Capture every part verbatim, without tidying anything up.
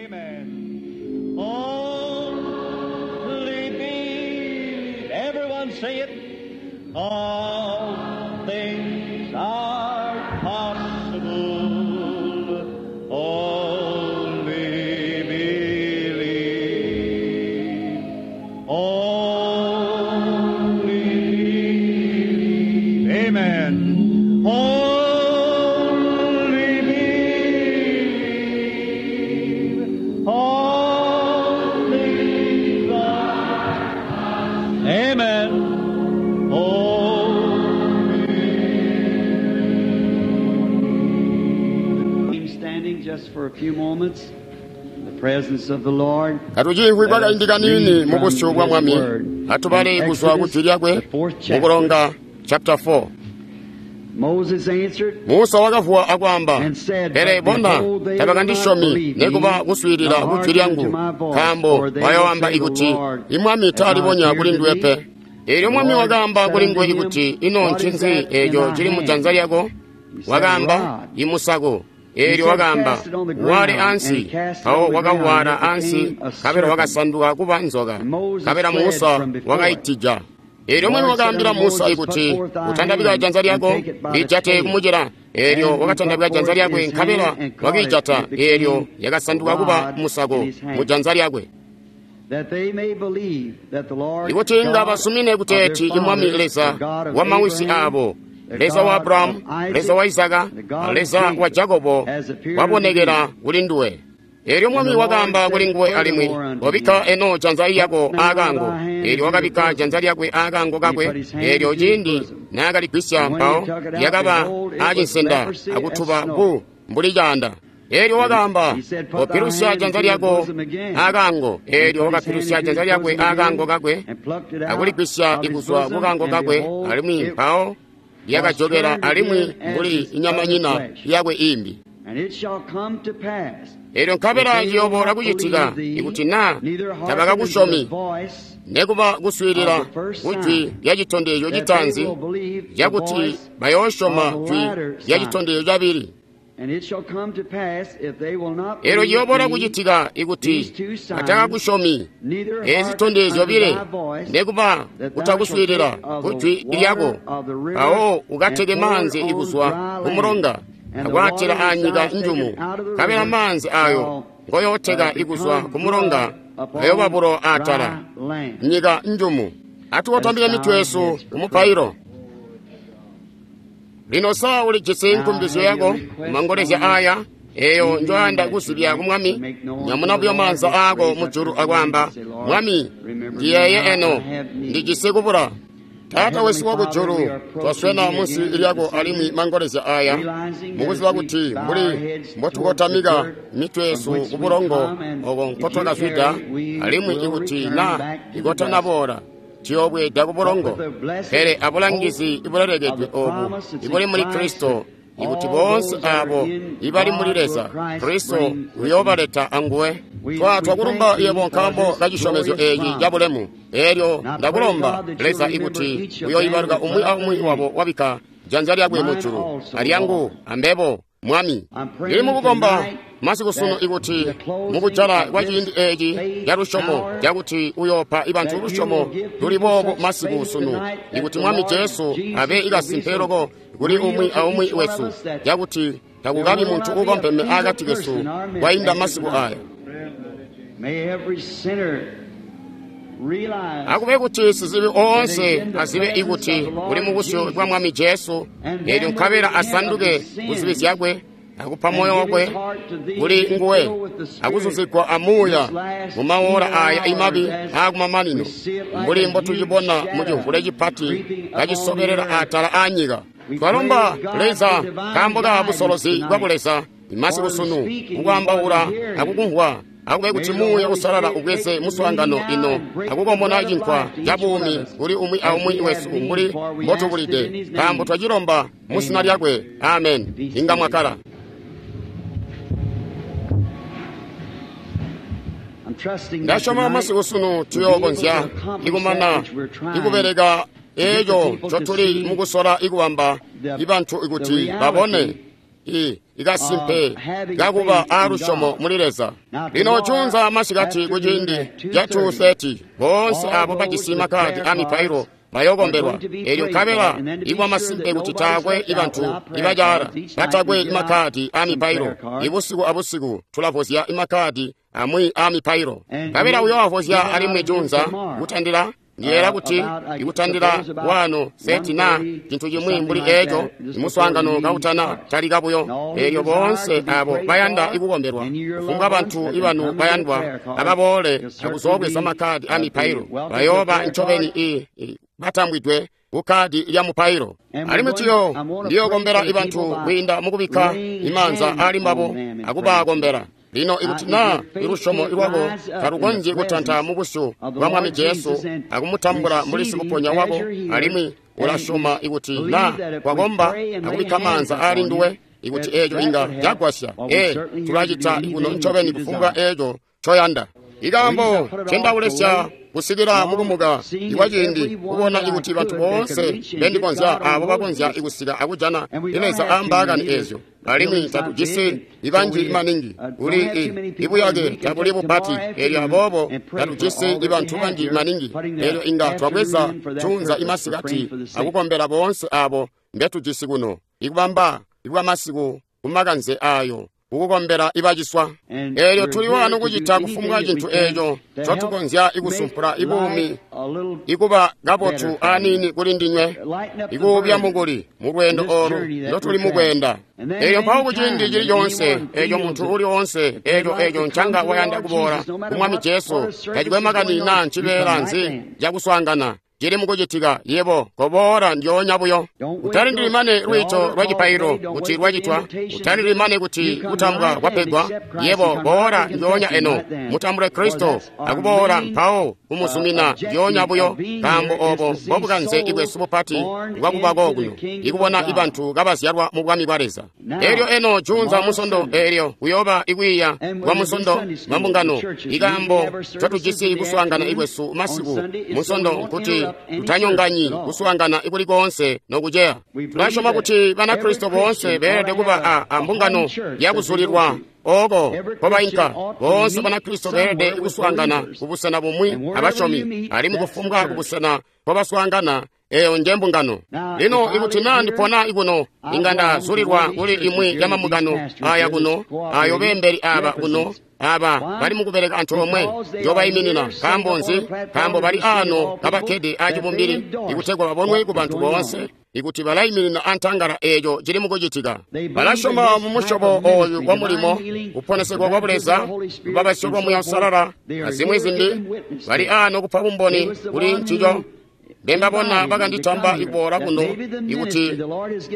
Amen. Only believe. Everyone say it. All things are possible. Only believe. Only believe. Amen. Only believe. All things are. Amen. Only. Standing just for a few moments in the presence of the Lord. Katucimvwi kwakaindi kanini mu busyu bwa Mwami, atubale kuzwa ku jwi lyakwe mu kulonga chapter four. Moses answered, Musa wakavuwa akwaamba, And said, pele But bona behold, they tabakandisyomi will not believe me, nikuba kuswiilila nor ku jwi hearken lyangu, to my voice, nkaambo for they bayoamba will say, ikuti The Lord imwami has not taalibonya appeared kuli to nduwe thee. pe. Eelyo The Mwami Lord wakaamba said kuli unto nguwe him, ikuti, ino What is ncinzi that in eeco thy cili mu janza hand? lyako? He said, A Wakaamba, rod. imusako. He Eelyo said, wakaamba, Cast it on the wale ground. And ansi. he cast it Mpawo on the ground, and wakawala it ansi, became a nkabela serpent. wakasanduka kuba nzoka. And Moses Nkabela fled Musa from before it. wakaitija. Eelyo The Mwami Lord said wakaambila unto Musa Moses, Put ikuti, forth thy utandabika hand janza and lyako take it by the lijate tail. kumucila. Eelyo And he wakatandabika put janza forth lyakwe his nkabela hand and caught it, and wakiijata. it became Eelyo a yakasanduka kuba rod in musako his mu hand. janza lyakwe. That they may believe that the Lord Ikuti inga God basumine of kuti their eti imwami fathers, the Leza God of wa mawisi Abraham, abo, the Leza wa God of Abrahamu, Leza wa Isaac, Isaka, and the God of Leza wa Jacob, Jakobo has appeared unto wabonekera thee. kuli nduwe. Eelyo And Mwami the Lord wakaamba kuli said nguwe alimwi, furthermore unto obikka him, eno janza Put lyako now aakango. thy hand Eelyo into the wakabikka bosom. janza lyakwe aakango And he kakwe. put his hand Eelyo into his ciindi bosom. naakaligwisya And when he mpawo took it out, lyakaba behold, it was aacinsenda leprosy as akutuba snow. bu mbuli caanda. Eelyo And wakaamba, he said, Put thy opilusya hand janza into your lyako bosom again. aakango. And he Eelyo put his hand wakapilusya into janza his lyakwe bosom aakango again, kakwe and plucked it out akuligwisya of his ikuzwa bosom, kukango and kakwe behold, alimwi it mpawo was lyakajokera turned alimwi again as mbuli his other inyamanyina flesh. yakwe imbi. And it shall come to pass, Eelyo if nkabela they will ciyoobola not kucitika believe thee, ikuti naa neither hearken unto the tabakakusyomi voice nekuba kuswiilila of the first ku jwi sign, lyacitondezyo that they citaanzi will believe the cakuti voice bayoosyoma of the jwi latter sign. lyacitondezyo cabili. And it shall come to pass, if they will not Eelyo believe ciyoobola thee, kucitika ikuti these two signs, batakakusyomi neither ezi hearken zitondezyo unto zyobile thy voice, nekuba that thou shalt kutakuswiilila take of ku the jwi lyako, water of the river mpawo and ukateke pour it maanzi on ikuzwa dry ku land. mulonga And the water akwaatila which aanyika thou hast njumu, taken out of the nkabela river maanzi ayo shall ngoyooteka uh, ikuzwa become ku mulonga blood upon ayoba bulo atala dry land. nyika njumu. Let us Atuwatambike bow mitwe our yesu heads for prayer. kumupailo. Lino saa ulijisi Now nkumbizyo have your yako request mangolezya on this aya eyo evening njoyanda that you'd kuzibya like ku to Mwami, make known to nyamuna the buyo Lord. maanza Just aako raise up mujulu your hand akwaamba, and say, Lord, Mwami, remember me ndiyeeye now. I eno have need. ndijisi kubula. Our Taata Heavenly wesu Father, we wakujulu, are approaching twaswena thee munsi again lyako this alimwi evening, mangolezya aya realizing that mukuziba as we kuti bow our mbuli heads towards the mbotukotamika dirt mitwe from yesu which ku we bulongo come, and oko if you nkotwakazwida tarry, we alimwi will ikuti return na back to the dust. ikotanaboola tuyoobweeda ku But bulongo. with the blessed Pele hope abulangizi of ibulelekedwe the obu promise that's in ibuli muli Christ, Kristo that ikuti all boonse those that are abo in ibali muli God will Leza Christ Kristo bring with him. uyoobaleta anguwe. We, Twa we twakulumba thank thee yebo for nkaambo this kacisyomezyo glorious eeci promise. cabulemu. Eelyo And I pray, ndakulomba God, that you'll Leza remember ikuti each of them uyoibaluka that umwi put up aumwi their wabo hand. wabikka janza lyakwe Mine mujulu also, alyangu Lord. ambebo Mwami. I'm Ndili praying mukukomba tonight masiku sunu that ikuti the closing mukujala of kwa this ciindi eeci faith ca lusyomo hour, cakuti uyoopa ibantu that you lusyomo will give luli people boobo such masiku faith sunu tonight that ikuti the Mwami Lord Jesu abe Jesus will be ikasimpe so loko kuli real umwi to aumwi each one of wesu us that cakuti there takukabi will muntu not be a uukompeme feeble akati person kesu in our midst kwainda after masiku tonight. aya. May every sinner realize Akube kuti sizibi that he's oonse in the azibe presence of ikuti the uli Lord mu busyu bwa Jesus, Mwami Jesu, and eelyo then will nkabela repent of asanduke his ku zibi sins zyakwe akupa and moyo give wakwe his heart to thee kuli to be nguwe filled with the Spirit akuzuzigwa in amuuya this last mu maola evil aya hour imabi as aakumamanino we see it like mbuli a huge mbotucibona mu shadow cimvule cipati creeping upon the kacisobelela earth. atala aanyika. We pray, Twalomba God, for Leza divine nkaambo ka guidance busolozi bwa tonight, buleza masiku for the sunu speaking and for the kukwaambaula hearing. akukumvwa akube May kuti the muuya Holy usalala Spirit ubweze take the meeting muswaangano now ino and break the akukomona bread of cinkwa life to ca each one of buumi us kuli umwi as aumwi we have wesu need, mbuli for we ask it in mbotubulide his nkaambo name. twacilomba mu zina Amen. lyakwe. Amen. Be Inga seated. mwakala. I'm trusting that Ndasyoma tonight masiku sunu we'll be able to tuyookonzya accomplish that ikumana which we're trying ikubeleka to get the eeco people to ncotuli see mukusola ikubamba the, ibantu the ikuti babone reality i ikasimpe kakuba aalusyomo muli Leza. Lino juunza masikati kuciindi ca two thirty boonse abo bajisi makkadi a mipailo bayokombelwa. Elyo nkabela ikwa masimpe kuti taakwe ibantu ibacaala batakwe imakkadi a mipailo. Ibusiku abusiku tulavozya imakkadi amwi a mipailo. Nkabela uyoavozya alimwi juunza kutandila ndiyeera kuti ikutandila wano seti na cintu cimwi mbuli eco imuswaangano kautana talika buyo. Elyo boonse abo bayanda ikukombelwa, kufumbwa bantu ibanu bayandwa ababoole akuzoobweza makkadi a mipailo, bayooba ncobeni i, i batambwidwe kukkadi lya mupailo. Alimwi ciyo ndiyokombela ibantu kwiinda mukubikka imaanza ali mbabo akubakombela. Lino ikuti naa ilusyomo lwako talukonzyi kutanta mu busyu bwa Mwami Jesu akumutambula mbuli sikuponya wako, alimwi ulasyoma ikuti naa wakomba akubikka maanza ali nduwe, ikuti eeco inga cagwasya, ee, tulacita kuno ncobeni kufumbwa eeco coyanda. Ikaambo ncendaulesya kusikila mukumuka ikwa ciindi kubona ikuti bantu boonse bendikonzya abo bakonzya ikusika akujana Leza aambaakani eezyo. Alimwi tatujisi ibanji maningi kuli ibuyake tabuli bupati, elyo aboobo tatujisi ibantu banji maningi. Elyo inga twabweza juunza imasikati akukombela boonse abo mbetujisi kuno, ikubamba ikwamasiku kumakanze ayo kukukombela ibaciswa. Elyo tuli wano kucita kufumbwa cintu eco ncotukonzya ikusumpula ibuumi ikuba kabotu aniini kuli ndinywe, ikuubya mukuli mu lweendo olu ndotuli mukweenda. Elyo mpawo kuciindi cili coonse eco muntu uli oonse eco eco ncanga wayanda kuboola ku Mwami Jesu, tacikwe makani naa ncibeela nzi cakuswaangana cili mukucitika, yebo koboola ndyoonya buyo. Utalindili mane lwiito lwa cipailo kuti lwacitwa, utalindili mane kuti kutambwa kwapegwa. Yebo boola ndyoonya eno, mutambule Kristo akuboola mpawo kumuzumina ndyoonya buyo, nkaambo obo mbobukanze ibwesu bupati bwakubako kuno, ikubona ibantu kabazyalwa mu bwami bwa Leza. Elyo eno juunza musondo elyo kuyooba ikwiiya kwa musondo mambungano. Ikaambo ncotujisi kuswaangana ikwesu masiku musondo nkuti tutanyonganyi kuswaangana ikuli koonse nokuceya. Tulasyoma kuti Banakristo boonse beelede kuba a, a mbungano yakuzulilwa oko kobainka. Boonse Banakristo beelede kuswaangana kubusena bumwi abasyomi, alimwi kufumbwa kubusena kobaswaangana eyo nje mbungano. Lino ikuti naa ndipona ikuno, inga ndazulilwa kuli imwi ya mambungano aya kuno, ayo beembeli aba kuno, aba bali mukubeleka antoomwe njobayiminina. Nkaambo nzi? Nkaambo bali ano kabakkede acibumbili ikutegwa babonwe ku bantu boonse ikuti balayiminina antangala eeco cili mukucitika. Balasyoma mu musyobo oyu wa mulimo, kuponesegwa kwa Buleza, lubabasyo lwa Muya Uusalala, azimwi zimbi. Bali ano kupa bumboni kuli ncico. Mbembabona bakanditamba ikuboola kuno ikuti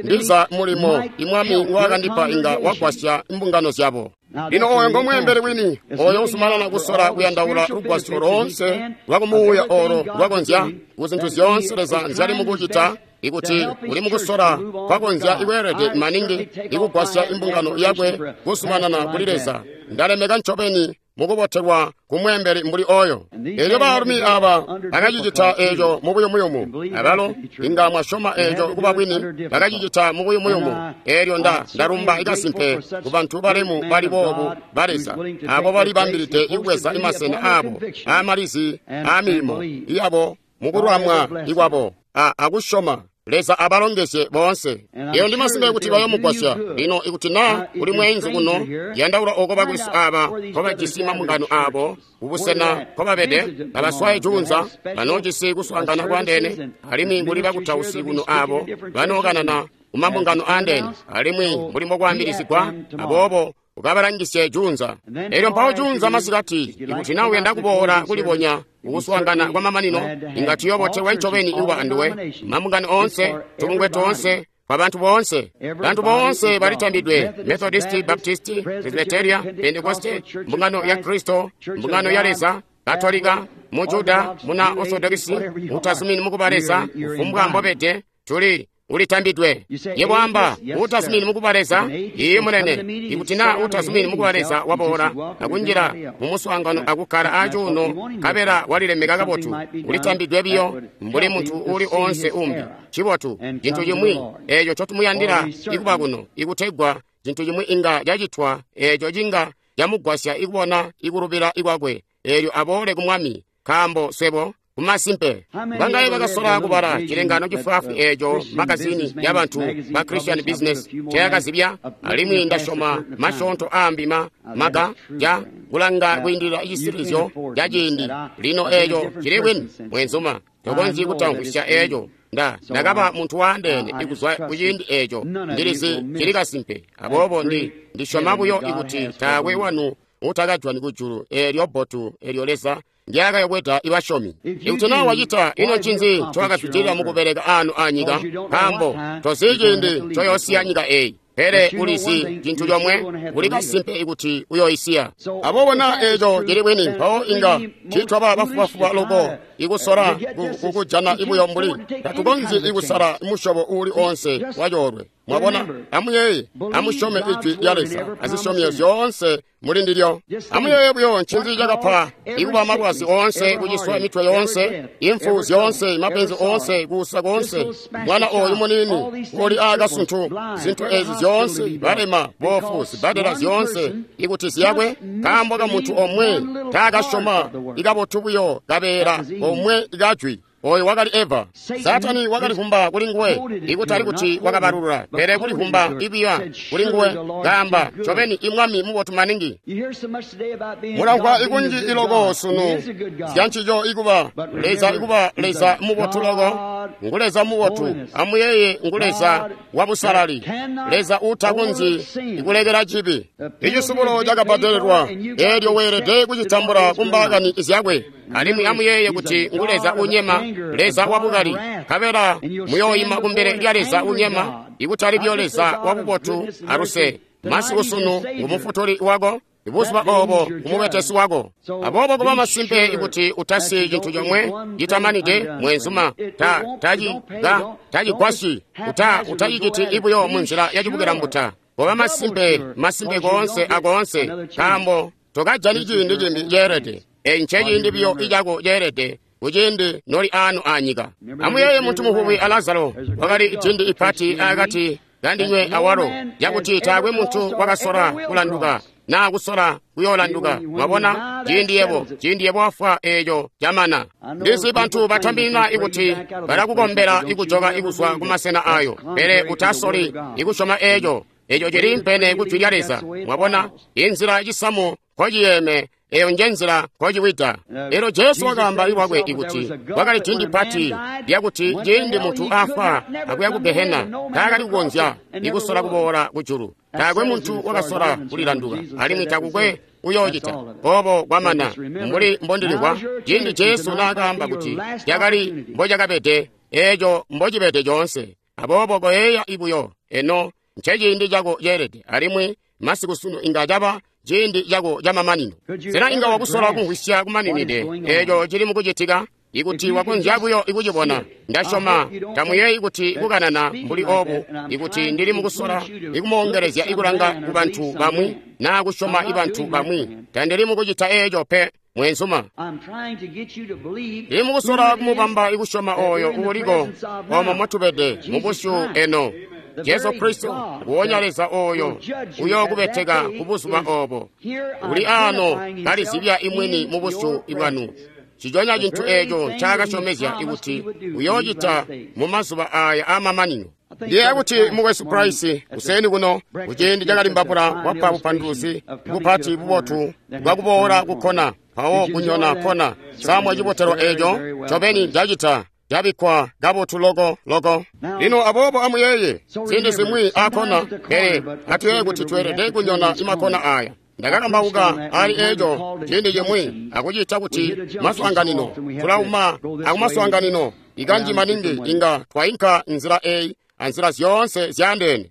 ndiza mulimo imwami ngwaakandipa inga wagwasya imbungano zyabo. Lino oyo ngomweembeli wini, oyo uzumanana kusola kuyandaula lugwasyo loonse lwakumuuya olo lwakonzya kuzintu zyoonse Leza nzyali mukucita, ikuti uli mukusola kwakonzya ikweelede maningi ikugwasya imbungano yakwe kuzumanana kuli Leza. Ndalemeka ncobeni mukubotelwa kumweembeli mbuli oyo. Elyo baalumi aba bakacicita eco mubuyumuyumu, abalo inga mwasyoma eco kuba bwini, bakacicita mubuyumuyumu. Elyo nda ndalumba ikasimpe ku bantu balemu bali boobu ba Leza, abo balibambilide ikubweza imasena abo aamalizi aamilimo iyabo mukulwamwa ikwabo a akusyoma. Leza abalongezye boonse. Eyo ndi masimpe kuti bayomugwasya. Lino ikuti naa uli mweenzu kuno, yandaula oko bakwesu aba nkobajisi mambungano abo kubusena nkobabede, babaswaye juunza banoojisi kuswaangana kwandeene, alimwi kuli bakutausi kuno abo banookanana kumambungano aandeene, alimwi mbuli mbokwaambilizigwa, aboobo ukabalangisye juunza. Elyo mpawo juunza masikati, ikuti naa uyanda kuboola kulibonya kukuswaangana kwa mamanino, inga tuyobotelwa ncobeni ikuba anduwe. Mambungano oonse, tubungwe toonse, kwa bantu boonse, bantu boonse balitambidwe: Methodisti, Baptisti, Presbyteria, Pentekoste, mbungano ya Kristo, mbungano ya Leza, Katolika, Mujuda, muna Orthodoxi, utazumini mukuba Leza, kufumbwa mbobede, tuli ulitambidwe. Yebo amba utazumini mukuba Leza, iye munene. Ikuti naa utazumini mukuba Leza waboola akunjila mumuswaangano akukkala acuuno nkabela walilemeka kabotu, ulitambidwe biyo mbuli muntu uli oonse umbi. Cibotu, cintu cimwi eeco ncotumuyandila ikuba kuno, ikutegwa cintu cimwi inga cacitwa eeco cinga camugwasya ikubona ikulubila ikwakwe eelyo aboole ku Mwami, nkaambo swebo kumasimpe bangaye bakasola kubala cilengano cifwaafwi eeco magazini yabantu ba Christian Business cayakazibya, alimwi ndasyoma masyoonto aambi ma maga ja kulanga kwiindilila icisilizyo ca ciindi. Lino eeco cili bwini, mwenzuma, tokonzyi kutamvwisya eeco. Nda ndakaba muntu waandeene ikuzwa kuciindi eeco. Ndilizi cili kasimpe, aboobo ndi ndisyoma buyo ikuti taakwe wanu utakajwani kujulu eelyo bbotu eelyo Leza ndyakayobweda ibasyomi. Ikuti naa wacita, ino ncinzi ncowakazwidilila mukubeleka aanu anyika? Nkaambo tozi ciindi ncoyoosiya nyika eeyi, pele ulizi cintu comwe, uli kasimpe ikuti uyoisiya. Aboobo naa eeco cili bwini, mpawo inga tiitwaba bafubafuba loko ikusola kukujana ibuyo mbuli tatukonzyi ikusala musyobo uuli oonse wacoolwe. Mwabona, amuyeeye, amusyome ijwi lya Leza azisyomyo zyoonse muli ndilyo. Amuyeeye buyo ncinzi cakapa ikuba malwazi oonse, kuciswa mitwe yoonse, imfu zyoonse, mapenzi oonse, kuusa koonse, mwana ooyu muniini uli aakasuntu, zintu ezi zyoonse, balema, boofu, zibbadela zyoonse, ikuti ziyakwe nkaambo ka muntu omwe taakasyoma ikabotu buyo kabeela omwe kajwi. Oyo wakali Eva. Satani wakalivumba kuli nguwe, ikutali kuti wakabalulula, pele kulivumba ibiya kuli nguwe, kaamba, ncobeni imwami mubotu maningi. Mulamvwa ikunji iloko sunu zyancico ikuba Leza, ikuba Leza mubotu loko, ngu Leza mubotu. Amuyeeye, ngu Leza wabusalali, Leza uutakonzyi ikulekela cibi. Icisubulo cakabbadelelwa, eelyo weelede kucitambula kumbaakani zyakwe. Alimwi amuyeeye kuti ngu Leza unyema, Leza wabukali, nkabela muyooyima kumbele lya Leza unyema, ikutali buyo Leza wabubotu aluse. Masiku sunu ngumufutuli wako, ibuzuba oobo ngumubetesi wako. Aboobo kuba masimpe ikuti utasiyi cintu comwe citamanide, mwenzuma, ta taci tacigwasyi, uta utaciciti ibuyo munzila yacibukilambuta. Kuba masimpe, masimpe koonse akoonse, nkaambo tokajani ciindi cimbi ceelede. Eeci nceciindi buyo icako ceelede kuciindi noli aanu anyika. Amuyeeye muntu muvubi a Lazaro, wakali dindi ipati akati kandinywe awalo, cakuti taakwe muntu wakasola kulanduka naa kusola kuyoolanduka. Mwabona, ciindi yebo ciindi yebo wafwa eeco camana. Ndizi bantu batambilina ikuti balakukombela ikujoka ikuzwa kumasena ayo, pele utasoli ikusyoma eeco. Eeco cili mpene kujwi lya Leza. Mwabona, inzila cisamu nkociyeeme, eyo njenzila nkociwida. Elyo Jesu wakaamba lwakwe ikuti kwakali dindi pati lyakuti ciindi muntu afwa akuya ku Gehena, taakali kukonzya ikusola kuboola kujulu. Taakwe muntu wakasola kulilanduka, alimwi takukwe uyoocita obo kwamana. Mbuli mbondilimvwa ciindi Jesu naakaamba kuti cakali mbocakabede, eeco mbocibede coonse. Aboobo koyeeya ibuyo eno nceciindi cako ceelede, alimwi masiku sunu inga caba ciindi cako camamanino. Sena inga wakusola kumvwisya kumaninide eeco cili mukucitika? Ikuti wakonzya buyo ikucibona, ndasyoma tamuyeeyi kuti kukanana mbuli obu, ikuti ndili mukusola ikumoongelezya ikulanga kubantu bamwi naa kusyoma ibantu bamwi. Tandili mukucita eeco pe, mwenzuma. Ndili mukusola kumubamba ikusyoma ooyo uuliko omo motubede mubusyu eno, Jesu Kristo, nguwonya Leza ooyo uyookubeteka kubuzuba oobo. Uli aano kalizibya imwini mubusyu bwanu. Ciconya cintu eeco ncaakasyomezya ikuti uyoocita mumazuba aaya aamamanino. Ndiyeeya kuti mukwesu Price kuseni kuno kuciindi cakalimbabula wapa bupanduluzi bupati bubotu bwakuboola kukkona mpawo kunyona kkona. Samwa cibotelwa eeco ncobeni cacita cabikkwa kabotu loko loko. Lino aboobo amuyeeye ziindi zimwi aakkona, pele atuyeeye kuti tweelede kunyona imakkona aaya. Ndakakambauka ali eeco ciindi cimwi akucita kuti maswaanganino tulauma akumaswaanganino ikanji maningi inga twainka nzila eyi anzila zyoonse zyaandeene.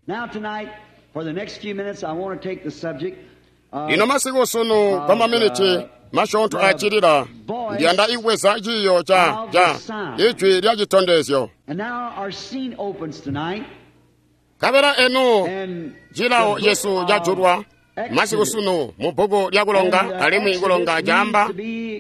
Lino masiku sunu kwa maminiti masyoonto acilila ndiyanda ikubweza ciiyo ca ca ijwi lya citondezyo. Kabela enu cilawo cesu cajulwa masiku sunu mu bbuku lya kulonga, alimwi kulonga caamba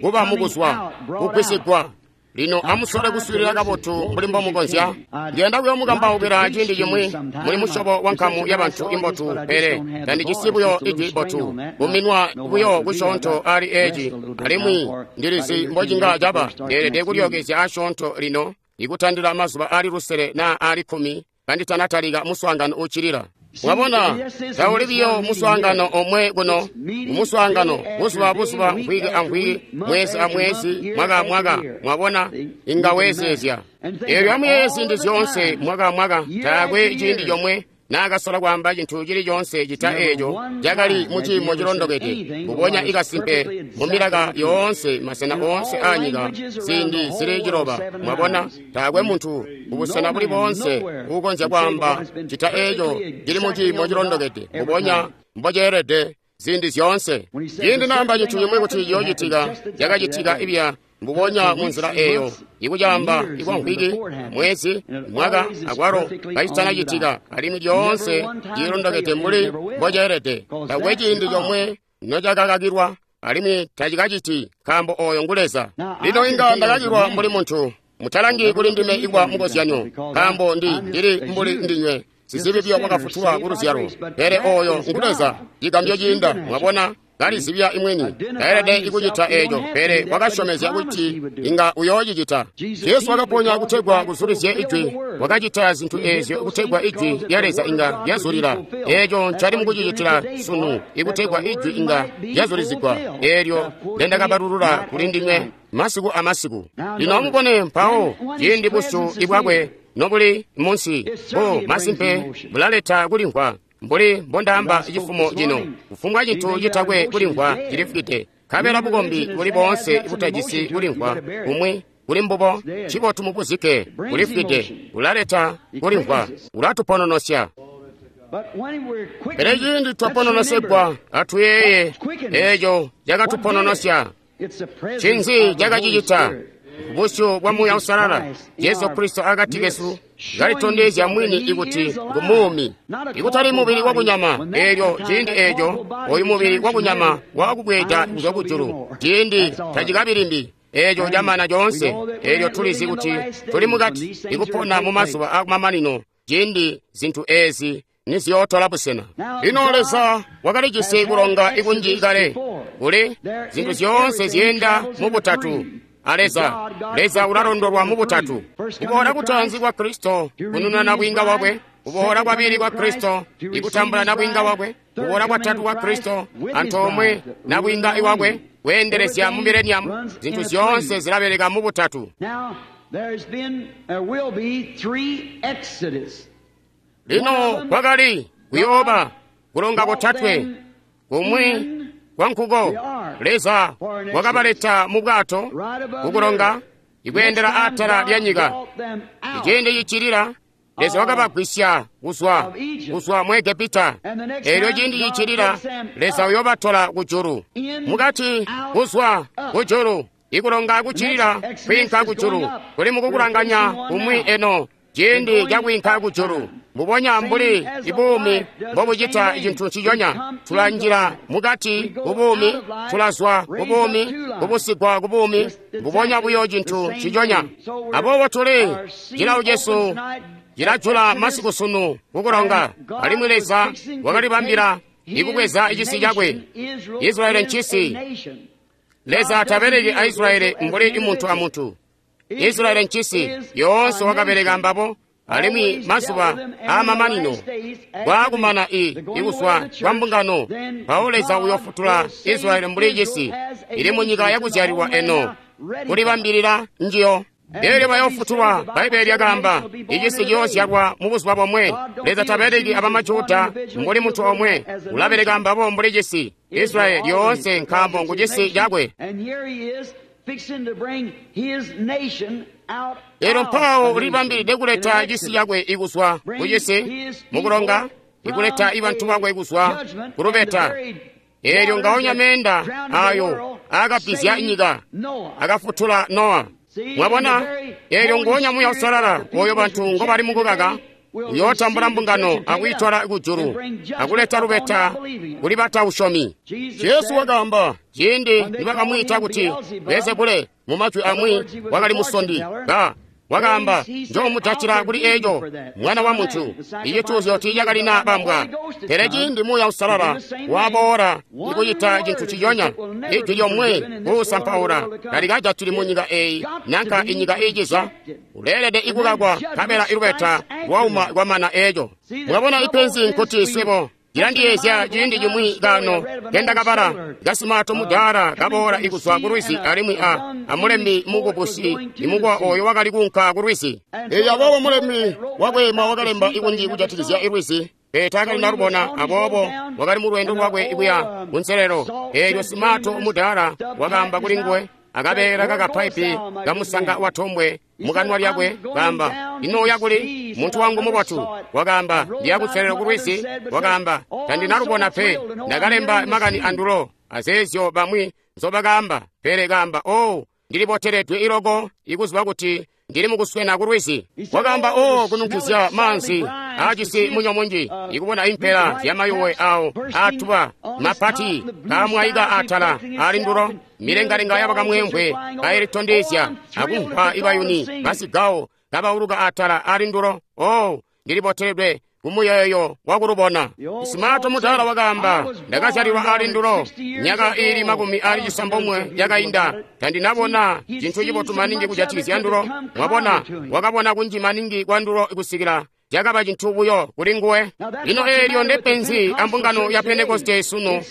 kuba mukuzwa, kugwisigwa. Lino amusole kuswiilila kabotu mbuli mbomukonzya. Ndiyanda kuyomukambaukila ciindi cimwi muli musyobo wa nkamu yabantu imbotu, pele tandijisi buyo ijwi botu, kuminwa buyo kusyoonto ali eci, alimwi ndilizi mbocinga caba. Ndeelede kulyookezya asyoonto lino, ikutandila mazuba ali lusele naa ali kkumi kanditanatalika muswaangano uccilila. Mwabona, tauli biyo muswaangano omwe kuno, muswaangano buzuba buzuba, mvwiki amvwiki, mwezi amwezi, mwaka amwaka. Mwabona, inga weezeezya eelyo amuyeeye ziindi zyoonse, mwaka amwaka, taakwe ciindi comwe naakasola kwaamba cintu cili coonse cita eeco cakali mu ciimo cilondokede, mbubonya ikasimpe mu milaka yoonse, masena oonse aanyika, ziindi zili ciloba. Mwabona, taakwe muntu kubusena buli boonse uukonzya kwaamba cita eeco cili mu ciimo cilondokede, mbubonya mboceelede ziindi zyoonse. Ciindi naamba cintu cimwi kuti ciyoocitika, cakacitika ibya mbubonya munzila eeyo, ikucaamba ikwamvwiki, mwezi, mwaka, akwalo kacitanacitika, alimwi lyoonse cilondokede mbuli mboceelede. Taakwe ciindi comwe nocakakakilwa, alimwi tacikaciti, nkaambo oyo ngu Leza. Lino inga ndakakilwa mbuli muntu. Mutalangi kuli ndime ikwa mukozyanyo, nkaambo ndi ndili mbuli ndinywe, sizibi biyo mwakafutulwa ku luzyalo. Pele oyo ngu Leza, cigambyo ciinda. Mwabona, kalizibya imwini, taelede ikucita eeco, pele wakasyomezya kuti inga uyoocicita. Jesu wakaponya kutegwa kuzulizye ijwi, wakacita zintu eezyo kutegwa ijwi lya Leza inga lyazulila. Eeco ncali mukucicitila sunu, ikutegwa ijwi inga lyazulizigwa, eelyo ndendakabalulula kuli ndinywe masiku amasiku. Lino amubone mpawo ciindi busyu ibwakwe nobuli munsi, bu masimpe bulaleta kulimvwa mbuli mbondaamba cifumo cino. Kufumbwa cintu citakwe kulimvwa cilifwide, nkabela bukombi buli boonse butajisi kulimvwa kumwi kuli mbubo, cibotu mubuzike, bulifwide. Bulaleta kulimvwa, bulatupononosya. Pele ciindi twapononosegwa, atuyeeye eeco cakatupononosya. Ncinzi cakacicita? Busyu bwa Muuya Uusalala, Jesu Kristo akati kesu, kalitondezya mwini ikuti ngumuumi, ikutali mubili wakunyama. Eelyo ciindi eeco oyu mubili wakunyama wakubweeda kuzwa kujulu, ciindi tacikabi limbi. Eeco camana coonse. Eelyo tulizi kuti tuli mukati ikupona mu mazuba akumamanino, ciindi zintu eezi niziyootola busena. Lino Leza wakalijisi kulonga ikunji kale, kuli zintu zyoonse zyeenda mu butatu. A Leza, Leza ulalondolwa mu butatu. Kuboola kutaanzi kwa Kristo kunununa nabwiinga wakwe, kuboola kwabili kwa Kristo ikutambula nabwiinga wakwe, kuboola kwatatu kwa Kristo antoomwe nabwiinga iwakwe kweendelezya mu mileniamu. Zintu zyoonse zilabeleka mu butatu. Lino kwakali kuyooba kulonga kotatwe, kumwi kwa nkuko Leza wakabaleta mu bwato kukulonga ikweendela atala lya nyika. Iciindi cicilila Leza wakabagwisya kuzwa kuzwa mu Egepita. Eelyo ciindi cicilila Leza uyoobatola kujulu, mukati kuzwa kujulu, ikulonga kucilila kwiinka kujulu kuli mukukulanganya kumwi eno ciindi cakwiinka kujulu. Mbubonya mbuli ibuumi mbobucita cintu nciconya, tulanjila mukati kubuumi, tulazwa kubuumi, kubusigwa kubuumi, mbubonya buyo cintu nciconya. Aboobo tuli cilawo cesu cilajula masiku sunu kukulonga, alimwi Leza wakalibambila ikubweza cisi cakwe. Israeli ncisi. Leza tabeleki a Israeli mbuli muntu amuntu. Israeli ncisi yoonse wakabeleka mbabo, alimwi mazuba aamamanino kwaakumana i ikuzwa kwa mbungano, mpawo Leza uyofutula Israeli mbuli cisi ili munyika yakuzyalilwa eno kulibambilila njiyo. Eelyo bayofutulwa, Bbaibele lyakaamba, icisi ciyoozyalwa mu buzuba bomwe. Leza tabeleki abamajuda mbuli muntu omwe, ulabeleka mbabo mbuli cisi Israeli yoonse, nkaambo ngu cisi cakwe. Eelyo mpawo ulibambilide kuleta cisi cakwe ikuzwa kucisi mukulonga, ikuleta ibantu bakwe kuzwa kulubeta. Eelyo ngaonya meenda ayo aakabizya nyika akafutula Nowa. Mwabona, eelyo nguonya Muuya Uusalala oyo bantu ngobali mukukaka uyootambula mbungano akuyitola kujulu akuleta lubeta kuli batausyomi. Jesu wakaamba ciindi nibakamwiita kuti Beelzebule, Mu majwi amwi wakali musondi. Ba wakaamba, Njoomujatila kuli eco, mwana wa muntu. Icituuzyo tiicakalina bambwa. Pele ciindi Muuya Uusalala waboola ikucita cintu ciyonya, ijwi lyomwe kuusampaula talikajatili mu nyika eyi nanka inyika iiciza. Uleelede ikukakwa, nkabela ilubeta lwauma kwamana eco. Mwabona ipenzi nkuti swebo cilandiyeezya ciindi cimwi kano kendakabala kasimato mudaala kaboola ikuzwa ku lwizi alimwi a amulembi mukubusi imukwa oyo wakali kuunka ku lwizi. Eyo aboobo mulembi wakweema wakalemba ikunji kujatikizya ilwizi, pele taakali nalubona. Aboobo wakali mu lwendo lwakwe kuya kunselelo. Eelyo simato mudaala wakaamba kuli nguwe akabeela kakapaipi kamusanga wa tombwe mukanwa lyakwe, kaamba, Ino kuli muntu wangu mubotu. Wakaamba, ndiya kunselelo ku lwizi. Wakaamba, tandinalubona pe, ndakalemba makani andulo azeezyo bamwi nzobakaamba. Pele kaamba, oh, ndiliboteledwe iloko ikuziba kuti ndili mukuswena ku lwizi. Wakaamba, oh, kununkizya maanzi aajisi munyo munji, ikubona impela zyamayuwe awo aatuba mapati kaamwaika atala ali ndulo, milengalenga yabakamwemvwe kailitondezya, akumvwa ibayuni basigawo kabauluka atala ali ndulo. Oh, ndiliboteledwe kumuyeeyo wakulubona. Simato mudaala wakaamba, ndakazyalilwa ali ndulo myaka iili makumi ali cisambomwe yakainda, tandinabona cintu cibotu maningi kujatikizya ndulo. Mwabona, wakabona kunji maningi kwa ndulo kusikila cakaba cintu buyo kuli nguwe. Lino eelyo ndepenzi ambungano ya Pentekoste sunu,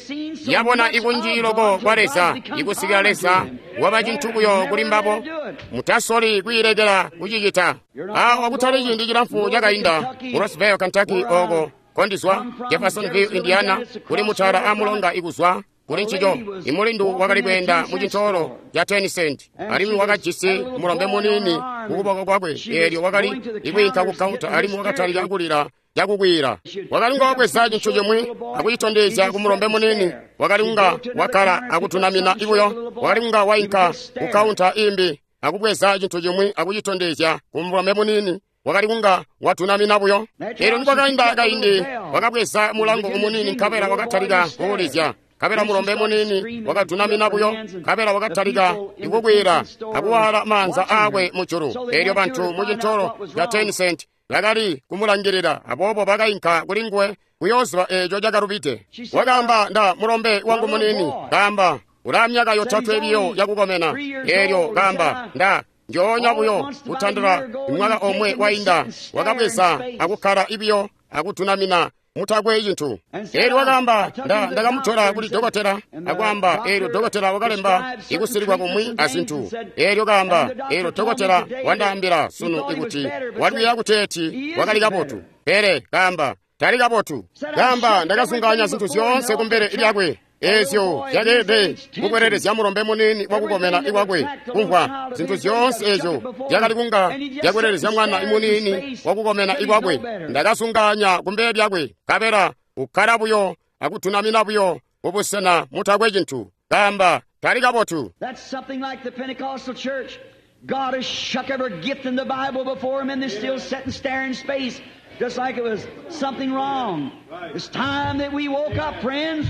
yabona ikunji loko kwa Leza ikusikila Leza waba cintu buyo kuli mbabo. Mutasoli kwiilekela kucicita. Awa kutali ciindi cilamfu cakainda mu Rossville, Kentucky, oko kondizwa Jeffersonville, Indiana, kuli mutala amulonga ikuzwa kuli ncico. Imulindu wakali kweenda mu cintoolo ca ten cent, alimwi wakajisi mulombe muniini kukuboko kwakwe. Eelyo wakali ikwiinka ku kaunta, alimwi wakatalika kulila cakukwiila. Wakali kunga wabweza cintu cimwi akucitondezya ku mulombe muniini, wakali kunga wakkala akutunamina ibuyo. Wakali kunga wainka ku kaunta imbi akubweza cintu cimwi akucitondezya ku mulombe muniini, wakali kunga watunamina buyo. Eelyo nikwakainda kaindi, wakabweza mulango umuniini nkabela wakatalika kuulizya. Nkabela mulombe muniini wakatunamina buyo, nkabela wakatalika ikukwila akuwaala maanza aakwe mujulu. Eelyo bantu mu cintoolo ca ten cent bakali kumulangilila, aboobo bakainka kuli nguwe kuyooziba eeco cakalubide. Wakaamba, nda mulombe wangu muniini, kaamba, ulaa myaka yotatwe biyo yakukomena. Eelyo kaamba, nda njoonya buyo kutandila mwaka omwe wainda, wakabweza akukkala ibiyo akutunamina mutakwe cintu. Eelyo wakaamba, nda ndakamutola kuli dokotela, akwaamba, eelyo dokotela wakalemba ikusilikwa kumwi azintu. Eelyo kaamba, eelyo dokotela wandaambila sunu ikuti walwiya kuteeti wakali kabotu, pele kaamba tali kabotu. Kaamba, ndakazunganya zintu zyoonse kumbele lyakwe eezyo zyakeelede kukwelelezya mulombe muniini wakukomena ikwakwe kumvwa zintu zyoonse eezyo zyakali kunga zyakwelelezya mwana imuniini wakukomena ikwakwe. Ndakazunganya kumbele lyakwe, nkabela ukkala buyo akutunamina buyo mubusena mutakwe cintu. Kaamba, tali kabotu. That's something like the Pentecostal church. God has shook every gift in the Bible before him, and they still sit and stare in space, just like it was something wrong. It's time that we woke up, friends.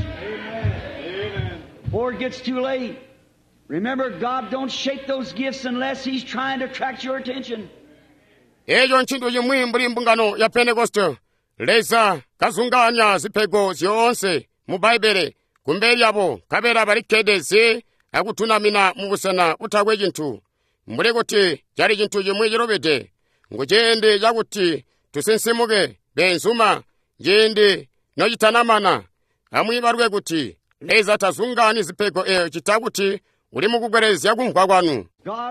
Before it gets too late. Remember, God don't shake those gifts unless He's trying to attract your attention. Eeco ncintu cimwi mbuli mbungano ya Pentekoste. Leza kazunganya zipego zyoonse mu Bbaibbele kumbele lyabo, nkabela balikkede zi akutunamina mubusena butakwe cintu, mbuli kuti cali cintu cimwi cilubide. Ngu ciindi cakuti tusinsimuke, beenzuma, ciindi nocitanamana. Amwiibaluke kuti Leza tazungani zipego eeyo cita kuti uli mukukwelelezya kumvwa kwanu.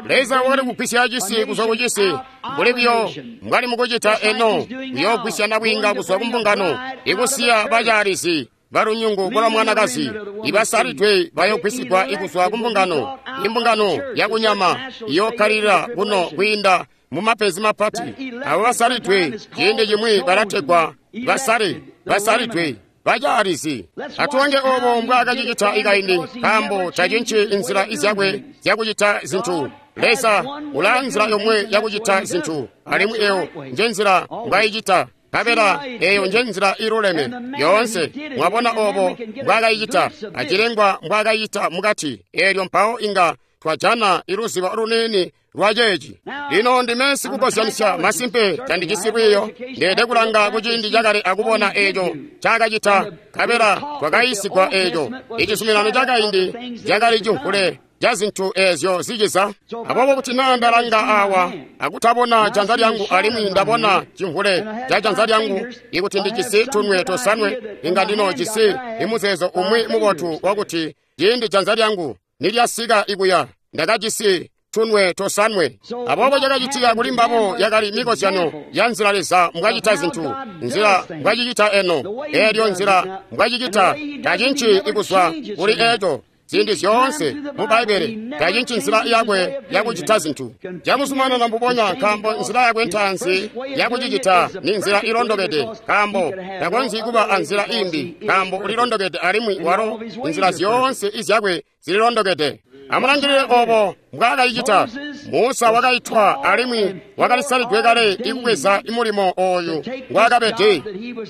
Leza wakali kugwisya cisi kuzwa ku cisi, mbuli buyo mbwali mukucita eno, kuyoogwisya nabwiinga kuzwa ku mbungano, ikusiya bacaalizi balunyungu lwa mwanakazi ibasalidwe bayogwisigwa ikuzwa ku mbungano. Imbungano yakunyama iyokkalilila kuno kwiinda mu mapenzi mapati. Abo basalidwe ciindi cimwi balategwa basale, basalidwe bacaalizi. Atulange obo mbwaakacicita ikaindi, nkaambo tacinci inzila izyakwe zyakucita zintu. Leza ulaa nzila yomwe yakucita zintu, alimwi eyo njenzila mbwayicita. Nkabela eyo njenzila iluleme yoonse. Mwabona obo mbwaakayicita, acilengwa mbwaakayicita mukati. Eelyo mpawo inga twajana iluzibo luniini lwa ceeci. Lino ndime sikukozyanisya masimpe tandijisi lwiiyo. Ndeede kulanga kuciindi cakale akubona eeco ncaakacita, nkabela twakayiisigwa eeco. Icizuminano cakaindi cakali cimvule ca zintu eezyo ziciza. Aboobo kuti naa ndalanga awa akutabona janza lyangu alimwi ndabona cimvule ca janza lyangu, ikuti ndijisi tunwe tosanwe, inga ndinoojisi imuzeezo umwi mubotu wakuti ciindi janza lyangu nilyasika ikuya ndakajisi tunwe tosanwe. Aboobo cakacitika kuli mbabo yakali mikozyano ya nzila Leza mbwacita zintu, nzila mbwacicita eno, eelyo nzila mbwacicita tacinci ikuzwa kuli eeco. Ziindi zyoonse mu Bbaibbele tacinci nzila yakwe yakucita zintu. Cakuzumanana mbubonya, nkaambo nzila yakwe ntaanzi yakucicita ni nzila ilondokede, nkaambo takonzyi kuba anzila imbi, nkaambo ulilondokede alimwi walo inzila zyoonse izyakwe zililondokede. Amulangilile obo mbwaakayicita. Musa wakaitwa alimwi wakalisalidwe kale ikubweza imulimo ooyu ngwaakabede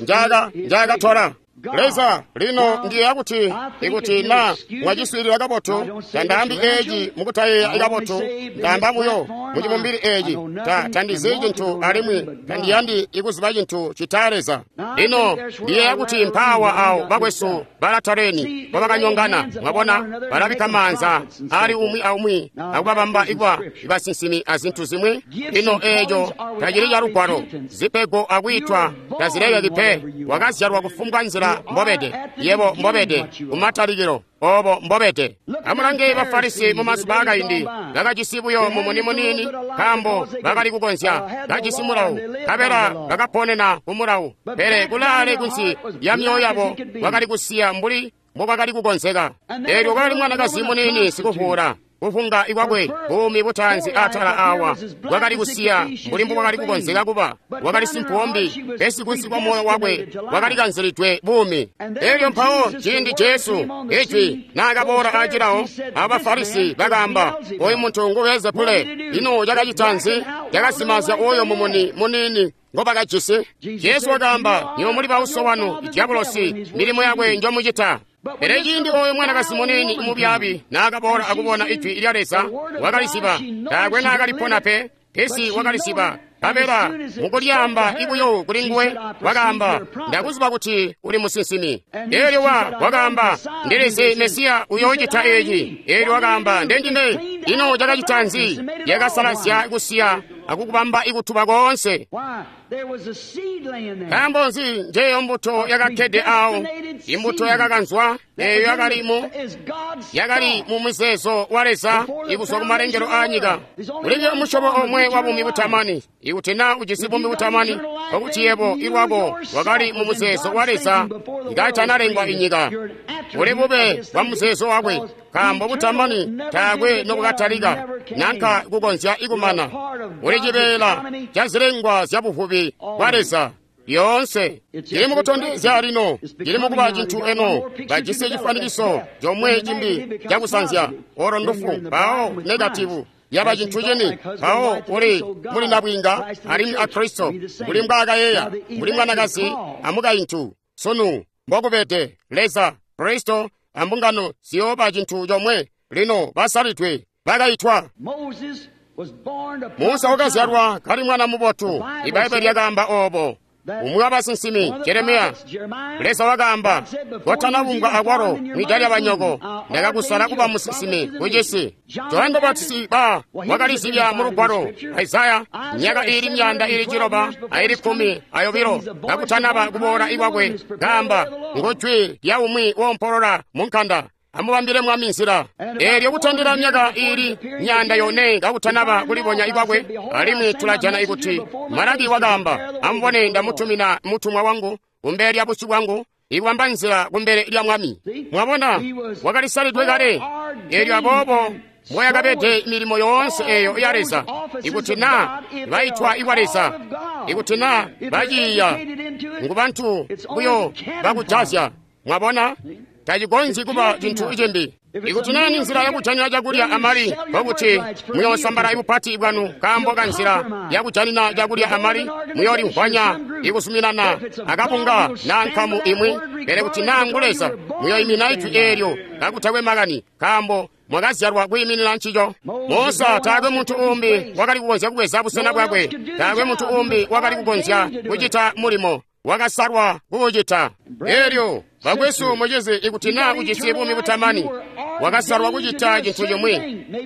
njaka njaakatola. Leza lino ndiyeeya kuti ikuti na mwaciswiilila kabotu, tandaambi eeci mukutayeeya kabotu, ndaamba buyo mucibumbili eeci. Ta tandizi cintu alimwi tandiyandi ikuziba cintu cita Leza. Lino ndiyeeya kuti mpaawa awo bakwesu balataleni mbobakanyongana, mwabona, balabikka maanza ali umwi aumwi akubabamba ikuba basinsimi azintu zimwi. Lino eeco tacili calugwalo. Zipego akwiitwa tazilekeki pe. Wakazyalwa kufumbwa nzila mbobede, yebo mbobede kumatalikilo, obo mbobede. Amulange Bafarisi mu mazuba akaindi, bakajisi buyo mumuni muniini, nkaambo bakali kukonzya, kajisi mulawu, nkabela bakaponena ku mulawu, pele kulaale kunsi ya myoyo yabo bakali kusiya mbuli mbokwakali kukonzeka. Eelyo kwakali mwanakazi muniini sikuvuula, kuvunga ikwakwe buumi butaanzi atala awa bwakali kusiya mbuli mbubwakali kukonzeka kuba, wakali simpuwombi, pesi kunsi kwa moyo wakwe wakali kanzilidwe buumi. Elyo mpawo ciindi Jesu ijwi naakaboola acilawo, abo Bafarisi bakaamba, oyu muntu ngu Belzebule. Ino cakacita nzi? Cakazimazya oyo mumuni muniini ngobakajisi. Jesu wakaamba, nywebo muli bauso wanu Diabolosi, milimo yakwe njomucita. Pele ciindi oyo mwanakazi muniini mubyaabi naakaboola akubona ijwi lya Leza, wakaliziba. Taakwe naakalipona pe, pesi wakaliziba. Nkabela mukulyaamba ibuyo kuli nguwe, wakaamba, ndakuziba kuti uli musinsimi. Eelyo wa wakaamba, ndilizi Mesiya uyoocita eeci. Eelyo wakaamba, ndendime. Ino cakacita nzi? Yakasalazya kusiya akukubamba ikutuba koonse. Nkaambo nzi njeyo mbuto yakakkede awo, imbuto yakakanzwa eeyo yakali mu yakali mu muzeezo wa Leza ikuzwa ku malengelo aanyika. Ulibe musyobo omwe wa buumi butamani. Ikuti naa ujisi buumi butamani, nkokuti yebo ilwako wakali mu muzeezo wa Leza ngaitanalengwa inyika. Uli bube bwa muzeezo wakwe, nkaambo butamani taakwe nobukatalika nanka kukonzya ikumana. Uli cibeela ca zilengwa zya buvubi bwa Leza lyoonse. Cili mukutondezya lino, cili mukuba cintu eno. Bajisi cifwanikiso comwe cimbi cakusanzya, olo ndufu, mpawo negativu yaba cintu cini, mpawo uli muli nabwiinga alimwi a Kristo, mbuli mbwaakayeeya, mbuli mwanakazi amukaintu. Sunu mbokubede Leza, Kristo ambungano ziyooba cintu comwe. Lino basalidwe bakaitwa. Musa wakazyalwa kali mwana mubotu, Ibbaibbele lyakaamba obo. Umwi wabasinsimi Jeremiya, Leza wakaamba, kotanabumbwa akwalo mwida lyabanyoko, ndakakusala kuba musinsimi kucisi. Johane Mubapatizi ba wakalizibya mu lugwalo Isaya myaka iili myanda iili ciloba aili kkumi ayobilo kakutanaba kuboola ikwakwe, kaamba, ngujwi lya umwi woompolola mu nkanda, amubambile Mwami nzila. Eelyo kutandila myaka iili myanda yone kakutanaba kulibonya ikwakwe, alimwi tulajana ikuti Malaki wakaamba, amubone ndamutumina mutumwa wangu kumbele lya busyu bwangu, ikubamba nzila kumbele lya Mwami. Mwabona, wakalisalidwe kale. Eelyo aboobo mboyakabede milimo yoonse eeyo ya Leza, ikuti naa baitwa ikwa Leza, ikuti naa baciiya, ngu bantu buyo bakujazya. Mwabona, tacikonzyi kuba cintu cimbi. Ikuti naa ni nzila yakujanina cakulya amali, nkokuti muyoosambala ibupati bwanu nkaambo ka nzila yakujanina cakulya amali, muyoolimvwanya ikuzuminana akabunga naa nkamu imwi. Pele kuti naa ngu Leza, muyoimina ijwi eelyo kakutakwe makani, nkaambo Mwakazyalwa kwiiminina ncico. Musa taakwe muntu umbi wakali kukonzya kubweza busena bwakwe. Taakwe muntu umbi wakali kukonzya kucita mulimo. Wakasalwa kuucita. Elyo bakwesu mucizi, ikuti naa ujisi buumi butamani, wakasalwa kucita cintu cimwi.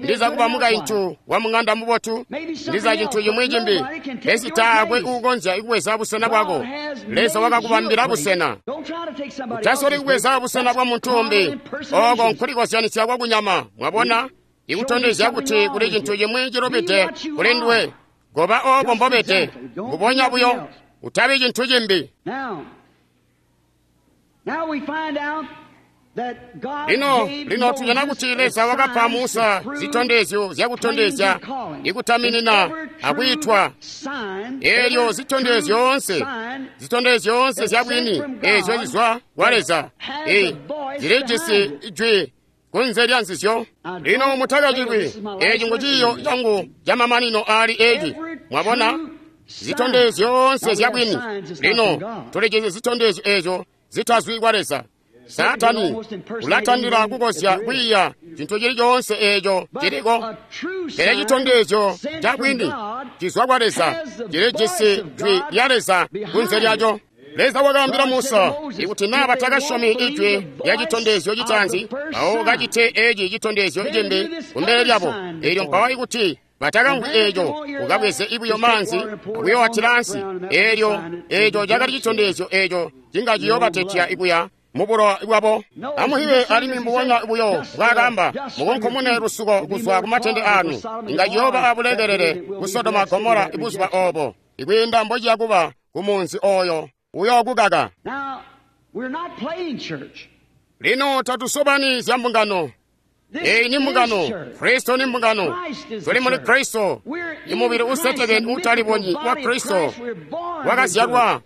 Ndiza kuba mukaintu wa mung'anda mubotu, ndiza cintu cimwi cimbi, pesi taakwe uukonzya kubweza busena bwako. Leza wakakubambila busena. Utasoli kubweza busena bwa muntu umbi. Oko nkulikozyanisya kwa kunyama. Mwabona, ikutondezya kuti kuli cintu cimwi cilubide kuli nduwe. Goba obo mbobede, mbubonya buyo. Utabi cintu cimbi. Lino, lino tujana kuti Leza wakapa Musa zitondezyo zyakutondezya ikutaminina akwiitwa. Elyo zitondezyo zyoonse, zitondezyo zyoonse zyabwini ezyo zizwa kwa Leza, e zilijisi jwi kunze lya nzizyo. Lino mutakacilwi, eci ngu ciiyo cangu camamanino aali eci. Mwabona? Zitondezyo zyoonse zyabwini. Lino tulijisi zitondezyo ezyo zitazwi kwa Leza. Saatani ulatandila kukozya kwiiya cintu cili coonse eco ciliko, pele citondezyo ca bwini cizwa kwa Leza cilijisi jwi lya Leza kunze lyaco. Leza wakaambila Musa ikuti naa batakasyomi ijwi lya citondezyo citaanzi, mpawo kacite eci citondezyo cimbi kumbele lyabo. Elyo mpawo ikuti batakamvwi eco, ukabweze ibuyo maanzi akuyowatila ansi. Elyo eco cakali citondezyo eco cinga ciyoobatetya ikuya mubulowa bwabo. Amuhiwe alimwi mbubonya buyo bwakamba, mukunkumune lusuko kuzwa kumatende anu. Inga ciyooba abulekelele ku Sodoma Gomora ibuzuba obo, ikwiinda mbociya kuba ku munzi oyo uyookukaka. Lino tatusobani zya mbungano. Eyi ni mbungano. Kristo ni mbungano. Tuli muli Kristo, imubili usetekene utalibonyi wa Kristo wakazyalwa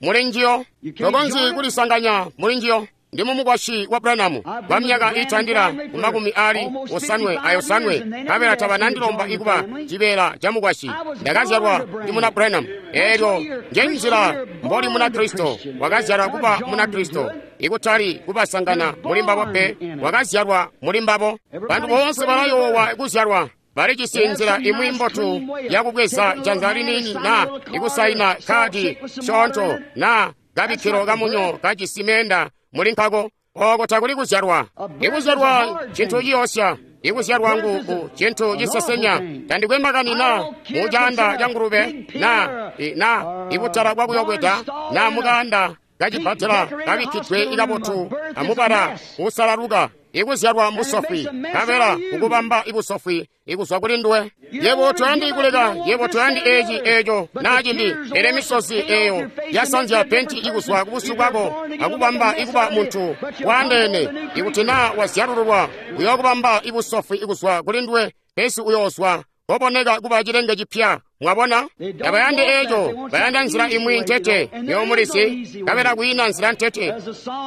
muli njiyo. Tokonzyi kulisanganya muli njiyo. Ndi mumukwasyi wa Branham kwa myaka itandila ku makumi ali osanwe ayosanwe, nkabela tabanandilomba ikuba cibeela ca mukwasyi. Ndakazyalwa ndi muna Branham. Elyo nje nzila mboli muna Kristo. Wakazyalwa kuba muna Kristo, ikutali kubasangana muli mbabo pe. Wakazyalwa muli mbabo. Bantu boonse balayoowa kuzyalwa. Balijisi nzila imwi mbotu yakubweza janza liniini na ikusaina kadi syoonto na kabikkilo kamunyo kajisi meenda muli nkako. Oko takuli kuzyalwa. Ikuzyalwa cintu ciyoosya. Ikuzyalwa ngu cintu cisesenya. Tandikwe makani na mucaanda ca ngulube na na ibutala bwakuyobweda na mukaanda kacipatela kabikkidwe ikabotu amubala usalaluka. Ikuzyalwa mbusofwi, nkabela kukubamba ibusofwi ikuzwa kuli nduwe. Yebo toyandi kuleka, yebo toyandi eci eco naa cimbi, pele misozi eyo yasanzya penti ikuzwa kubusyu bwako akubamba ikuba muntu waandeene. Ikuti naa wazyalululwa, uyookubamba ibusofwi ikuzwa kuli nduwe, pesi uyoozwa koboneka kuba cilenge cipya. Mwabona, tabayandi eco, bayanda nzila imwi ntete yoomulisi, nkabela kwiina nzila ntete.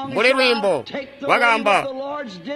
Mbuli lwiimbo wakaamba,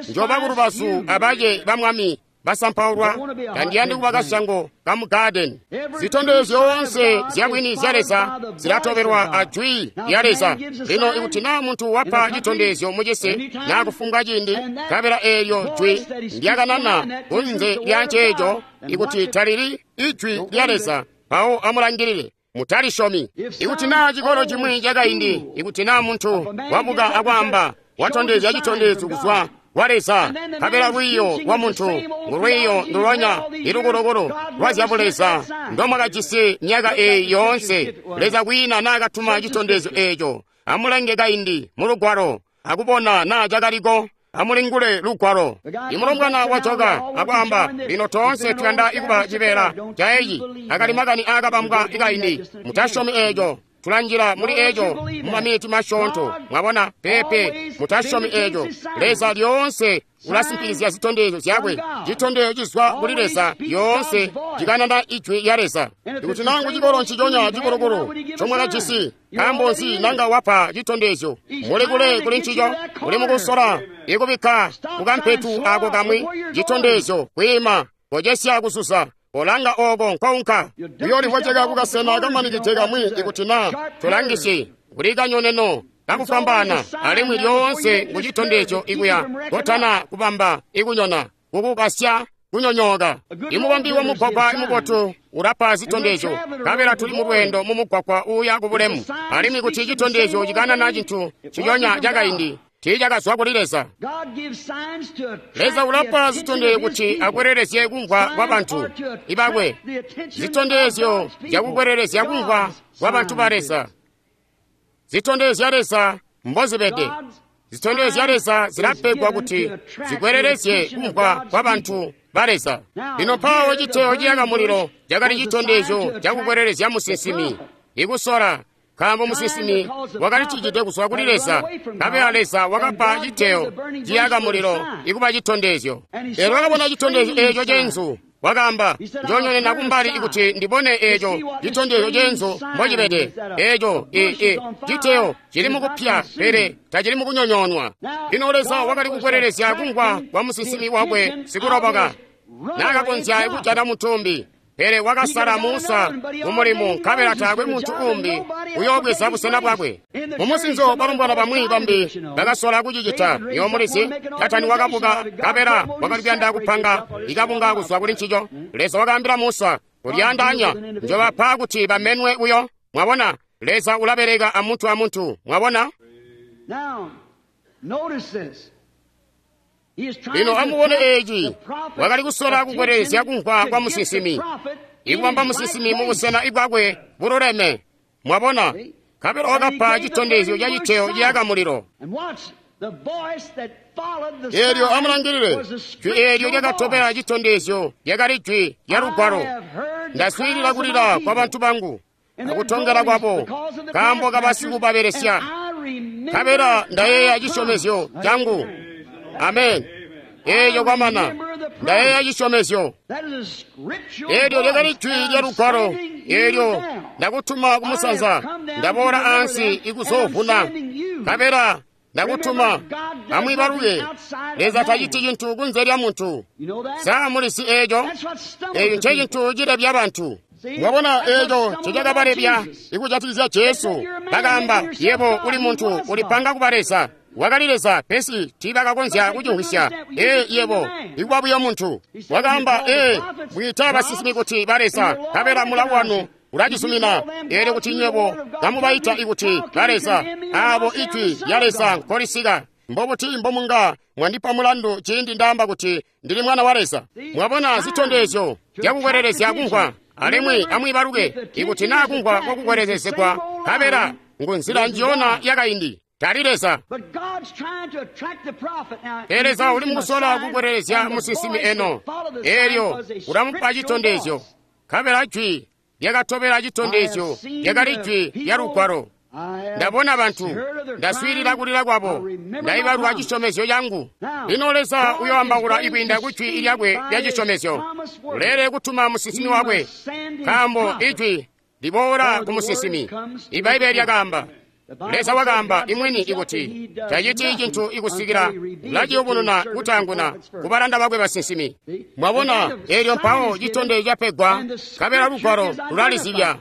njoba kulubazu abace ba Mwami basampaulwa, tandiyandi kuba kasyango kamu gadeni. Zitondezyo zyoonse zyabwini zya Leza zilatobelwa a jwi lya Leza. Lino ikuti naa muntu wapa citondezyo mucisi naa kufumbwa ciindi, nkabela eelyo jwi ndyakanana kunze lya nceeco, ikuti talili ijwi lya Leza, mpawo amulangilile. Mutalisyomi. Ikuti naa cikolo cimwi cakaindi, ikuti naa muntu wabuka akwaamba, watondezya citondezyo kuzwa kwa Leza, nkabela lwiiyo lwa muntu ngulwiiyo ndulonya ilukulukulu lwa zyabuleza ndomwakajisi myaka eyi yoonse. Leza kwiina naakatuma citondezyo eeco. Amulenge kaindi mu lugwalo akubona naa cakaliko. Amulingule lugwalo. Imulombwana wajoka akwaamba, lino toonse tuyanda ikuba cibeela ca eci. Akali makani aakabambwa ikaindi. Mutasyomi eeco. Tulanjila muli eco mumaminiti masyoonto. Mwabona? Pepe, mutasyomi eco. Leza lyoonse ulasimpikizya zitondezyo zyakwe. Citondezyo cizwa kuli Leza lyoonse cikanana ijwi lya Leza. Ikuti nangu cikolo nciconya cikulukulu comwakajisi, nkaambo nzi nanga wapa citondezyo? Muli kule kuli ncico. Muli mukusola ikubikka kukampetu ako kamwi citondezyo kwiima kocesya kuzuza. Olanga oko nkounka uyoolivweceka kukasena kamanikide kamwi. Ikuti naa tolangisi kuli kanyoneno kakufwambaana, alimwi lyoonse ngucitondezyo ikuya kotana kubamba ikunyona. kukukasya kunyonyooka. Imubambi wa mugwagwa imubotu ulapa zitondezyo, nkabela tuli mulweendo mu mugwagwa uuya ku bulemu. Alimwi kuti citondezyo cikanana cintu ciyonya cakaindi, tiicakazwa kuli Leza. Leza ulapa zitondezyo kuti akwelelezye kumvwa kwa bantu ibakwe, zitondezyo zyakukwelelezya kumvwa kwa bantu ba Leza. Zitondezyo zya Leza mbozibede. Zitondezyo zya Leza zilapegwa kuti zikwelelezye kumvwa kwa bantu ba Leza. Lino mpawo citeyo ciyaka mulilo cakali citondezyo cakukwelelezya musinsimi ikusola, nkaambo musinsimi wakali cijide kuzwa kuli Leza, nkabela Leza wakapa citeyo ciyaka mulilo ikuba citondezyo. Eelyo wakabona citondezyo eeco ceenzu, wakaamba, njoonyonena kumbali ikuti ndibone eeco citondezyo ceenzu mbocibede. Eeco i citeyo cili mukupya, pele tacili mukunyonyoonwa. Lino Leza wakali kukwelelezya kumvwa kwa musinsimi wakwe sikuloboka, naakakonzya kujana mutumbi. Pele wakasala Musa mumulimu, nkabela taakwe muntu umbi uyoobweza busena bwakwe. Mumusinzo balombwana bamwi bambi bakasola kucicita. Niwo mulizi, Datani wakabuka, nkabela wakali kuyanda kupanga ikabunga kuzwa kuli ncico. Leza wakaambila Musa, kulyaandaanya njobapa kuti bamenwe buyo. Mwabona, Leza ulabeleka amuntu amuntu. Mwabona? Lino amubone eeci, wakali kusola kukwelelezya kumvwa kwa musinsimi, ikubamba musinsimi mubusena ibwakwe bululeme. Mwabona, nkabela wakapa citondezyo ca citeyo ciyaka mulilo. Eelyo amulangilile, jwi eelyo lyakatobela citondezyo lyakali jwi lya lugwalo. Ndaswiilila kulila kwa bantu bangu akutongela kwabo nkaambo kabasikubabelesya, nkabela ndayeeya cisyomezyo cangu. Amen. Eeyo kwamana, ndayeeya cisyomezyo. Eelyo lyakali jwi lya lugwalo. Eelyo ndakutuma kumusanza, ndaboola ansi ikuzoovuna, nkabela ndakutuma. Amwiibaluke, Leza taciti cintu kunze lya muntu. Sa mulisi eeco? Eeco ncecintu cilebya bantu. Mwabona, eeco ncecakabalebya ikujatikizya Jesu. Bakaamba, yebo uli muntu, ulipanga kuba Leza. Wakali Leza, pesi tiibakakonzya kucimvwisya. Ee, yebo, ikuba buyo muntu. Wakaamba, ee, mwiita basinsimi kuti ba Leza, nkabela mulawo wanu ulacizumina. Eelyo kuti nywebo kamubaita ikuti ba Leza, aabo ijwi lya Leza nkolisika, mbobuti mbomunga mwandipa mulandu ciindi ndaamba kuti ndili mwana wa Leza? Mwabona zitondezyo zyakukwelelezya kumvwa. Alimwi amwiibaluke, ikuti naa kumvwa kwakukwelelezegwa, nkabela ngunzila njiyona yakaindi, tali Leza. Pele Leza uli mukusola kukwelelezya musinsimi eno. Eelyo ulamupa citondezyo, nkabela jwi lyakatobela citondezyo lyakali jwi lya lugwalo. Ndabona bantu, ndaswiilila kulila kwabo, ndaibalwa cisyomezyo cangu. Lino Leza uyoambaula ikwiinda ku jwi lyakwe lya cisyomezyo. Uleelede kutuma musinsimi wakwe, nkaambo ijwi liboola ku musinsimi. Ibbaibbele lyakaamba, Leza wakaamba imwini ikuti taciti cintu ikusikila ulaciyubununa kutaanguna kubalanda bakwe basinsimi. Mwabona, eelyo mpawo citondezyo capegwa, nkabela lugwalo lulalizibya.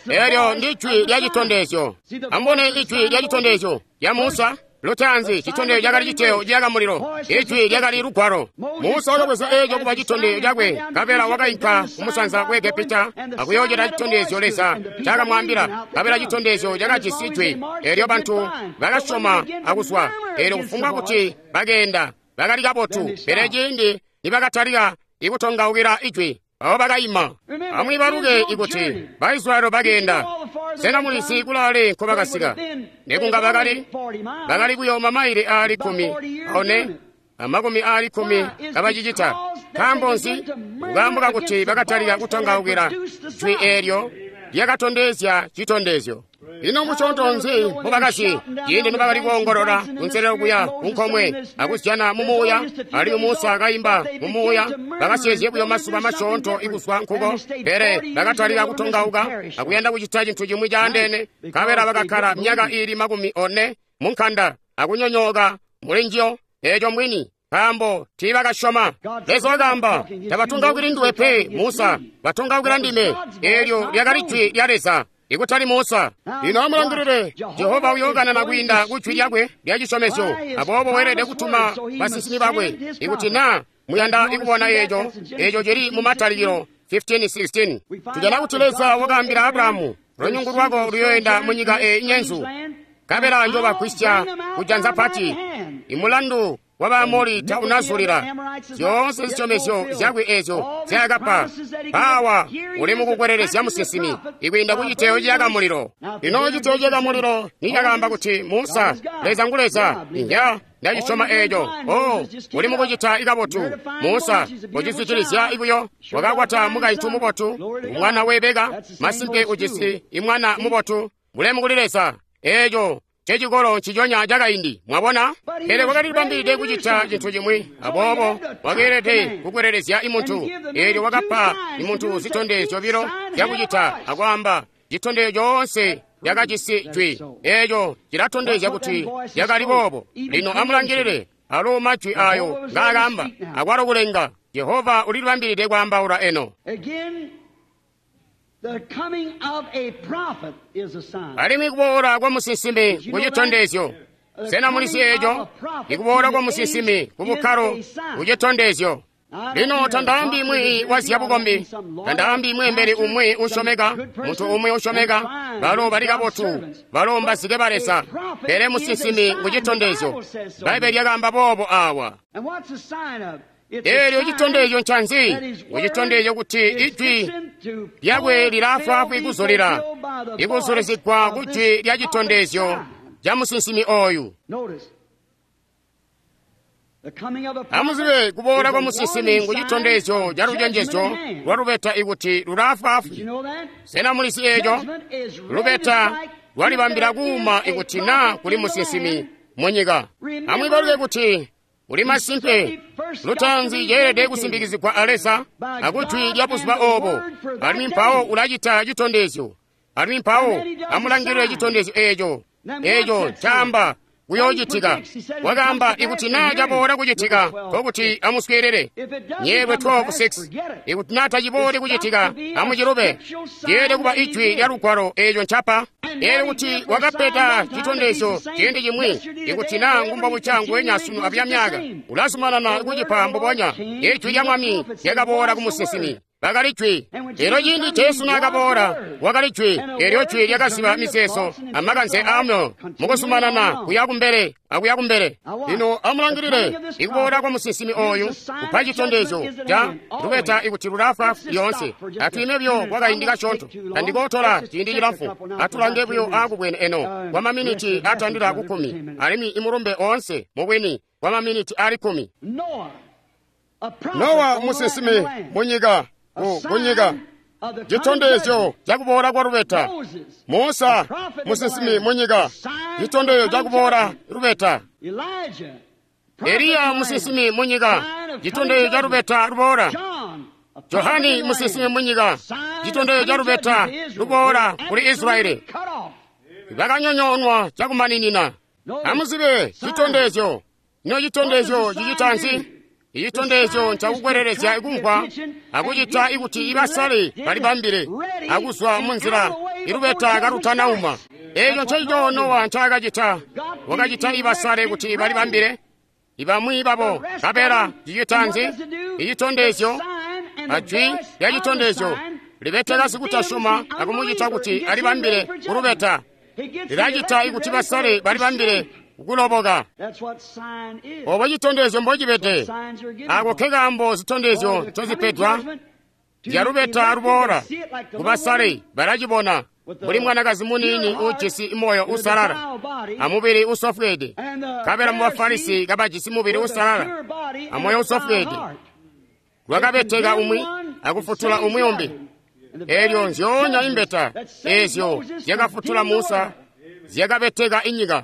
Eelyo ndi jwi lya citondezyo. Amubone ijwi lya citondezyo lya Musa. Lutaanzi citondezyo cakali citeyo ciyaka mulilo, ijwi lyakali lugwalo. Musa wakabweza eeco kuba citondezyo cakwe, nkabela wakainka kumusanza ku Egepita akuyoocita citondezyo Leza ncakamwaambila. Nkabela citondezyo cakajisi jwi, eelyo bantu bakasyoma akuzwa. Eelyo kufumbwa kuti bakeenda bakali kabotu, pele ciindi nibakatalika ikutongaukila ijwi, abo bakaima. Amwiibaluke ikuti Baisilayeli bakeenda. Sena mulizi kulaale nkobakasika? Nekunga bakali bakali kuyooma maile aali kkumi one amakumi aali kkumi kabacicita. Nkaambo nzi? Nkaambo kakuti bakatalika kutongaukila jwi eelyo lyakatondezya citondezyo. Lino musyoonto nzi mbobakazyi ciindi nibakali kuongolola kunselelo kuya kunkomwe akuzyana mumuuya, alimwi Musa kaimba mumuuya, bakasyeezye buyo masuba masyoonto ikuzwa nkuko, pele bakatalika kutongauka akuyanda kucita cintu cimwi caandeene, nkabela bakakkala myaka iili makumi one munkanda akunyonyooka mulinjiyo. Eeco mbwini, nkaambo tiibakasyoma. Leza wakaamba, tabatongaukili nduwe pe Musa, batongaukila ndime. Eelyo lyakali jwi lya Leza, ikutali Musa. Lino amulangilile, Jehova uyookanana kwiinda ku jwi lyakwe lya cisyomezyo. Aboobo weelede kutuma basinsimi bakwe. Ikuti naa muyanda ikubona eco, eco cili mu Matalikilo fifteen sixteen. Tujana kuti Leza wakaambila Abrahamu, lunyungu lwako luyoenda mu nyika eyi nyenzu, nkabela njobagwisya kujanza pati. Imulandu wa Baamori taunazulila. Zyoonse zisyomezyo zyakwe ezyo zyakapa pawa uli mukukwelelezya musinsimi ikwiinda ku citeyo ciyaka mulilo. Lino citeyo ciyaka mulilo nicakaamba kuti Musa, Leza ngu Leza, inya ndacisyoma eco. Oh, uli mukucita ikabotu Musa, ucizwidilizya ibuyo. Wakakwata mukaintu mubotu, umwana webeka, masimpe ujisi imwana mubotu. Bulemu kuli Leza. Eco cecikolo nciconya cakaindi, mwabona? Pele wakalibambilide kucita cintu cimwi, aboobo wakeelede kukwelelezya imuntu. Eelyo wakapa imuntu zitondezyo zyobilo zyakucita, akwaamba citondezyo coonse lyakajisi jwi. Eeco cilatondezya kuti lyakali boobo. Lino amulangilile alo majwi ayo ngaakamba, akwalo kulenga. Jehova ulilibambilide kwaambaula eno. Alimwi kuboola kwa musinsimi kucitondezyo. Sena mulisi eco? Ikuboola kwa musinsimi kubukkalo kucitondezyo. Lino tandaambi mwiiyi wa zyabukombi, tandaambi mweembeli umwi usyomeka, muntu umwi usyomeka, balo bali kabotu, balo mbazike ba Leza. Pele musinsimi ngucitondezyo. Bbaibbele lyakaamba boobo awa. Eelyo citondezyo ncanzi? Kucitondezyo kuti ijwi lyakwe lilaafwaafwi kuzulila, ikuzulizigwa kujwi lya citondezyo ca musinsimi oyu. Amuzibe kuboola kwa musinsimi ngucitondezyo ca lucenjezyo lwa lubeta ikuti lulaafwaafwi. Sena mulisi eco? Lubeta lwalibambila kuuma ikuti naa kuli musinsimi munyika. Amwiibaluke kuti uli masimpe lutaanzi ceelede kusimbikizigwa a Leza akujwi lya buzuba obo, alimwi mpawo ulacita citondezyo, alimwi mpawo amulangilile citondezyo eco. Eco caamba kuyoocitika. Wakaamba ikuti naa caboola kucitika, nkokuti amuswiilile. Nyeelwe twelve six. Ikuti naa tacibooli kucitika, amucilube. Ceelede kuba ijwi lya lugwalo eeco ncapa. Eelyo kuti wakapeta citondezyo ciindi cimwi, ikuti naa ngumbobuca nguwenya sunu abuya myaka, ulazumanana kucipa mbubonya. Ijwi lya Mwami lyakaboola ku musinsimi. Bakali jwi. Eelyo ciindi Jesu naakaboola, wakali jwi. Eelyo jwi lyakaziba mizeezo amakanze aamyoyo mukuzumanana kuya kumbele akuya kumbele. Lino amulangilile ikuboola kwa musinsimi oyu kupa citondezyo ca lubeta ikuti lulaafwaafwi lyoonse. Atwiime buyo kwakaindi kasyoonto, tandikootola ciindi cilamfu. Atulange buyo aakubwene eno kwa maminiti atandila ku kkumi, alimwi imulumbe oonse mubwini kwa maminiti ali kkumi. Nowa musinsimi munyika kunyika citondezyo cakuboola kwa lubeta. Musa musinsimi munyika citondezyo cakuboola lubeta. Eliya musinsimi munyika citondezyo ca lubeta luboola. Johani musinsimi munyika citondezyo ca lubeta luboola kuli Israeli. Bakanyonyoonwa cakumaninina. Amuzibe citondezyo. Ino citondezyo cicita nzi? Icitondezyo ncakukwelelezya ikumvwa akucita ikuti ibasale balibambile akuzwa munzila ilubeta kalutanauma. Eco ncencico Nowa ncaakacita. Wakacita ibasale kuti balibambile ibamwi babo. Nkabela cicita nzi? Icitondezyo ajwi lya citondezyo libeteka sikutasyoma akumucita kuti alibambile kulubeta. Lilacita ikuti basale balibambile kuloboka. Obo citondezyo mbocibede. Ako ke kaambo zitondezyo ncozipedwa. Lyalubeta luboola kubasale balacibona mbuli mwanakazi muniini uujisi moyo uusalala amubili usofweede, nkabela mu Bafarisi kabajisi mubili uusalala amoyo usofweede. Lwakabeteka umwi akufutula umwi umbi. Eelyo nzyoonya imbeta eezyo zyakafutula Musa zyakabeteka inyika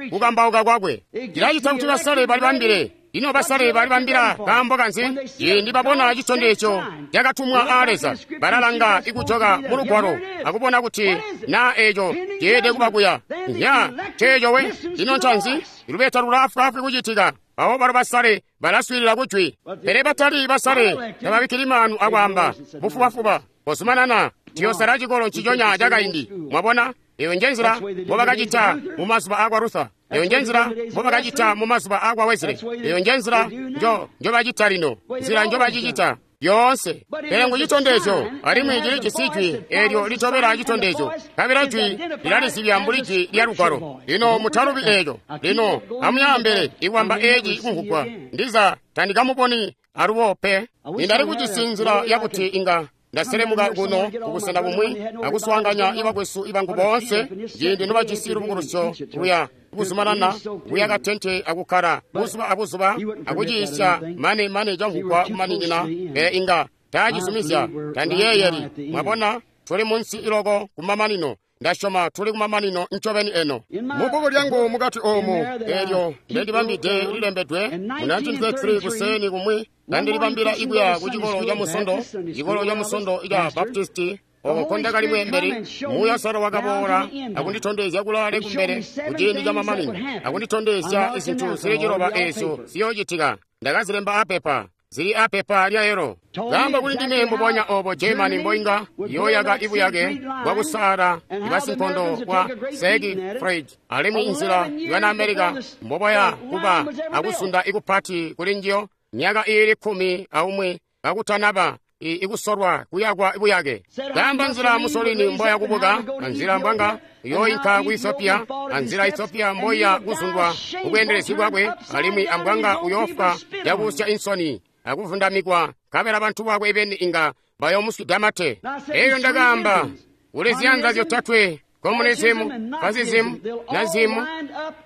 kukambauka kwakwe. Cilacita kuti basale balibambile. Ino basale balibambila kaambo kanzi? Ciindi babona citondezyo cakatumwa aa Leza, balalanga ikujoka mu lugwalo akubona kuti naa eeco ceelede kuba kuya. Nya ceeco we. Ino ncanzi? Ilubeta lulaafwaafwi kucitika. Abo balo basale balaswiilila kujwi, pele batali basale tababikkili maanu akwaamba bufubafuba. Kozumanana, tuyosala cikolo nciconya cakaindi. Mwabona? Eyo nje nzila mbobakacita mu mazuba akwa Luther. Eyo nje nzila mbobakacita mu mazuba akwa Wesley. Eyo nje nzila njo njobacita lino, nzila njobacicita yoonse. Pele ngu citondezyo, alimwi cili jisi jwi eelyo litobela citondezyo. Kabila jwi lilalizibya mbuli jwi lya Lugwalo. Lino mutalubi eeco. Lino amuyaambele ikwamba eeci kumvugwa. Ndiza tandikamuboni alubo pe. Nindali kujisi nzila yakuti inga ndaselemuka kuno kubusena bumwi akuswaanganya ibakwesu ibangu boonse ciindi nobajisi lubukulusyo luya kuzumanana kuyaka tente akukkala buzuba abuzuba akuciisya mane mane camvugwa kumaninina, pele inga taacizumizya. Tandiyeeyeli. Mwabona, tuli munsi iloko kumamanino. Ndasyoma tuli kumamanino ncobeni eno. Mubbuku lyangu mukati oomu eelyo ndendibambide lilembedwe mu nineteen thirty-three kuseeni kumwi kandilibambila ikuya ku cikolo ca Musondo, cikolo ca Musondo ica Baptisti, oko nkondakali mweembeli. Muuya Sara wakaboola akunditondezya kulaale kumbele kuciindi ca mamanino, akunditondezya izintu zili ciloba eezyo ziyoocitika. Ndakazilemba apepa, zili apepa lya yelo. Kaamba kuli ndime mbubonya obo Germany mboinga yoyaka ibuyake bwakusaala ibasinkondo bwa Siegfried, alimwi inzila ibana America mboboya kuba akusunda ikupati kuli njiyo myaka iili kkumi aumwi kakutanaba ikusolwa kuyakwa buyake. Kaamba nzila Mussolini mboya kubuka, anzila mbwanga yoinka ku Ethiopia, anzila Ethiopia mboya kuzundwa kubweendelezi bwakwe, alimwi ambwanga uyofwa yakusya insoni akuvundamikwa, nkabela bantu bakwe beni inga bayomuswida mate. Eyo ndakaamba kuli ziyanza zyotatwe, communism, fascism, nazism,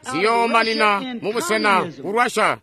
ziyoomanina mubusena ku Russia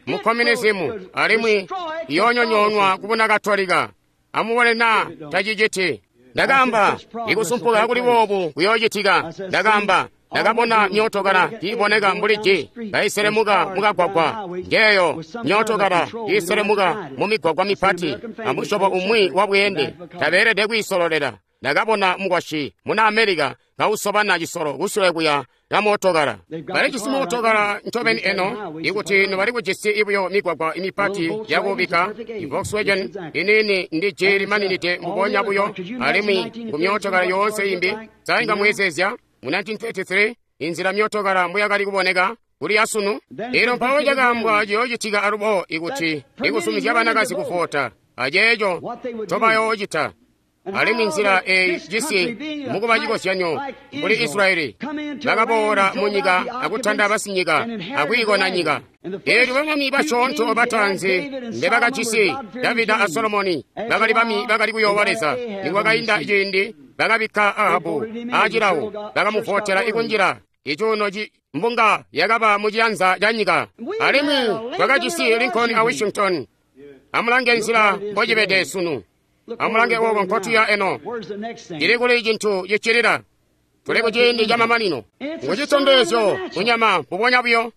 mu communism, alimwi iyoonyonyoonwa kubuna Katolika. Amubone naa taciciti. Ndakaamba ikusumpuka kuli boobu kuyoocitika. Ndakaamba ndakabona myootokala kiiboneka mbuli ji kaiselemuka mukagwagwa. Njeeyo myootokala kiiselemuka mumigwagwa mipati amusyobo umwi wa bweende, tabeelede kwiisololela. Ndakabona mukwasyi muna Amerika kausobana cisolo kusule kuya kamootokala. Balijisi mootokala ncobeni eno, ikuti nobali kujisi ibuyo migwagwa imipati yakubika. Volkswagen iniini ndi ji limaninide mbubonya buyo, alimwi kumyootokala yoonse imbi. Sainga mweezezya mu nineteen thirty-three inzila myootokala mbuyakali kuboneka kuli yasunu. Elo mpawo cakaambwa ciyoocitika alubo ikuti ikusumizya banakazi kuvota, aceeco ncobayoocita. Alimwi nzila eyi cisi mukuba cikozyanyo mbuli Israyeli bakaboola munyika akutanda basinyika akwiikona nyika. Eelyo bamami basyoonto bataanzi mbebakajisi Davida a Solomoni bakali bami bakali kuyoowa Leza. Nikwakainda ciindi bakabikka Ahabu acilawo, bakamuvotela ikunjila icuuno mbunga yakaba muciyanza ca nyika. Alimwi twakajisi Lincoln a Washington. Amulange nzila mbocibede sunu. Amulange oko nkotuya eno. Cili kuli cintu cicilila. Tuli kuciindi ca mamanino. Ngu citondezyo kunyama mbubonya buyo.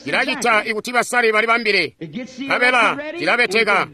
Cilacita ikuti basale balibambile. Nkabela cilabeteka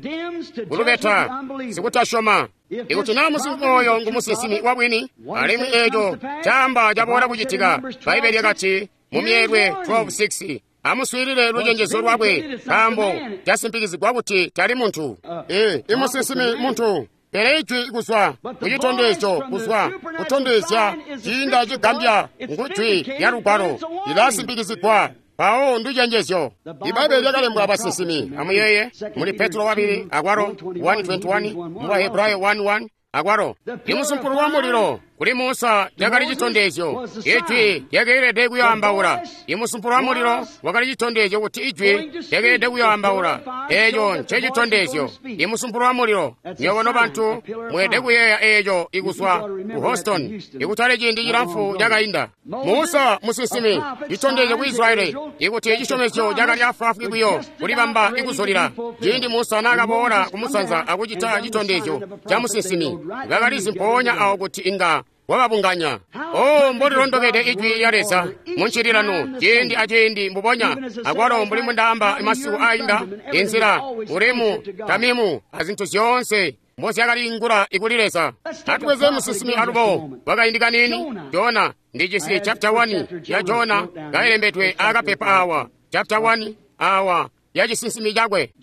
kulubeta sikutasyoma. Ikuti naa musinsimi oyo ngu musinsimi wabwini, alimwi eeco caamba caboola kucitika. Bbaibbele lyakati mu Myeelwe twelve six, amuswiilile lucenjezo lwakwe, nkaambo casimpikizigwa kuti tali muntu. Ee, imusinsimi muntu. Pele ijwi kuzwa kucitondezyo, kuzwa kutondezya ciinda cigambya ngujwi lya Lugwalo, lilasimpikizigwa mpawo nducenjezyo. Ibbaibbele lyakalembwa abasinsimi. Amuyeeye muli Petro wabili akwalo one twenty-one, mu Bahebrayo one one akwalo. Imusumpulu wa mulilo kuli Musa lyakali citondezyo, ijwi lyakeelede kuyoambaula. Imusumpulu wa mulilo wakali citondezyo kuti ijwi lyakeelede kuyoambaula. Eeco ncecitondezyo. Imusumpulu wa mulilo. Nywebo nobantu mweelede kuyeeya eeco ikuzwa ku Houston, ikutali ciindi cilamfu cakainda. Musa musinsimi, citondezyo ku Israeli ikuti cisyomezyo cakali afwaafwi buyo kulibamba ikuzulila. Ciindi Musa naakaboola kumusanza akucita citondezyo ca musinsimi, bakalizi mpoonya awo kuti inga wababunganya. Oh, mbolilondokede ijwi lya Leza muncililano ciindi aciindi mbubonya akwalo mbuli mundaamba masiku ainda, inzila Urimu Tamimu azintu zyoonse mbozyakaliingula ikuli Leza. Atubweze musinsimi alubo wakaindi kaniini Jona. Ndijisi chapter one ya Jona kailembedwe akapepa awa, chapter one awa ya cisinsimi cakwe.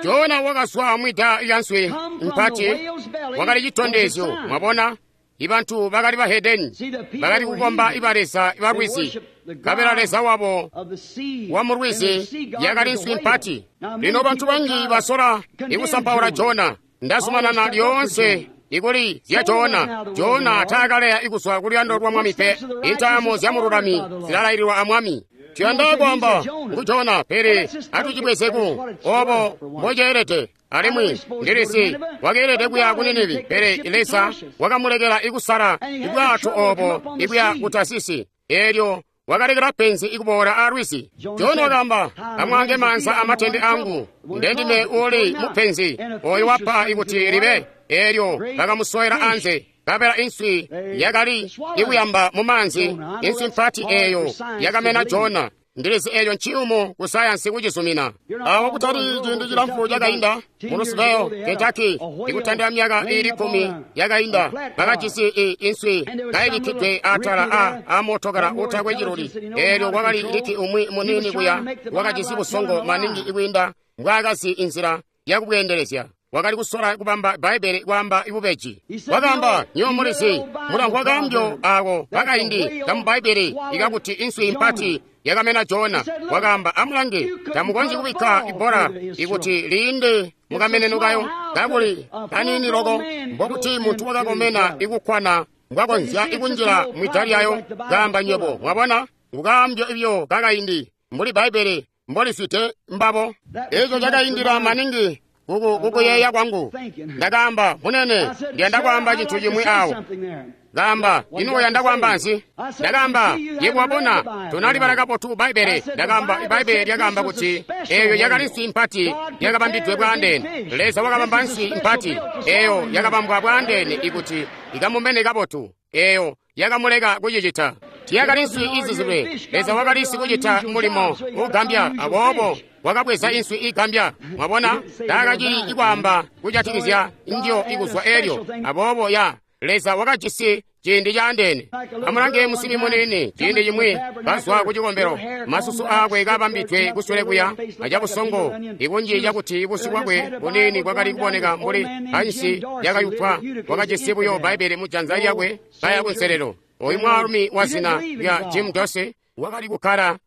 Jona wakazwa mwida lya nswi mpati, wakali citondezyo. Mwabona, Ibantu bakali bahedeni, bakali kukomba ibaleza balwizi, nkabela leza wabo wa mulwizi yakali nswi mpati. Lino bantu banji basola ikusampaula Jona. Ndazumanana lyoonse ikuli zya Jona. Jona taakaleya ikuzwa kuluyando lwa Mwami pe. Intaamo zya mululami zilalaililwa a Mwami. Tuyanda kwaamba ngu Jona, pele atucibwezeku obo mboceelede. Alimwi ndilisi wakeelede kuya ku Ninivi, pele Leza wakamulekela ikusala ibwato obo ikuya ku Tasisi. Eelyo wakalekela penzi ikuboola alwizi. Jona wakaamba, amwaange maanza amatende angu, ndendime uli mupenzi oyo wapa ikuti libe. Eelyo bakamusowela anze, nkabela inswi yakali ikuyamba mu maanzi. Inswi mpati eeyo yakamena Jona. Ndilizi eeyo nciyumu ku sayansi kucizumina. Awo kutali ciindi cilamfu cakainda mu Louisville, Kentucky, ikutandila myaka iili kkumi yakainda, bakajisi inswi kayibikkidwe atala a amootokala utakwe ciluli. Eelyo kwakali liki umwi muniini kuya wakajisi busongo maningi ikwiinda mbwaakazi inzila yakubweendelezya. Wakali kusola kubamba Bbaibbele kwaamba ibubeji. Wakaamba, nywebo mulizi, mulamvwa kaambyo ako kakaindi kamu Bbaibbele ikakuti inswi mpati yakamena Jona. Wakaamba, amulange, tamukonzyi kubikka ibbola ikuti liinde mukameneno kayo, kakuli kaniini loko, mbokuti muntu wakakomena ikukkwana mbwakonzya ikunjila mwida lyayo. Kaamba, nywebo mwabona, ngukaambyo ibyo kakaindi mbuli Bbaibbele mboliswite mbabo. Eco cakaindila maningi kukuyeeya kwangu. Ndakaamba, munene, ndiyanda kwaamba cintu cimwi awo. Kaamba, ino uyanda kwaamba nzi? Ndakaamba, yebo wabona, tonalibala kabotu Bbaibbele. Ndakaamba, Bbaibbele lyakaamba kuti eyo yakali nswi mpati yakabambidwe bwaandeene. Leza wakabamba nswi mpati eyo yakabambwa bwaandeene ikuti ikamumene kabotu. Eyo yakamuleka kucicita. Tiyakali nswi izizilwe. Leza wakali sikucita mulimo ugambya, aboobo wakabweza inswi igambya. Mwabona, taakacili ikwaamba kujatikizya ndyo ikuzwa elyo. Aboobo ya Leza wakajisi ciindi caandeene. Amulange musimbi muniini ciindi cimwi kazwa ku cikombelo, masusu aakwe kabambidwe kusule kuya acabusongo ikunji cakuti busyu bwakwe buniini bwakali kuboneka mbuli ansi yakayupwa. Wakajisi buyo Bbaibbele mu janza lyakwe kaya kunselelo. Oyu mwaalumi wa zina lya Jim Dorsey wakali kukkala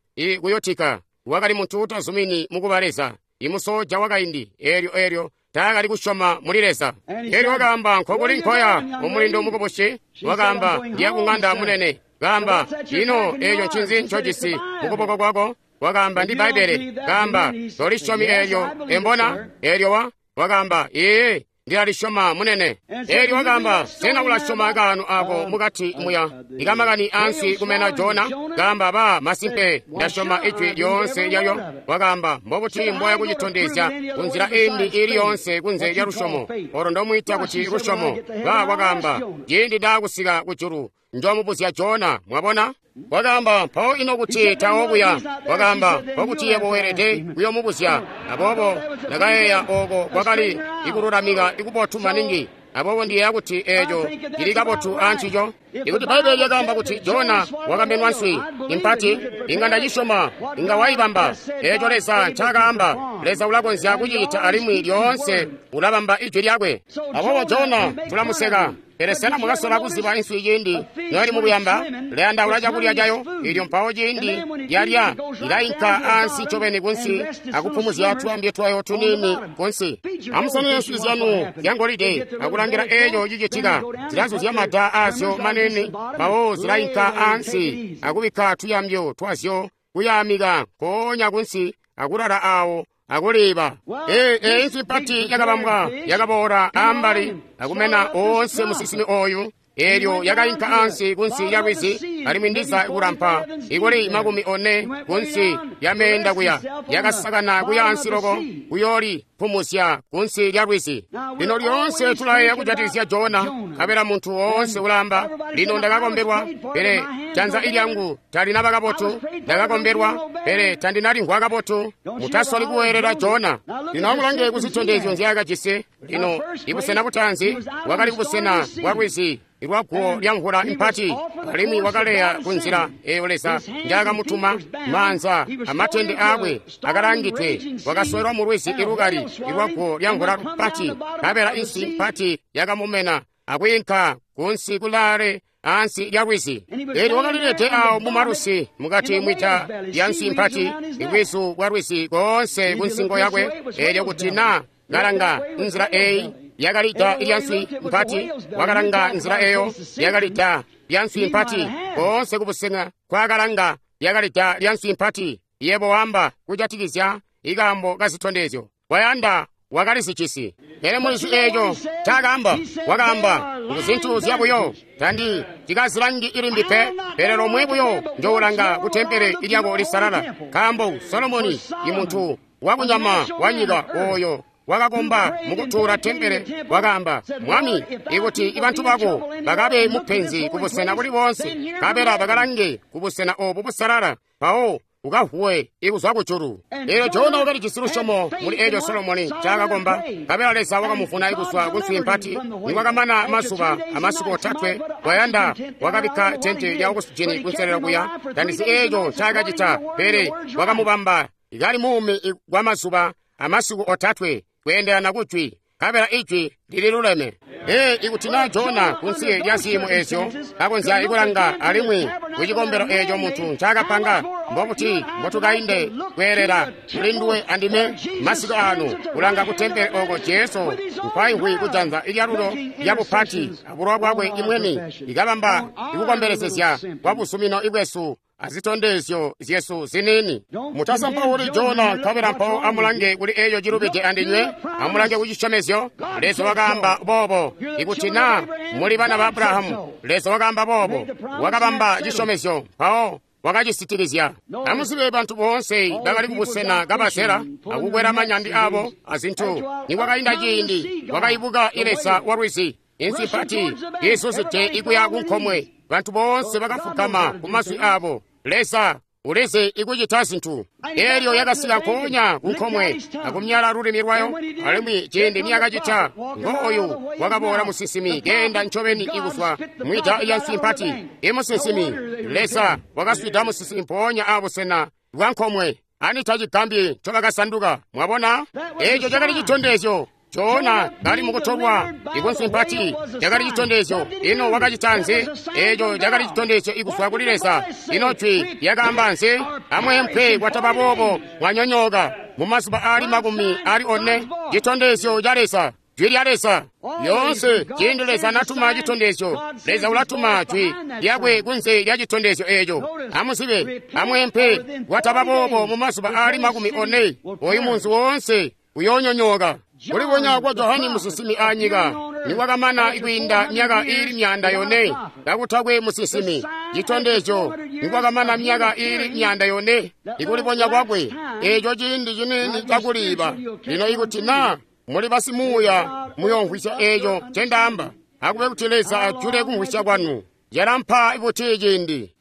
kuyotika. Wakali muntu utazumini mukuba Leza, imusoja wakaindi. Eelyo eelyo taakali kusyoma muli Leza. Eelyo wakaamba, nkokuli nkoya umulindo mukubusi? Wakaamba, ndiya kuŋanda munene. Kaamba, ino eeco ncinzi ncojisi mukuboko kwako? Wakaamba, ndi Bbaibbele. Kaamba, tolisyomi eelyo embona? Eelyo wa wakaamba, ee, ndilalisyoma munene. Eelyo wakaamba, sena ulasyoma kaano ako mukati muya ikamakani ansi kumena Jona? Kaamba, ba masimpe ndasyoma ijwi lyoonse lyalyo. Wakaamba, mbobuti mboya kucitondezya kunzila imbi ili yoonse kunze lya lusyomo olo ndomwiita kuti lusyomo? Ba wakaamba, ciindi ndaakusika kujulu njomubuzya Jona. Mwabona? Wakaamba, mpawo ino kuti tawo kuya? Wakaamba, mpokuti yebo weelede kuyomubuzya. Aboobo ndakayeeya oko kwakali ikululamika ikubotu maningi. Aboobo ndiyeeya kuti eeco cili kabotu ancico. Ikuti Bbaibbele lyakaamba kuti Jona wakamenwa nswi impati, inga ndacisyoma, inga waibamba. Eeco Leza ncaakaamba, Leza ulakonzya kucicita alimwi lyoonse ulabamba ijwi lyakwe. Aboobo Jona tulamuseka. Pele sena mwakasola kuziba inswi ciindi noyali mukuyamba? Ilayandaula cakulya cayo, ilyo mpawo ciindi yalya ilainka ansi ncobeni kunsi akupumuzya tuyambyo twayo tuniini kunsi. Amusanine nswi zyanu zyangolide akulangila eeco cicitika. Zilazuzya mada aazyo manene, mpawo zilainka ansi akubikka tuyambyo twazyo kuyaamika nkoonya kunsi akulala awo akuliba. Ee, ee inswi mpati yakabambwa yakaboola ambali akumena oonse musinsimi oyu. Eelyo yakainka ansi kunsi lya lwizi, alimwi ndiza kulampa ikuli makumi one kunsi lya kuya. Yakasakana kuya ansi loko kuyooli pumuzya kunsi lya lwizi. Lino lyoonse tulayeeya kujatikizya Jona, nkabela muntu woonse ulaamba, lino ndakakombelwa, pele janza ilyangu talinaba kabotu. Ndakakombelwa, pele tandinalimvwa kabotu. Mutasoli kuweelela Jona. Lino amulange kuzitondezyo nzyaakajisi. Lino ibusena butaanzi bwakali kubusena bwa lwizi lwaguwo lya mvula impati, alimwi wakaleya kunzila eyo Leza njakamutuma. Maanza amatende aakwe akalangidwe, wakasowelwa mu lwizi ilukali lwaguwo lya mvula mpati, nkabela inswi mpati yakamumena. akwiinka kunsi kulaale ansi lya lwizi. Elyo wakalilede awo mumalusi mukati mwita lya nswi mpati, ibwizu bwa lwizi koonse kunsingo yakwe. Elyo kuti na kalanga nzila eyi yakali da lya nswi mpati, wakalanga nzila eyo yakali da lya nswi mpati, koonse kubusena kwakalanga yakali da lya nswi mpati. Yebo wamba kujatikizya ikaambo kazitondezyo wayanda wakalizijisi. Pele mulizi eeco ncaakaamba, wakaamba ngu zyabuyo, tandi cikazilangi ilimbi pe, pele lomwe buyo njoolanga ku tempele lyako lisalala. Nkaambo Solomoni imuntu wakunyama wanyika ooyo wakakomba mukutuula tempele wakaamba, Mwami, ikuti ibantu bako bakabe mupenzi kubusena buli boonse, nkabela bakalange kubusena obu busalala, mpawo ukavuwe ikuzwa kujulu. Eelyo Jona wakalijisi lusyomo muli eeco Solomoni ncaakakomba, nkabela Leza wakamuvuna ikuzwa ku nswi mpati. Nikwakamana mazuba amasiku otatwe, wayanda wakabikka tente lya okusijini kunselelo kuya. Tandizi eeco ncaakacita, pele wakamubamba kali muumi kwa mazuba amasiku otatwe kweendelana kujwi, nkabela ijwi lililuleme. Ee, ikuti na Jona kunsi lya ziimo ezyo kakonzya ikulanga alimwi kucikombelo eeco muntu ncaakapanga, mbobuti mbotukainde kweelela kulinduwe andime masiku aano kulanga ku tempele oko Jesu nkwaimvwi kujanza lyalulo lya bupati abulowa bwakwe imweni ikabamba ikukombelezezya kwa busumino ibwesu azitondezyo zyesu ziniini. Mutasampauli Jona, nkabela mpawo amulange kuli eeco cilubide andinywe, amulange kucisyomezyo. Leza wakaamba boobo. Ikuti na muli bana ba Abrahamu, Leza wakaamba boobo, wakabamba cisyomezyo, mpawo wakacisitikizya. Amuzibe bantu boonse bakali kubusena kabazela akukwela manyandi abo azintu. Nikwakainda ciindi, wakaibuka Leza wa lwizi, inswi mpati izuzide ikuya kunkomwe. Bantu boonse bakafukama kumazwi abo. Leza ulizi ikucita zintu. Elyo yakasika nkoonya kunkomwe akumyala lulimi lwayo. Alimwi ciindi niyakacita, ngooyu wakaboola musinsimi keenda ncobeni ikuzwa mwida lya nswi mpati. Imusinsimi Leza wakaswida musinsimi mpoonya abusena bwa nkomwe. Ani tacigambyi ncobakasanduka. Mwabona, eeco cakali citondezyo. Jona kali mukutolwa ikunswi mpati cakali citondezyo. Ino wakacita nzi? Eeco cakali citondezyo ikuzwa kuli Leza. Ino jwi lyakaamba nzi? Amweempwe, kwataba boobo mwanyonyooka mumazuba aali makumi aali one. Citondezyo ca Leza, jwi lya Leza. Lyoonse ciindi Leza natuma citondezyo, Leza ulatuma jwi lyakwe kunze lya citondezyo eeco. Amuzibe, amweempwe, kwataba boobo mumazuba aali makumi one, oyu munzi woonse uyoonyonyooka. Kulibonya kwa Johani musinsimi anyika nikwakamana ikwiinda myaka iili myanda yone kakutakwe musinsimi. Citondezyo nikwakamana myaka iili myanda yone ikulibonya kwakwe, eeco ciindi ciniini cakuliiba. Lino ikuti na muli basimuuya muyoomvwisya eeco ncendaamba, akube kuti Leza ajule kumvwisya kwanu. Yalampa buti ciindi?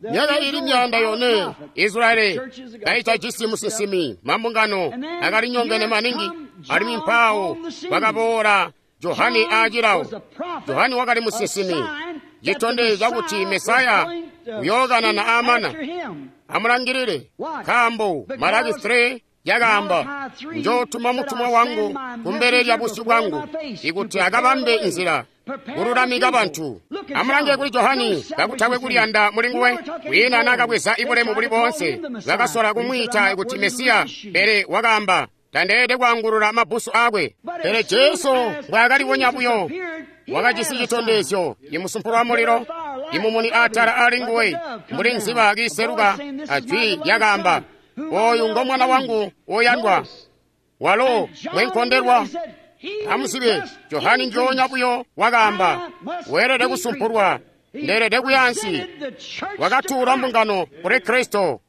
Myaka ili myanda yone Israeli kaitajisi musinsimi, mambungano akalinyongene maningi, alimwi mpawo wakaboola Johani aacilawo. Johani wakali musinsimi, citondezyo cakuti Mesaya uyookanana amana. Amulangilile, nkaambo Malaki three yakaamba, njootuma mutumwa wangu kumbele lya busyu bwangu ikuti akabambe inzila kululamika bantu. Amulange kuli Johani, kakutakwe kuliyanda mulinguwe, kwiina naakabweza ibulemu buli boonse. Bakasola kumwiita kuti Mesiya, pele wakaamba, tandeelede kwaangulula mabbusu aakwe. Pele Jesu mbwaakalibonya buyo, wakajisi citondezyo, imusumpulo wa mulilo, imumuni atala alinguwe, mbuli nziba kiiseluka, ajwi lyakaamba, oyu ngo mwana wangu woyandwa, walo mwenkondelwa. Amuzibe, Johani njoonya buyo wakaamba, weelede kusumpulwa, ndeelede kuya ansi. Wakatuula mbungano kuli Kristo.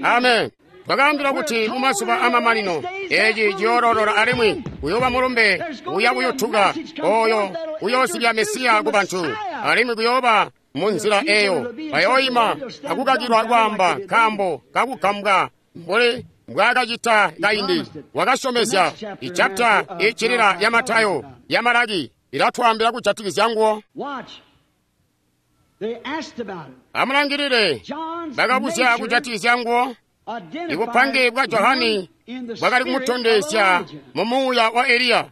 Amen. Twakaambila kuti mumazuba amamanino eeci ciyoololola alimwi kuyooba mulumbe uya kuyutuka oyo uyoozibya Mesiya ku bantu, alimwi kuyooba munzila eyo bayooima akukakilwa kwaamba nkaambo kakugambwa mbuli mbwaakacita kaindi. Wakasyomezya. Ichapta iccilila ya Matayo ya Malaki ilatwaambila kujatikizya nguwo. Amulangilile, bakabuzya kujatikizya nguwo. Ibupange bwa Johani bwakali kumutondezya mu muuya wa Eliya.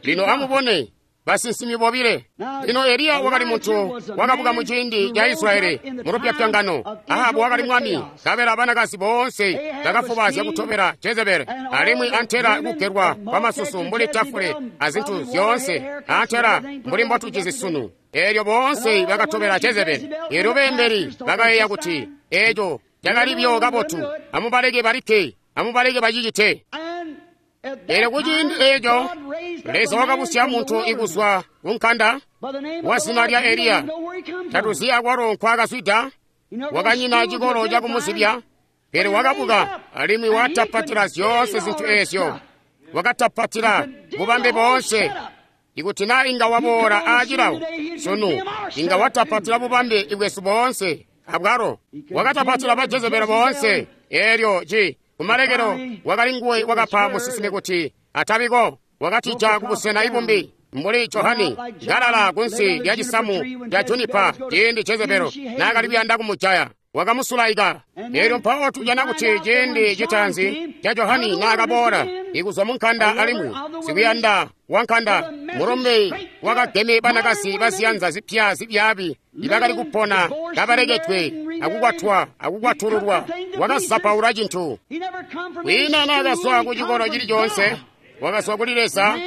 Lino amubone basinsimi bobile. Lino Eliya wakali muntu wakabuka mu ciindi ca Israyeli mu lupyapyangano. Ahabu wakali mwami, nkabela banakazi boonse bakafubaazya kutobela Jezebeli, alimwi antela kugelwa kwa masusu mbuli tafule azintu zyoonse, antela mbuli mbotucizi sunu. Eelyo boonse bakatobela Jezebeli. Eelyo beembeli bakayeeya kuti eeco cakali buyo kabotu, amubaleke balikke, amubaleke bacicite. Eelyo kuciindi eeco Leza wakabusya muntu ikuzwa kunkanda wa zina lya Eliya. Tatuzi akwalo nkwaakazwida, wakanyina cikolo cakumuzibya, pele wakabuka alimwi watapatila zyoonse zintu eezyo. Wakatapatila bubambe boonse. Ikuti naa inga waboola aacilawo sunu, inga watapatila bubambe bwesu boonse abwalo. Wakatapatila ba Jezebeli boonse. Eelyo ci kumalekelo wakali nguwe wakapa musinsimi kuti atabiko. Wakatija kubusena ibumbi mbuli Johani kalala kunsi lya cisamu ca junipa ciindi Jezebeli naakali kuyanda kumujaya. Wakamusulaika. Eelyo mpawo tujana kuti ciindi citaanzi ca Johani naakaboola ikuzwa mu nkanda alimwi sikuyanda wa nkanda, mulombe wakageme banakazi baziyanza zipya zibyaabi ibakali kupona kabaleketwe akukwatwa akukwatululwa. Wakazapaula cintu. Kwiina naakazwa ku cikolo cili coonse, wakazwa kuli Leza,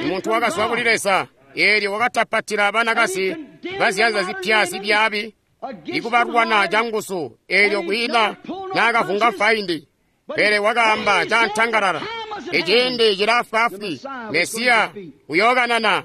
muntu wakazwa kuli Leza. Eelyo wakatapatila banakazi baziyanza zipya zibyaabi ikubalwana canguzu. Eelyo kwiina naakavunga faindi, pele wakaamba cantangalala, iciindi cilaafwaafwi, Mesiya uyookanana.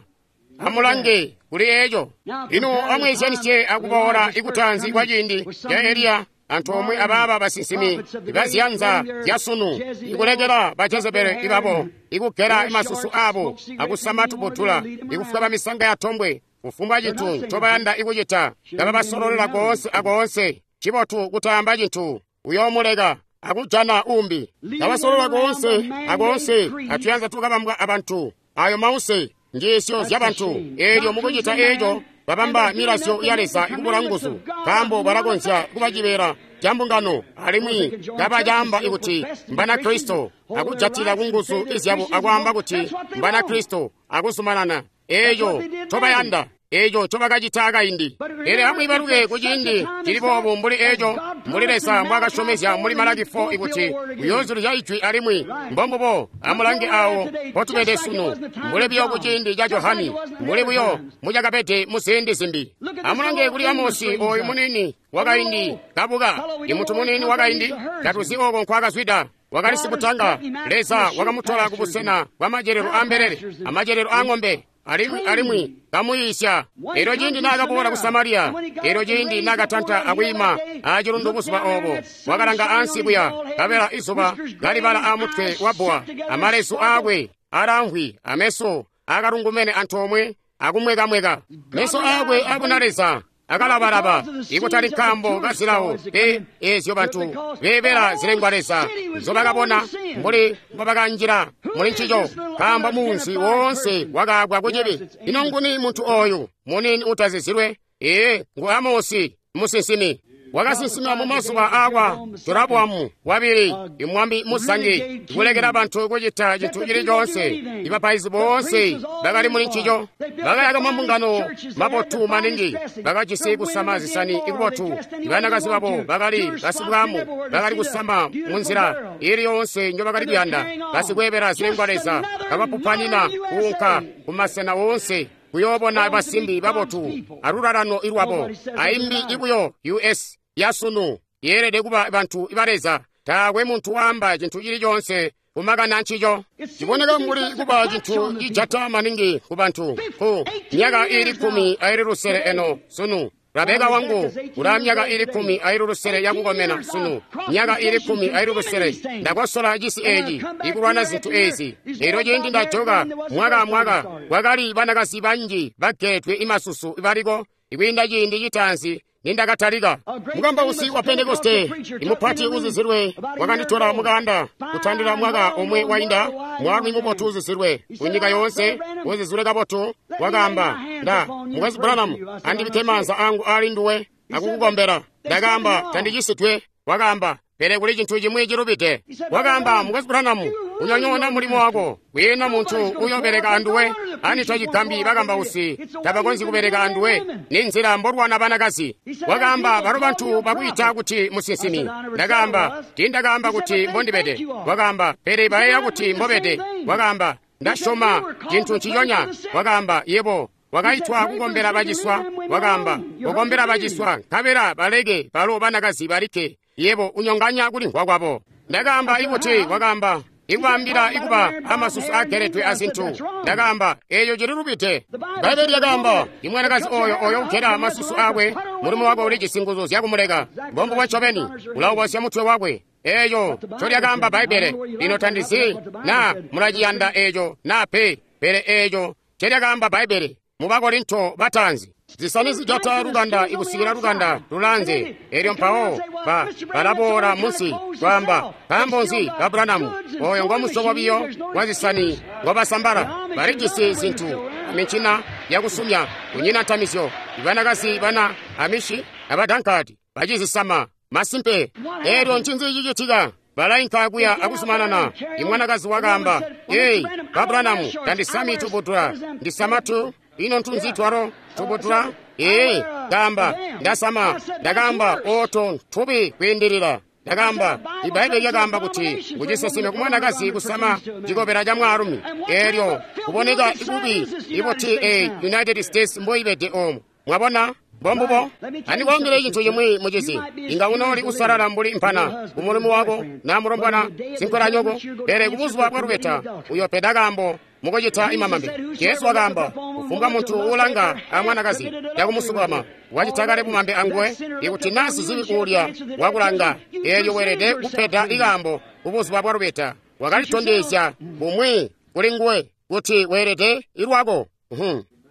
Amulange kuli eeco. Lino amweezyanisye akuboola ikutaanzi kwa ciindi ca Eliya antoomwe abaaba basinsimi baziyanza zyasunu, ikulekela ba Jezebeli ibabo ikugela masusu aabo akusama tubutula, ikufwaba misanga ya tombwe, kufumbwa cintu ncobayanda ikucita, kababasololela koonse akoonse. Cibotu kutaamba cintu, uyoomuleka akujana umbi. Kabasolola koonse akoonse atuyanza tukabambwa abantu, ayo mause njiisyo zyabantu. Eelyo mukucita eeco babamba milazyo ya Leza ikubula nguzu, nkaambo balakonzya kuba cibeela ca mbungano alimwi kabacaamba kuti Mbanakristo, akujatila kunguzu izyabo akwaamba kuti Mbanakristo akuzumanana. Eeco ncobayanda, eeco ncobakacita kaindi. Pele amwiibaluke kuciindi cili boobu mbuli eeco, mbuli Leza mbwaakasyomezya muli Malaki four ikuti uyoozulizya ijwi alimwi mbombubo. Amulange awo mpotubede sunu, mbuli buyo kuciindi ca Johani, mbuli buyo mucakabede muziindi zimbi. Amulange kuli Amosi ooyu muniini wakaindi kabuka, imuntu muniini wakaindi, tatuzi ooko nkwaakazwida. Wakali sikutanga. Leza wakamutola kubusena bwa macelelo aambelele amacelelo aang'ombe, alimwi alimwi kamuyiisya. Eelyo ciindi naakaboola ku Samariya, eelyo ciindi naakatanta akwiima aacilundu buzuba oobo, wakalanga ansi kuya, nkabela izuba kalibala aamutwe wa bbowa, amalezu aakwe alaamvwi, ameso akalungumene antoomwe akumwekamweka. Meso aakwe abuna Leza akalabalaba, ikutali nkaambo kazilawo pe eezyo bantu beebela zilengwa Leza nzobakabona mbuli mbobakanjila muli ncico, nkaambo muunzi woonse wakaagwa kucibi. Ino nguni muntu ooyu muniini utazizilwe? Ee, ngu Amosi musinsimi. Wakasinsima mu mazuba aakwa Jeroboamu wabili, imwami musangi, kulekela bantu kucita cintu cili coonse. Ibapaizi boonse bakali muli ncico, bakayaka mambungano mabotu maningi, bakajisi kusama zisani ikubotu. Ibanakazi babo bakali basibwamu, bakali kusama munzila ili yoonse njobakali kuyanda, basikweebela zilengwa Leza, kabapupanina kuunka kumasena woonse kuyoobona basimbi babotu alulalano ilwabo. Aimbi ibuyo U S yasunu yeelede kuba bantu ba Leza. Taakwe muntu waamba cintu cili coonse kumakana ncico. Ciboneka mbuli kuba cintu cijata maningi ku bantu ku myaka iili kkumi aili lusele eno sunu. Rabeka wangu ula myaka iili kkumi aili lusele yakukomena sunu, myaka iili kkumi aili lusele. Ndakosola cisi eeci ikulwana zintu eezi. Eelyo ciindi ndajoka mwaka amwaka, kwakali banakazi banji bageetwe imasusu baliko ikwiinda ciindi citaanzi nindakatalika. Mukambausi wa Pentekoste imupati uzizilwe wakanditola mukanda kutandila mwaka omwe wainda. Mwaalumi mubotu uzizilwe kunyika yoonse, uzizilwe kabotu, wakaamba, nda Mukwesu Branham, andibikke maanza angu ali nduwe akukukombela. Ndakaamba, tandicisitwe. Wakaamba, pele kuli cintu cimwi cilubide. Wakaamba, Mukwesu Branham, unyonyoona mulimo wako. Kwiina muntu uyobeleka anduwe. Ani tacigambi bakambausi tabakonzyi kubeleka anduwe. Ni nzila mbolwana banakazi. Wakaamba, balo bantu bakwiita kuti musinsimi. Ndakaamba, tiindakaamba kuti mbondibede. Wakaamba, pele bayeeya kuti mbobede. Wakaamba, ndasyoma cintu nciconya. Wakaamba, yebo wakaitwa kukombela baciswa. Wakaamba, kukombela baciswa nkabela baleke balo banakazi balikke. Yebo unyonganya kulimvwa kwabo. Ndakaamba ikuti, wakaamba, ikwaambila ikuba amasusu ageledwe azintu. Ndakaamba, eeyo cililubide. Bbaibbele lyakaamba, imwanakazi oyo oyo ugela masusu akwe, mulimo wakwe ulijisi nguzu zyakumuleka. Mbombubo ncobeni, ulawubosya mutwe wakwe. Eeyo ncolyakaamba Bbaibbele. Lino tandizi naa mulaciyanda eeco naa pe, pele eeco ncolyakaamba Bbaibbele mu Bakorinto bataanzi. Zisani zijata lukanda ikusikila lukanda lulanze. Elyo mpawo ba balaboola munsi kwaamba, nkaambo nzi ba Branham oyo ngomusyobo biyo wa zisani ngobasambala. Balijisi zintu amincina yakusumya, kunyina ntamizyo. Ibanakazi bana Amishi abadankadi bacizisama masimpe. Elyo ncinzi cicitika? Balainka kuya akusumanana. Imwanakazi wakaamba, ei, ba Branham, tandisami tubudula, ndisama tu. Ino ntunzi twalo tubudula? Ee, kaamba, ndasama. Ndakaamba, oto ntubi kwiindilila. Ndakaamba, Ibaibbele lyakaamba kuti nguciseseme kumwanakazi kusama cikobela ca mwaalumi. Elyo kuboneka ikubi ibuti e United States mboibede omu. Mwabona? Mbombubo. Andikwaambile cintu cimwi mucizi. Inga unooli usalala mbuli mpana kumulumu wako na mulombwana sinkwelanyoko, pele kubuzuba bwa lubeta uyopeda kaambo mukucita imamambe. Jesu wakaamba, kufumbwa muntu uulanga amwanakazi yakumusukama wacita kale bumambe anguwe. Ikuti naa sizibi uulya wakulanga, eelyo weelede kupeda ikaambo kubuzuba bwa lubeta. Wakalitondezya bumwi kuli nguwe kuti weelede ilwako.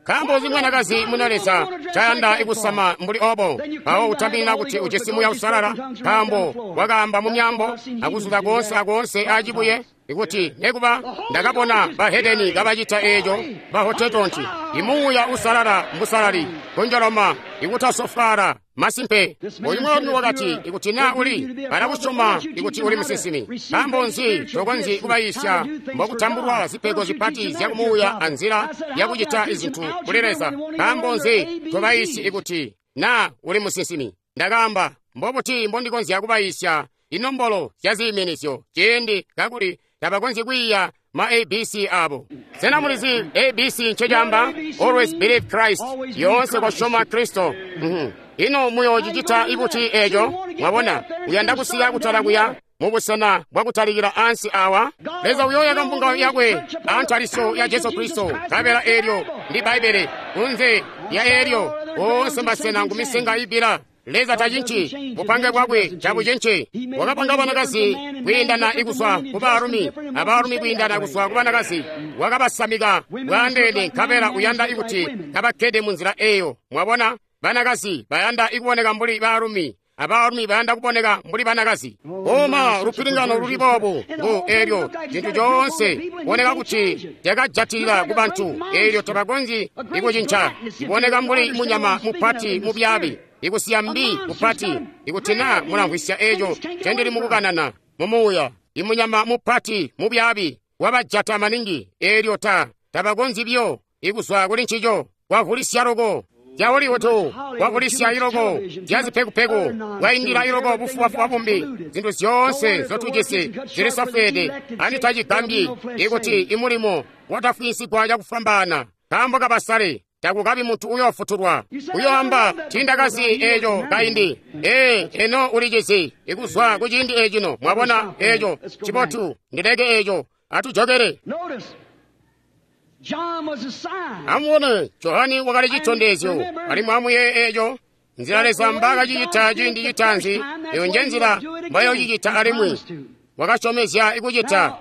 Nkaambo nzi mwanakazi muna Leza cayanda ikusama mbuli obo? Mpawo utambilila kuti ujisi Muuya Uusalala, nkaambo wakaamba mu myaambo akuzuza koonse akoonse acibuye. Ikuti nekuba ndakabona bahedeni kabacita eeco bahotetonti. Imuuya Uusalala mbusalali, kunjoloma, ikutasofwaala. Masimpe, oyu mwaalumi wakati, ikuti naa uli balakusyoma ikuti uli musinsimi. Nkaambo nzi tokonzyi kubayiisya mbokutambulwa zipego zipati zyakumuuya anzila yakucita izintu kuli Leza? Nkaambo nzi tobayiisyi ikuti naa uli musinsimi? Ndakaamba, mbobuti mbondikonzya kubayiisya inombolo zyaziiminizyo ciindi kakuli tabakonzyi kwiiya ma A B C abo? Sena mulizi A B C ncecaamba? Always believe Christ. Yoonse kosyoma Kristo. Mm-hmm. Ino muyoocicita ibuti eeco? Mwabona, uyanda kusika kutala kuya mubusena bwakutalikila ansi awa. Leza uyoyaka mbungano yakwe antalisyo ya Jesu Kristo. Nkabela eelyo ndi Bbaibbele. Kunze lya eelyo oonse masena ngumisenga ibila. Leza tacinci bupange bwakwe tabucinci. Wakapanga banakazi kwiindana ikuzwa ku baalumi, abaalumi kwiindana kuzwa ku banakazi. Wakabasamika bwaandeene, nkabela uyanda ikuti kabakkede munzila eeyo. Mwabona, banakazi bayanda ikuboneka mbuli baalumi, abaalumi bayanda kuboneka mbuli banakazi. Oma lupilingano luli boobu ngu eelyo cintu coonse kuboneka kuti cakajatilila ku bantu, eelyo tabakonzyi ikucinca. Iboneka mbuli munyama mupati mubyaabi, ikusiya mbi kupati. Ikuti naa mulamvwisya eeco ncendili mukukanana mumuuya, imunyama mupati mubyaabi wabajata maningi, eelyo ta tabakonzyi biyo ikuzwa kuli ncico. Kwavulisya loko zya Hollywood, kwavulisya iloko zya zipekupeku, kwaindila iloko bufubafuba bumbi. Zintu zyoonse nzotujisi zilisofweede. Ani tacigambyi ikuti imulimo watafwiinsigwa cakufwambaana nkaambo kabasale. Takukabi muntu uyoofutulwa. Uyoamba, tiindakazi eeco kaindi. Ee, eno ulicizi ikuzwa kuciindi eecino. Mwabona eeco cibotu, ndileke eeco. Atujokele. Amubone, Johani wakali citondezyo, alimwi amuyeeye eeco. Nzila Leza mbaakacicita ciindi citaanzi, eyo nje nzila mbayoocicita alimwi. Wakasyomezya ikucita.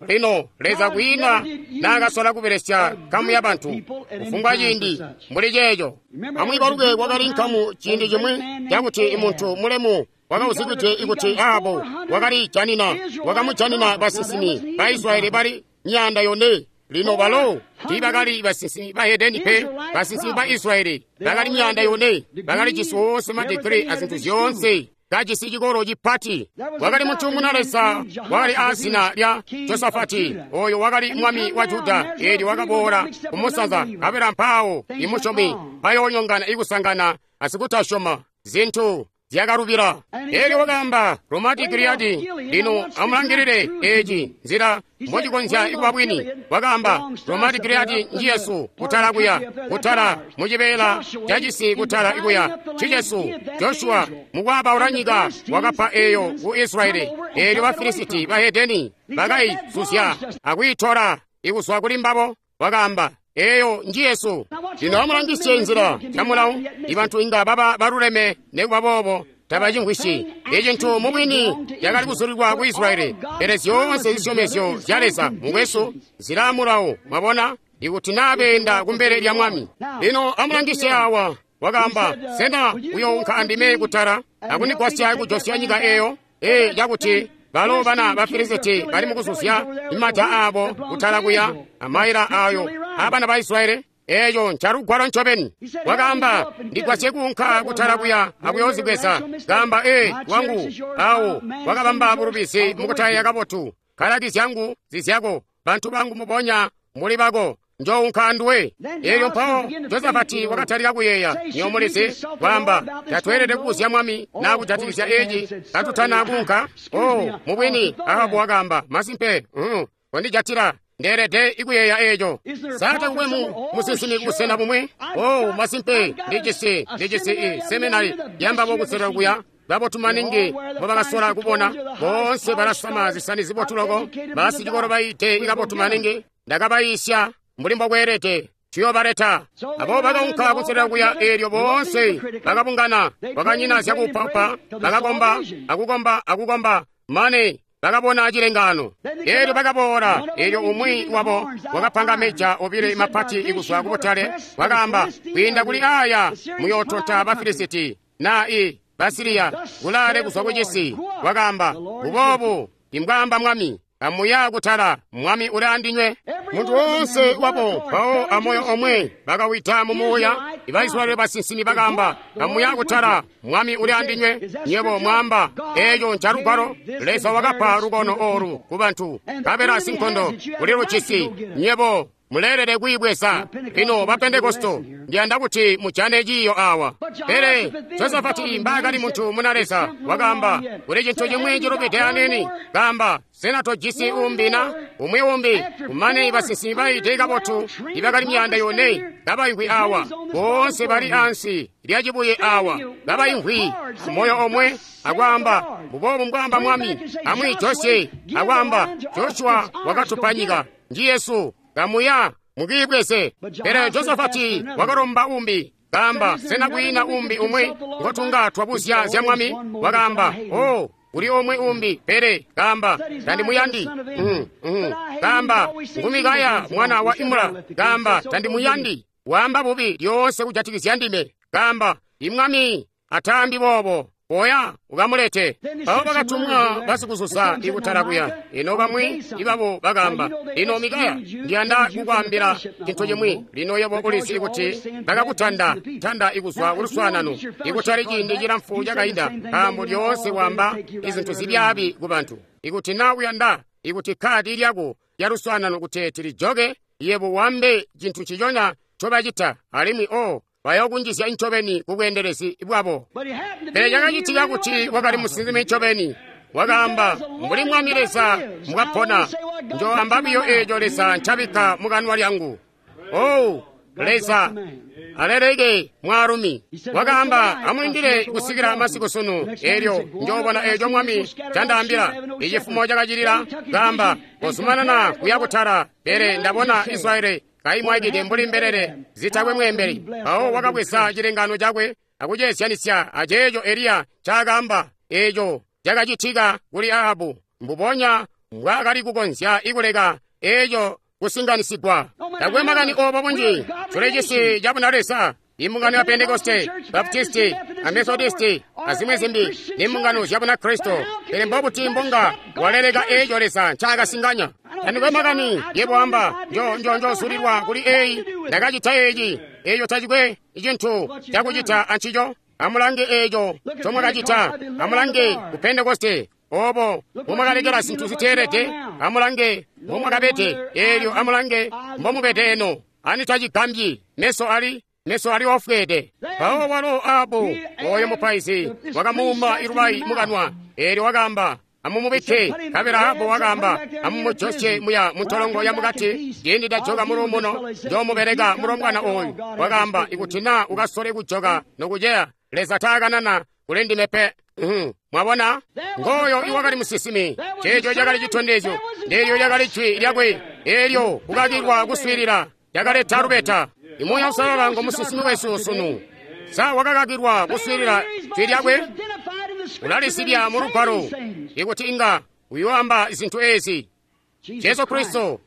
Lino Leza kwiina naakasola kubelesya nkamu ya bantu kufumbwa ciindi mbuli ceeco. Amwiibaluke kwakali nkamu ciindi cimwi cakuti imuntu mulemu wakauzikide ikuti Ahabu wakalijanina wakamujanina basinsimi ba Israyeli bali myaanda yone. Lino balo tiibakali basinsimi bahedeni pe. Basinsimi ba Israyeli bakali myaanda yone, bakali jisi woonse madigiri azintu zyoonse. kajisi cikolo cipati. Wakali muntu muna Leza wakali aazina lya Josafati, oyo wakali mwami wa Juda. Eelyo wakaboola kumusanza kabela mpaawo imusyomi bayoonyongana ikusangana asikutasyoma zintu zyakalubila. Eelyo wakaamba Romati Giliyadi. Lino amulangilile eci nzila mbocikonzya ikuba bwini. Wakaamba Romati Giliyadi njiyesu kutala kuya, kutala mucibeela cacisi kutala ikuya ncicesu. Joshua mukwabaula nyika wakapa eyo ku Israeli. Eelyo Bafilisiti bahedeni bakaizuzya akwiitola ikuzwa kuli mbabo. Wakaamba eyo njiyesu. Lino amulangisye nzila camulawu, ibantu inga baba baluleme nekuba boobo tabacimvwisyi. Icintu mubwini cakali kuzulilwa ku Israeli, pele zyoonse zisyomezyo zya Leza mukwesu zilaa mulawu. Mwabona, ikuti naa beenda kumbele lya Mwami. Lino amulangisye awa. Wakaamba, sena uyounka andime kutala akundigwasya kujosya nyika eyo? Ee, cakuti balo bana ba Filisiti bali mukuzuzya imata aabo kutala kuya amaila ayo abana ba Israeli. Eeyo ncalugwalo ncobeni. Wakaamba, ndigwasye kuunka kutala kuya akuyoozibweza. Kaamba, ee wangu awo wakabamba bulubizi mukutayeeya kabotu. Kalaki zyangu zizyako, bantu bangu mubonya muli bako. Njounka anduwe. Eelyo mpawo Josafati wakatalika kuyeeya. Niyomulizi kwaamba, tatweelede kubuzya mwami naa kujatikizya eci katutana kuunka. Oh, mubwini Ahabu wakaamba, masimpe, mm, kondijatila ndeelede ikuyeeya eco. Sa takukwe mu musinsimi kubusena bumwi? Oh, masimpe, ndijisi ndijisi i seminari yambabo kuselera kuya. Babotu maningi mbobakasola kubona. Boonse balasama zisani zibotu loko, basicikolo baite ikabotu maningi. Ndakabayiisya mbuli mbokweelede, tuyobaleta. Abo bakaunka kuselera kuya. Eelyo boonse bakabungana, bakanyina zyakupapa, bakakomba akukomba akukomba mane bakabona cilengano. Eelyo bakaboola. Eelyo umwi wabo wakapanga meja obile mapati ikuzwa kubutale. Wakaamba, kwiinda kuli aya muyootonta Bafilisiti naa i Basiliya kulaale kuzwa kucisi. Wakaamba, mbuboobu imbwaamba Mwami, amuya kutala, Mwami uli andinywe. Muntu woonse wabo mpawo amoyo omwe bakawita mumuuya. Ibaisraeli basinsimi bakaamba, amuya kutala, Mwami uli andinywe. Nyebo mwaamba, eeco ncalugwalo. Leza wakapa lukono olu kubantu, kabela sinkondo kuli lucisi. Nyebo muleelede kwiibweza. Lino ba Pentekosto, ndiyanda kuti mujane ciiyo awa. Pele Josafati mbaakali muntu muna Leza, wakaamba kuli cintu cimwi cilubide anini. Kaamba, sena tojisi umbi na umwi umbi? Kumane basinsimi baite kabotu ibakali myaanda yone kabaimvwi awa, boonse bali ansi lya cibuye awa, kabaimvwi moyo omwe akwaamba, mbuboobu mbwaamba Mwami. Amwi Josye akwaamba, Joshua wakatupa nyika, njiyesu, kamuya mukiibweze. Pele Josafati wakalomba umbi. Kaamba, sena kwiina umbi umwi ngotunga twabuzya zya Mwami? Wakaamba, oh, kuli omwe umbi, pele kaamba, tandimuyandi. Mm, mm. Kaamba, ngu Mikaya mwana wa Imula. Kaamba, tandimuyandi, waamba bubi lyoonse kujatikizya ndime. Kaamba, imwami ataambi boobo, koya ukamulete. Mpawo bakatumwa basikuzuza ikutala kuya. Ino bamwi ibabo bakaamba, lino Mikaya, ndiyanda kukwaambila cintu cimwi. Lino yebo ulizi kuti bakakutanda tanda ikuzwa kuluswaanano ikutali ciindi cilamfu cakainda, nkaambo lyoonse waamba izintu zibyaabi ku bantu. Ikuti naa uyanda ikuti kkaadi lyako lya luswaanano kuti lijoke, yebo wambe cintu ciconya ncobacita, alimwi o bayokunjizya ncobeni kubweendelezi bwabo. Pele cakacitika kuti wakali musinsimi ncobeni. Wakaamba, mbuli Mwami Leza mbwapona, njoamba biyo eeco Leza ncabikka mukanwa lyangu. Oh, Leza aleleke mwaalumi. Wakaamba, amulindile kusikila masiku sunu, eelyo njoobona eeco Mwami candaambila. Icifumo cakacilila, kaamba, kozumanana kuya kutala, pele ndabona Israeli kaimwaikide mbuli mbelele zitakwe mweembeli. Mpawo wakabweza cilengano cakwe akuceesyanisya aceeco Eliya ncaakaamba. Eeco cakacitika kuli Ahabu, mbubonya mbwaakali kukonzya ikuleka eeco kusinganisigwa. Takwe makani obo bunji tuli cisi cabuna Leza, imbungano ya Pentekoste, Baptisti, a Methodisti, azimwi zimbi nimbungano zya Bunakristo. Pele mbobuti mbunga waleleka eeco Leza ncaakasinganya? Tandikwe makani yebo amba, njo njo njosulilwa kuli eyi, ndakacita eeci, eeco tacikwe cintu cakucita ancico. Amulange eco ncomwakacita. Amulange ku Pentekoste, obo mbomwakalekela zintu ziteelede. Amulange mbomwakabede eelyo, amulange mbomubede eno. Ani tacigambyi, meso ali meso ali ofweede. Mpawo walo Ahabu, oyo mupaizi, wakamuuma ilubayi mukanwa, eelyo wakaamba, amumubikke. Nkabela Ahabu wakaamba, amumujosye muya muntolongo ya mukati. Ciindi ndajoka muluumuno, njoomubeleka mulombwana oyu. Wakaamba, ikuti naa ukasole kujoka nokuceya, Leza taakanana kuli ndime pe. Mwabona, ngooyo iwakali musinsimi. Ceeco cakali citondezyo, ndeelyo lyakali jwi lyakwe, eelyo kukakilwa kuswiilila lyakaleta lubeta. Imuuya Uusalala ngo musinsimi wesu sunu. Sa wakakakilwa kuswiilila jwi lyakwe? Ulalisibya mu Lugwalo ikuti inga uyoamba zintu ezi. Jesu Kristo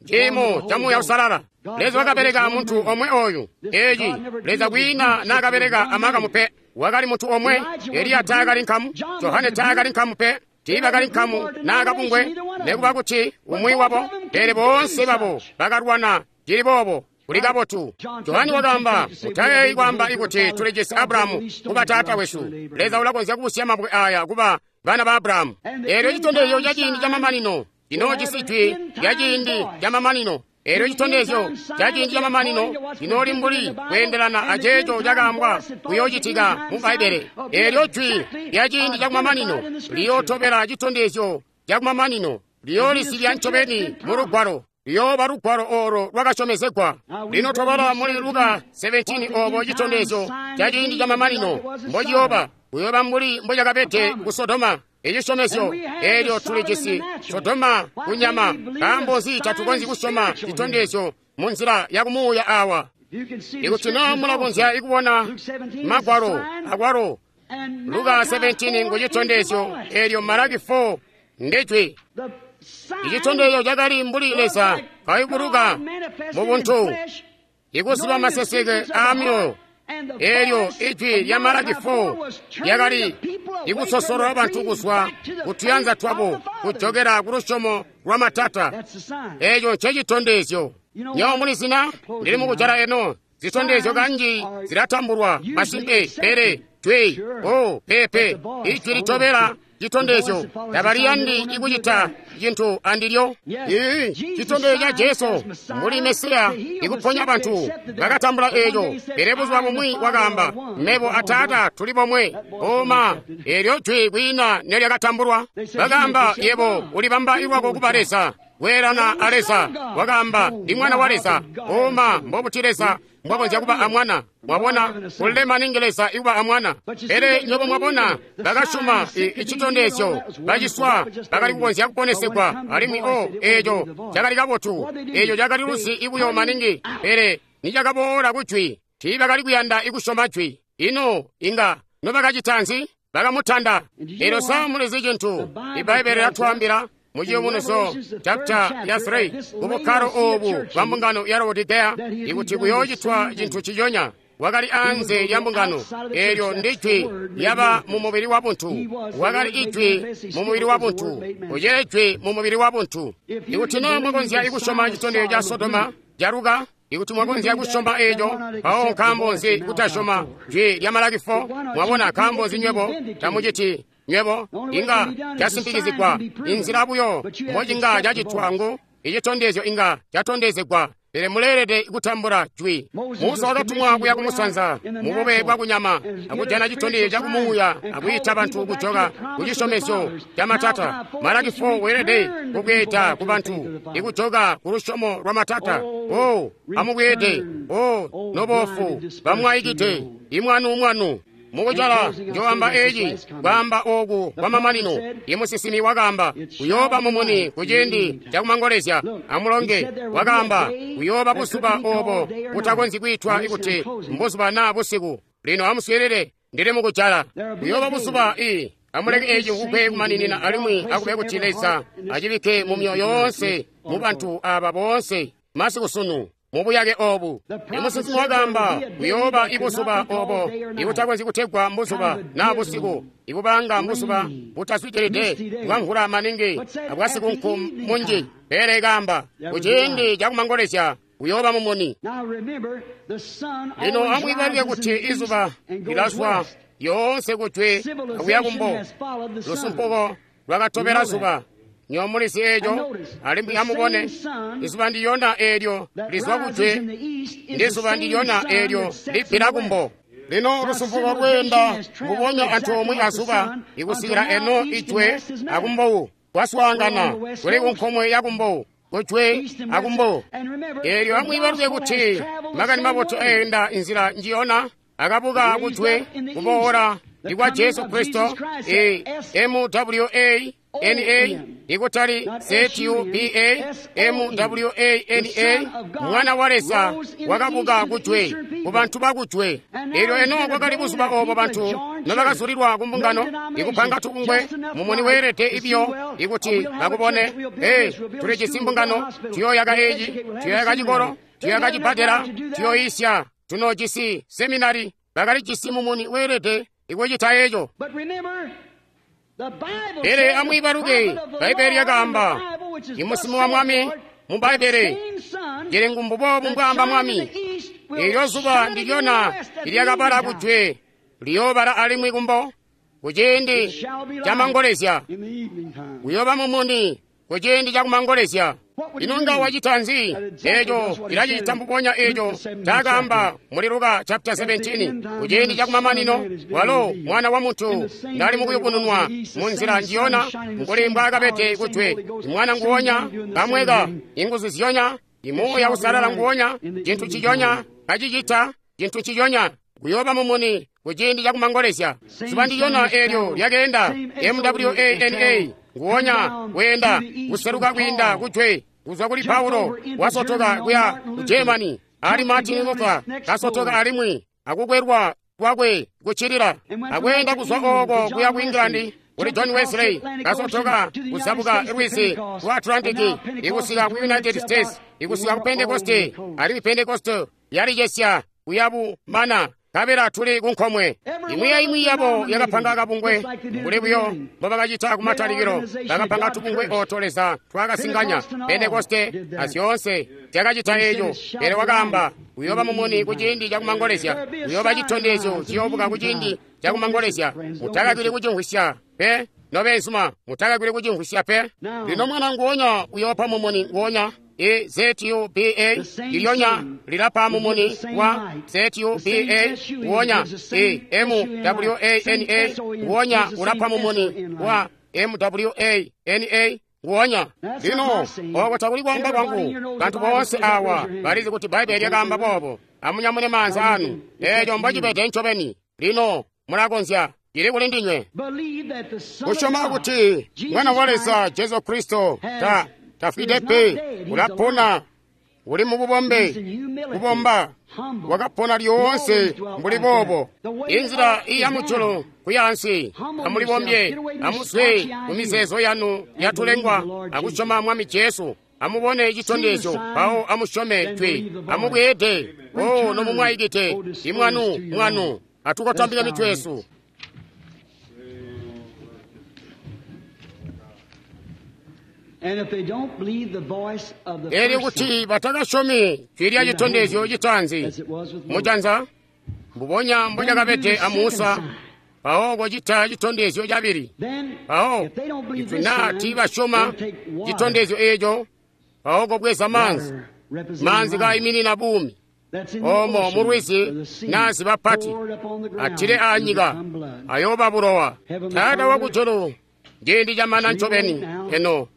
ciimo ca Muuya Uusalala. Leza wakabeleka muntu omwe oyu. Eeci Leza kwiina naakabeleka amakamu pe. Wakali muntu omwe. Eliya taakali nkamu, Johane taakali nkamu pe, tiibakali nkamu naakabungwe, nekuba kuti umwi wabo, pele boonse babo bakalwana cili boobo. Kuli kabotu. Johane wakaamba, mutayeeyi kwaamba ikuti tulijisi Abrahamu kuba taata wesu. Leza ulakonzya kubusya mabwe aya kuba bana ba Abrahamu. Eelyo citondezyo ca ciindi camamanino cinoojisi jwi lya ciindi camamanino. Eelyo citondezyo ca ciindi camamanino cinooli mbuli kweendelana aceeco cakaambwa kuyoocitika mu Bbaibbele. Eelyo jwi lya ciindi cakumamanino liyootobela citondezyo cakumamanino, liyoolisibya ncobeni mu Lugwalo. Liyooba Lugwalo olo lwakasyomezegwa. Lino twabala muli Luka seventeen obo citondezyo ca ciindi camamanino mbociyooba. Kuyooba mbuli mbocakabede ku Sodoma. Ecisyomezyo eelyo tulijisi Sodoma kunyama. Nkaambo nzi tatukonzyi kusyoma citondezyo mu nzila yakumuuya awa? Ikuti naa mulakonzya ikubona Magwalo akwalo, Luka seventeen ngu citondezyo, eelyo Malaki four ndijwi. Icitondezyo cakali mbuli Leza kayubuluka mu buntu, ikuziba maseseke aamyoyo. Eelyo ijwi lya Malaki four lyakali ikusosolola bantu kuzwa kutuyanza twabo kujokela ku lusyomo lwa matata. Eeco ncecitondezyo. Nywebo mulizina, ndili mukujala eno. Zitondezyo kanji zilatambulwa masimpe, pele jwi o pepe ijwi litobela citondezyo tabaliyandi ikucita cintu andilyo. Ii citondezyo ca Jesu mbuli Mesiya ikuponya bantu bakatambula eeco, pele buzuba bumwi wakaamba, mebo a Taata tuli bomwe. Oma eelyo jwi kwiina nelyakatambulwa. Bakaamba, yebo ulibamba lwako kuba Leza, kweelana a Leza. Wakaamba, ndi mwana wa Leza. Oma mbobuti Leza mbwakonzya kuba a mwana? Mwabona, kulile maningi Leza ikuba a mwana. Pele nywebo mwabona, bakasyoma icitondezyo, baciswa bakali kukonzya kuponesegwa, alimwi o eeco cakali kabotu, eeco cakali luzi ibuyo maningi. Pele nicakaboola kujwi, tiibakali kuyanda ikusyoma jwi. Ino inga nobakacita nzi? Bakamutanda. Eelyo sa mulizi cintu Ibbaibbele lyatwaambila mu Ciyubunuzyo chapter ya three kubukkalo obu bwa mbungano ya Laodicea, ikuti kuyoocitwa cintu ciyonya. Wakali anze lya mbungano, eelyo ndi jwi lyaba mu mubili wa buntu. Wakali ijwi mu mubili wa buntu, ucili jwi mu mubili wa buntu. Ikuti naa mwakonzya ikusyoma citondezyo ca Sodoma caluka, ikuti mwakonzya kusyoma eeco, mpawo nkaambo nzi kutasyoma jwi lya Malaki four? Mwabona, nkaambo nzi nywebo tamuciti? Nywebo inga casimpikizigwa. Inzila buyo mbocinga cacitwa ngu icitondezyo inga catondezegwa, pele muleelede kutambula jwi. Musa wakatumwa kuya kumusanza mubube bwakunyama akujana citondezyo cakumuuya akwiita bantu kujoka kucisyomezyo ca matata. Malaki four weelede kubweeda ku bantu ikujoka ku lusyomo lwa matata. O amubweede, o nobofu bamwaikide, imwanu mwanu. Mukucala njoamba eeci kwaamba ooku kwamamanino. Imusisimi wakaamba, kuyooba mumuni kuciindi cakumangolezya. Amulonge wakaamba, kuyooba buzuba oobo butakonzyi kwiitwa ikuti mbuzuba naa busiku. Lino amuswiilile, ndili mukucala. Kuyooba buzuba ii amuleke eeci kugwe kumaninina, alimwi akube kuti Leza acibikke mu myoyo yoonse mu bantu aaba boonse masiku sunu mubuyake obu. Imusinsimi wakaamba, kuyooba ibuzuba obo ibutakonzyi kutegwa mbuzuba naa busiku, ibubanga mbuzuba butazwidilide bwamvula maningi abwasikunku munji. Pele kaamba, kuciindi cakumangolezya Uyooba mumuni. Lino amwiibaluke kuti izuba lilazwa yoonse kujwe akuya kumbo. Lusumpuko lwakatobela zuba. Nywebo mulizi eeco, alimwi amubone, izuba ndiyona eelyo lizwa kujwe, ndizuba ndiyona eelyo libbila kumbo. Lino lusumpuko lweenda mbubonya antoomwe azuba ikusikila eno ijwe akumbowu kwaswaangana kuli kunkomwe yakumbowu, kujwe akumbo. Eelyo amwiibaluke kuti makani mabotu eenda inzila njiyona akabuka kujwe kuboola ndikwa Jesu Kristo, E M W A N A, ikutali Z U B A M W A N A, mwana wa Leza wakabuka kujwe ku bantu bakujwe. Eelyo eno kwakali buzuba obo bantu nobakazulilwa ku mbungano ikupanga tubungwe mumuni weelede ibyo ikuti bakubone. Ee, tulijisi mbungano, tuyooyaka eeci, tuyooyaka cikolo, tuyooyaka cibbadela, tuyooyisya, tunoojisi seminari. Bakalijisi mumuni weelede ikucita eeco. Pele amwiibaluke, Bbaibbele lyakaamba, imusimu wa Mwami mu Bbaibbele, cili ngumbubobu mbwaamba Mwami, eelyo zuba ndilyona ilyakabala kujwe liyoobala alimwi kumbo kuciindi camangolezya. Kuyooba mumuni kuciindi cakumangolezya. Ino nga wacita nzi? Eeco ilacita mbubonya eeco cakaamba muli Luka chapter seventeen, kuciindi cakumamanino walo mwana wa muntu ndali mukuyubununwa mu nzila njiyona mbuli mbwaakabede kujwe. Mwana nguwonya kamweka, inguzu ziyonya, imuuya usalala nguwonya, cintu ciyonya kacicita cintu ciyonya. Kuyooba mumuni kuciindi cakumangolezya. Zuba ndiyona eelyo lyakeenda M W A N A nguwonya weenda kuseluka kwiinda kujwe kuzwa kuli Paulo wasotoka kuya ku Germany, ali Martin Luther kasotoka alimwi akukwelwa kwakwe kuchilila, akweenda kuzwa oko kuya ku England kuli John Wesley kasotoka kuzabuka lwizi lwa Atlantic ikusika ku United States ikusika ku Pentecost, alimwi Pentecost yalicesya kuya bumana kabela tuli kunkomwe. Imwi yaimwi yabo yakapanga kabungwe mbuli buyo mbobakacita kumatalikilo. Bakapanga tubungwe oto Leza twakasinganya. Pentekoste azyoonse zyakacita eeco. Pele wakaamba uyooba mumuni kuciindi cakumangolezya, uyooba citondezyo ciyoobuka kuciindi cakumangolezya. Mutakakili kucimvwisya pe, nobeenzuma, mutakakili kucimvwisya pe. Lino mwana nguwonya uyoopa mumuni nguwonya. E Z U B A lilyonya lilapa mumuni wa Z U B A nguwonya. E M W A N A nguwonya ulapa mumuni wa M W A N A nguwonya. Lino oko takuli kwaamba kwangu, bantu boonse awa balizi kuti Bbaibbele lyakaamba boobo. Amunyamune maanza anu, eeco mbocibede ncobeni. Lino mulakonzya, cili kuli ndinywe kusyoma kuti mwana wa Leza Jesu Kristo ta tafwide pe, ulapona, uli mububombe, kubomba, wakapona lyoonse mbuli boobo. Inzila iya mujulu kuya ansi, amulibombye, amuzwe ku mizeezo yanu yatulengwa akusyoma Mwami Jesu. Amubone citondezyo mpawo amusyome twe, amubweede o nomumwaikite imwanu mwanu. Atukotambika mitwe yesu. Elyo kuti batakasyomi jwi lya citondezyo citaanzi mujanza mbubonya mbocakabede a Musa, mpawo kocita citondezyo cabili. Mpawo kuti naa tiibasyoma citondezyo eeco, mpawo kobweza maanzi, maanzi kaiminina buumi. Omo mulwizi naazi bapati atile aanyika ayooba bulowa. Taata wakujulu, ciindi camana ncobeni eno.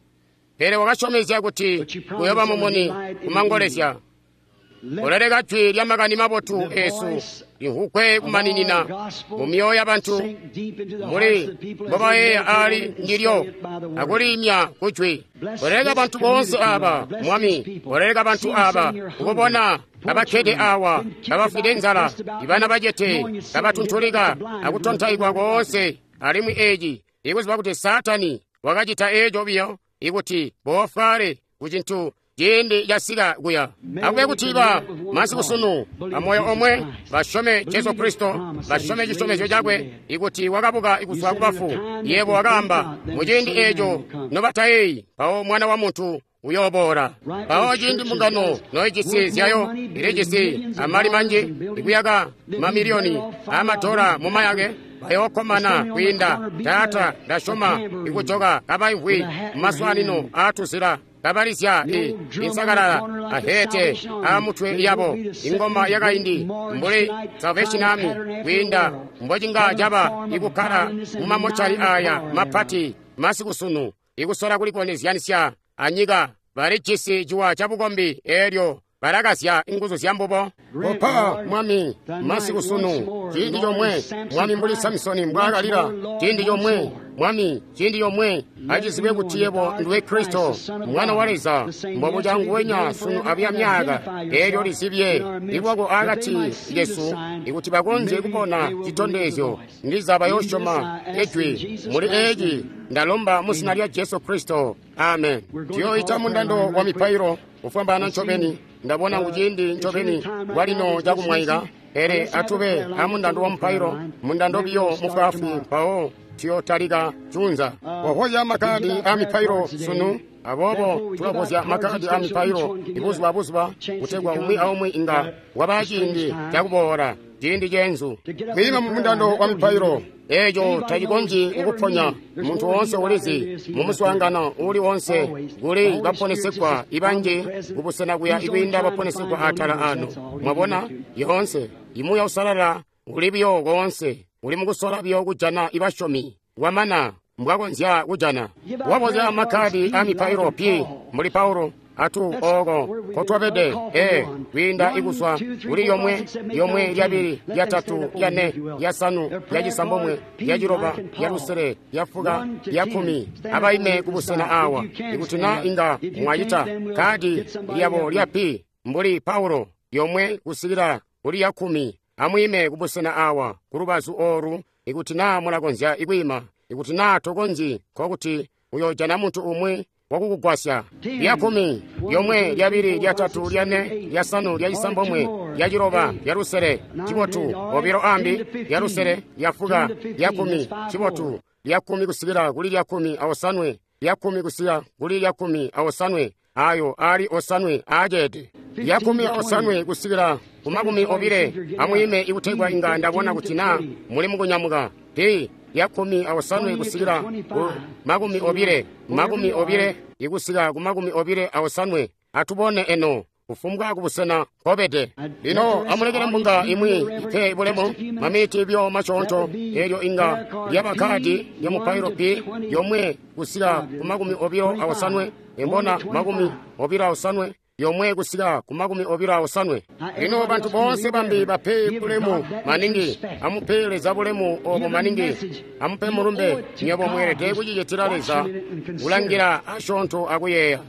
Pele wakasyomezya kuti kuyooba mumuni kumangolezya. Uleleka jwi lya makani mabotu eesu limvwugwe kumaninina mu myoyo yabantu muli mbobayeeya aali ndilyo akuliimya kujwi. Uleleka bantu boonse aaba, Mwami, uleleka bantu aaba ukubona kabakkede awa, kabafwide nzala, ibana bacete, kabatuntulika akutontaikwa koonse. Alimwi eeci ikuziba kuti Saatani wakacita eeco biyo ikuti boofwaale kucintu ciindi casika kuya. Akube kuti ba masiku sunu amoyo omwe basyome Jesu Kristo, basyome cisyomezyo cakwe ikuti wakabuka kuzwa kubafu. Yebo wakaamba muciindi eeco nobatayeeyi, mpawo mwana wa muntu uyooboola. Mpawo ciindi mbungano noijisi zyayo, ilijisi amali manji ikuyaka mamiliyoni aamadola mumayake, bayookkomana kwiinda Taata, ndasyoma, ikujoka kabaimvwi mumaswaanino aatuzila kabalizya i insakalala ahete aamutwe yabo ingoma yakaindi mbuli Salvation Army, kwiinda mbocinga caba ikukkala mumamochali aya mapati masiku sunu ikusola kulikonezyanisya anyika. Balijisi ciwa cabukombi eelyo balakazya inguzu zya mbubo. Kopa Mwami masiku sunu ciindi comwe, Mwami, mbuli Samsoni mbwaakalila ciindi comwe, Mwami, ciindi comwe, acizibwe kuti yebo ndiwe Kristo Mwana wa Leza, mbobuca nguwenya sunu abuya myaka. Eelyo lizibye lwako akati yesu, ikuti bakonzye kubona citondezyo, ndiza bayosyoma ejwi. Muli eeci ndalomba mu zina lya Jesu Kristo, amen. Tuyoita mundando wa mipailo kufwambaana ncobeni. Ndabona ngu ciindi ncobeni bwalino cakumwaika, pele atube amundando wa mupailo, mundando biyo mufwaafwi, mpawo tuyotalika junza. Wavozya makadi a mipailo sunu, aboobo tulavozya makadi a mipailo ibuzuba buzuba, kutegwa umwi aumwi inga waba ciindi cakuboola ciindi ceenzu kwiima mu mundando wa mipailo. Eeco tacikonzyi kukuponya. Muntu woonse ulizi mu muswaangano uuli woonse kuli baponesegwa ibanji kubusena kuya ikwiinda baponesegwa atala ano. Mwabona, yoonse imuuya usalala uli biyo koonse, uli mukusola biyo kujana ibasyomi wamana mbwakonzya kujana. Wabozya makadi a mipailo p mbuli Paulo atu ooko kotwabede e kwiinda ikuswa kuli yomwe yomwe lyabili lyatatu lyane lyasanu lyacisambomwe lyaciloba lyalusele lyafuka lyakkumi. Abaime kubusena awa ikuti na inga mwacita kadi lyabo lya p mbuli Paulo yomwe kusikila kuli yakkumi. Amwiime kubusena awa kulubazu oolu ikuti na mulakonzya ikwiima. Ikuti na tokonzyi, nkokuti uyoojana muntu umwi wakukugwasya. Lyakumi lyomwe lyabili lyatatu lyane lyasanu lyacisambomwe lyaciloba lyalusele cibotu obilo ambi lyalusele lyafuka lyakumi cibotu lyakumi kusikila kuli lyakumi aosanwe lyakumi kusikila kuli lyakumi aosanwe ayo ali osanwe aceede lyakumi osanwe kusikila ku makumi obile. Amwiime ikutegwa inga ndabona kuti na muli mukunyamuka. P lyakumi aosanwe kusikila ku makumi obile makumi obile ikusika ku makumi obile aosanwe. Atubone eno kufumbwa kubusena nkobede. Lino amulekele mbunga imwi ipe bulemu mamiti byo masyoonto. Eelyo inga lyaba kadi lya mupailo p yomwe kusika ku makumi obilo aosanwe, embona makumi obilo aosanwe yomwe kusika ku makumi obilo aosanwe. Lino bantu boonse bambi bape bulemu maningi. Amupe Leza bulemu obo maningi. Amupe mulumbe. Nywebo mweelede kucicitila Leza kulangila asyoonto akuyeeya.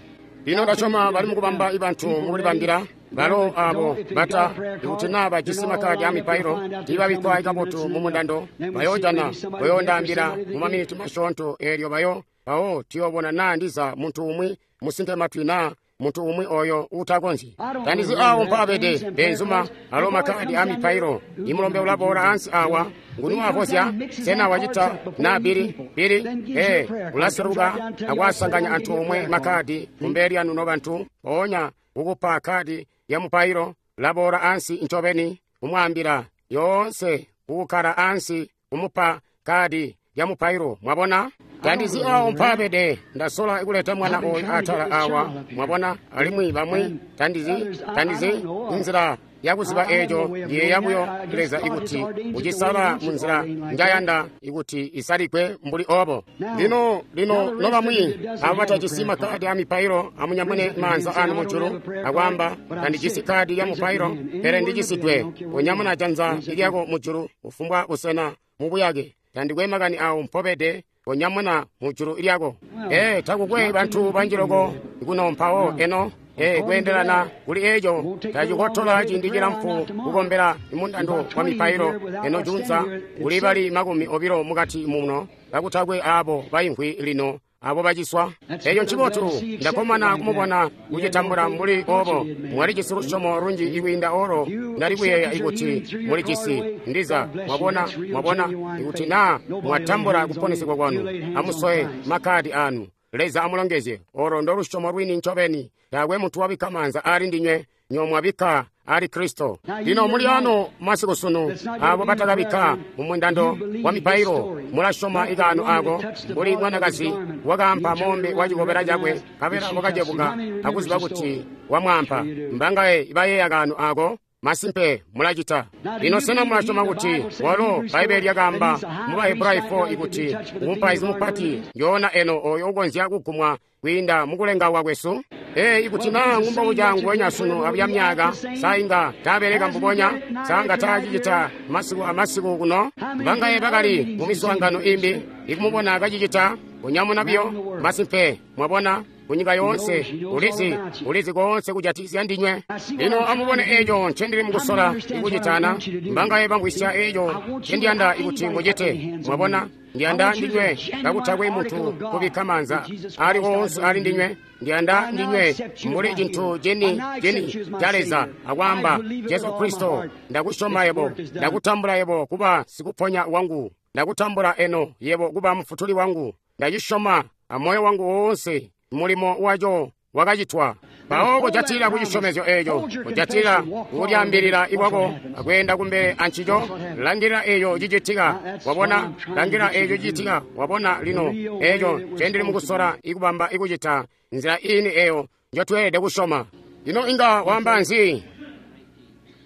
Lino ndasyoma bali mukubamba ibantu mukulibambila balo abo bata ikuti naa bajisi makadi a mipailo tiibabikkwa kabotu mu mundando, bayoojana bayoondaambila mu maminiti masyoonto. Eelyo bayo mpawo tuyoobona naa ndiza muntu umwi musinte matwi naa muntu umwi oyo uutakonzyi. Tandizi awo mpaabede benzuma alo makadi a mipailo. Imulombe ulaboola ansi awa. Nguni wavozya? Sena wacita na bili bili? Ee, ulaseluka akwasanganya anthu omwe makadi kumbele lyanu nobantu. Mpoonya kukupa kadi ya mupailo laboola ansi ncobeni kumwaambila yoonse kukukkala ansi kumupa kadi ya mupailo. Mwabona? Tandizi awo mpaabede. Ndasola kuleta mwana oyu atala awa. Mwabona? Alimwi bamwi tandizi tandizi inzila yakuziba eeco yeeya buyo Leza ikuti ucisala munzila njayanda ikuti isalikwe mbuli obo. Lino lino nobamwi abo batajisi makadi a mipailo amunyamune maanza anu mujulu akwaamba, tandijisi kadi ya mupailo pele ndijisidwe. Unyamuna janza lyako mujulu kufumbwa busena mubuyake. Tandikwe makani awo mpobede, unyamuna mujulu lyako. Ee, takukwe bantu banji loko kuno mpawo eno. Ee, kweendelana kuli eeco tacikotola ciindi cilamfu kukombela mundando wa mipailo eno junza. Kuli bali makumi obilo mukati muno kakutakwe abo baimvwi lino abo baciswa. Eeco ncibotu. Ndakkomana kumubona kucitambula mbuli obo. Mwalijisi lusyomo lunji ikwiinda olo ndali kuyeeya ikuti mulijisi. Ndiza mwabona mwabona ikuti naa mwatambula kuponesegwa kwanu. Amusowe makadi anu. Leza amulongezye. Olo ndo lusyomo lwini ncobeni. Taakwe muntu wabikka maanza aali ndinywe, nyo mwabikka ali Kristo. Lino muli ano masiku sunu, abo batakabikka mu mundando wa mipailo, mulasyoma ikaano ako mbuli mwanakazi wakaampa mombe wa cikobela cakwe, nkabela wakacebuka akuziba kuti wamwaampa. Mbangaye bayeeya kaano ako? Masimpe mulacita. Lino sena mulasyoma kuti walo Bbaibbele lyakaamba mu Bahebrayo four ikuti mupaizi mupati yoona eno oyo ukonzya kugumwa kwiinda mukulengawa kwesu? Ee, ikuti naa ngumbobuca nguwenya sunu abuya myaka, sa inga taabeleka mbubonya? Sa nga taacicita masiku amasiku kuno? Mbangaye bakali mu miswaangano imbi ikumubona kacicita? Kunyamuna biyo. Masimpe mwabona kunyika yoonse, ulizi ulizi koonse kujatikizya ndinywe. Lino amubone eco ncendili mukusola ikucitana. Mbangaye bamvwisya eco ncendiyanda ikuti mucite. Mwabona, ndiyanda ndinywe kakutakwe muntu kubikka maanza ali woonse ali ndinywe. Ndiyanda ndinywe mbuli cintu cini cini ca Leza akwaamba, Jesu Kristo, ndakusyoma yebo, ndakutambula yebo kuba sikuponya wangu, ndakutambula eno yebo kuba mufutuli wangu, ndacisyoma amoyo wangu woonse. Mulimo waco wakacitwa. Mpawo kujatila kucisyomezyo eco, kujatila kulyambilila ikwako akweenda kumbele ancico. Langilila eco cicitika, wabona. Langilila eco cicitika, wabona. Lino eco ncendili mukusola ikubamba ikucita nzila ini eyo njotweelede kusyoma. Lino inga wamba nzi?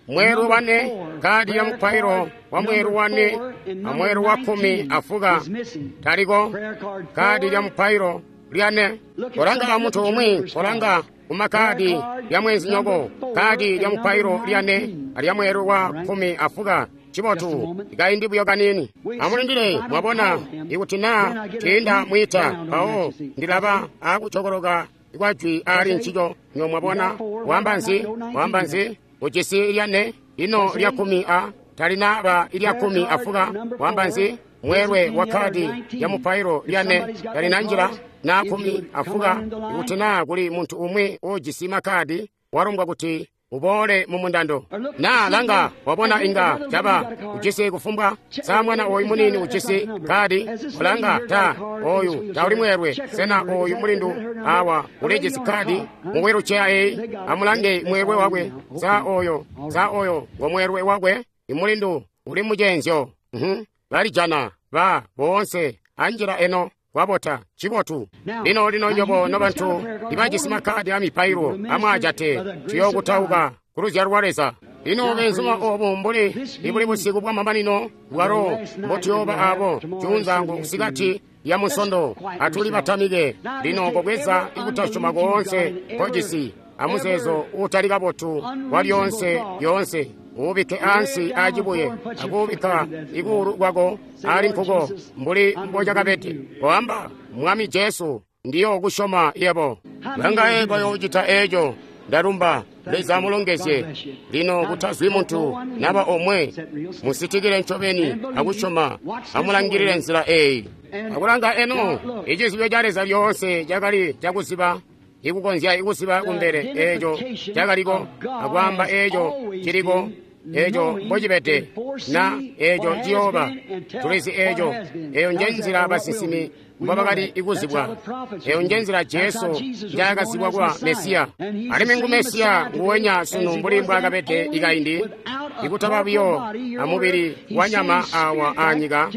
Mweru wane, kadi ya mupailo wa mweru wane amweru wa kumi afuka taliko. Kadi lya mupailo lyane. Kolanga muntu umwi, kolanga kumakadi lya mwenzinyoko. Kadi lya mupailo lyane alya mweru wa kumi afuka. Cibotu, ikaindi buyo kanini. Amulindile, mwabona, ikuti naa tiinda mwita, mpawo ndilaba akucokoloka kwa jwi ali ncico. Nyo mwabona, wamba nzi? Wamba nzi? Ujisi lyane, lino lya kumi a talinaba ilya kumi afuka. Wamba nzi? Mweelwe wa kadi ya mupailo lyane talinanjila na kumi afuka. Ikuti naa kuli muntu umwi ujisi makadi, walumbwa kuti uboole mu mundando. Na langa, wabona inga caba ujisi kufumbwa. Sa mwana oyu munini ujisi kadi? Olanga ta oyu tauli mweelwe. Sena oyu mulindu awa ulijisi kadi mu wheelchair eyi? Amulange mweelwe wakwe. Sa oyo, sa oyo ngo mweelwe wakwe? Imulindu uli mucenzyo. Mhm, balijana ba boonse anjila eno. Kwabota cibotu. Lino lino nyobo nobantu ibajisi makadi a mipailo amwaajate, tuyokutauka kuluzyalo lwa Leza. Lino benzuma obu mbuli ibuli busiku bwa mamanino bwalo mbotuyoba abo juunzangu kusikati ya musondo. Atuli batamike lino kobweza ikutasyoma koonse kojisi amuzeezo uutali kabotu wa lyoonse lyoonse, uubike ansi acibuye akuubikka ikuulu kwako ali nkuko mbuli mbocakabede. Koamba, Mwami Jesu, ndiyo kusyoma yebo. Bangaye bayoocita eco? Ndalumba. Leza amulongezye. Lino kutazwi muntu naba omwe, musitikile ncobeni akusyoma. Amulangilile nzila eyi akulanga eno. Icizibyo ca Leza lyoonse cakali cakuziba, ikukonzya ikuziba kumbele eco cakaliko, akwaamba eco ciliko, eco mbocibede, na eco ciyooba. Tulizi eco. Eyo njenzila basinsimi mbobakali ikuzibwa. Eyo njenzila Jesu njaakazibwa kuba Mesiya. Alimwi ngu Mesiya nguwenya sunu mbuli mbwaakabede ikaindi, ikutaba buyo amubili wa nyama awa anyika,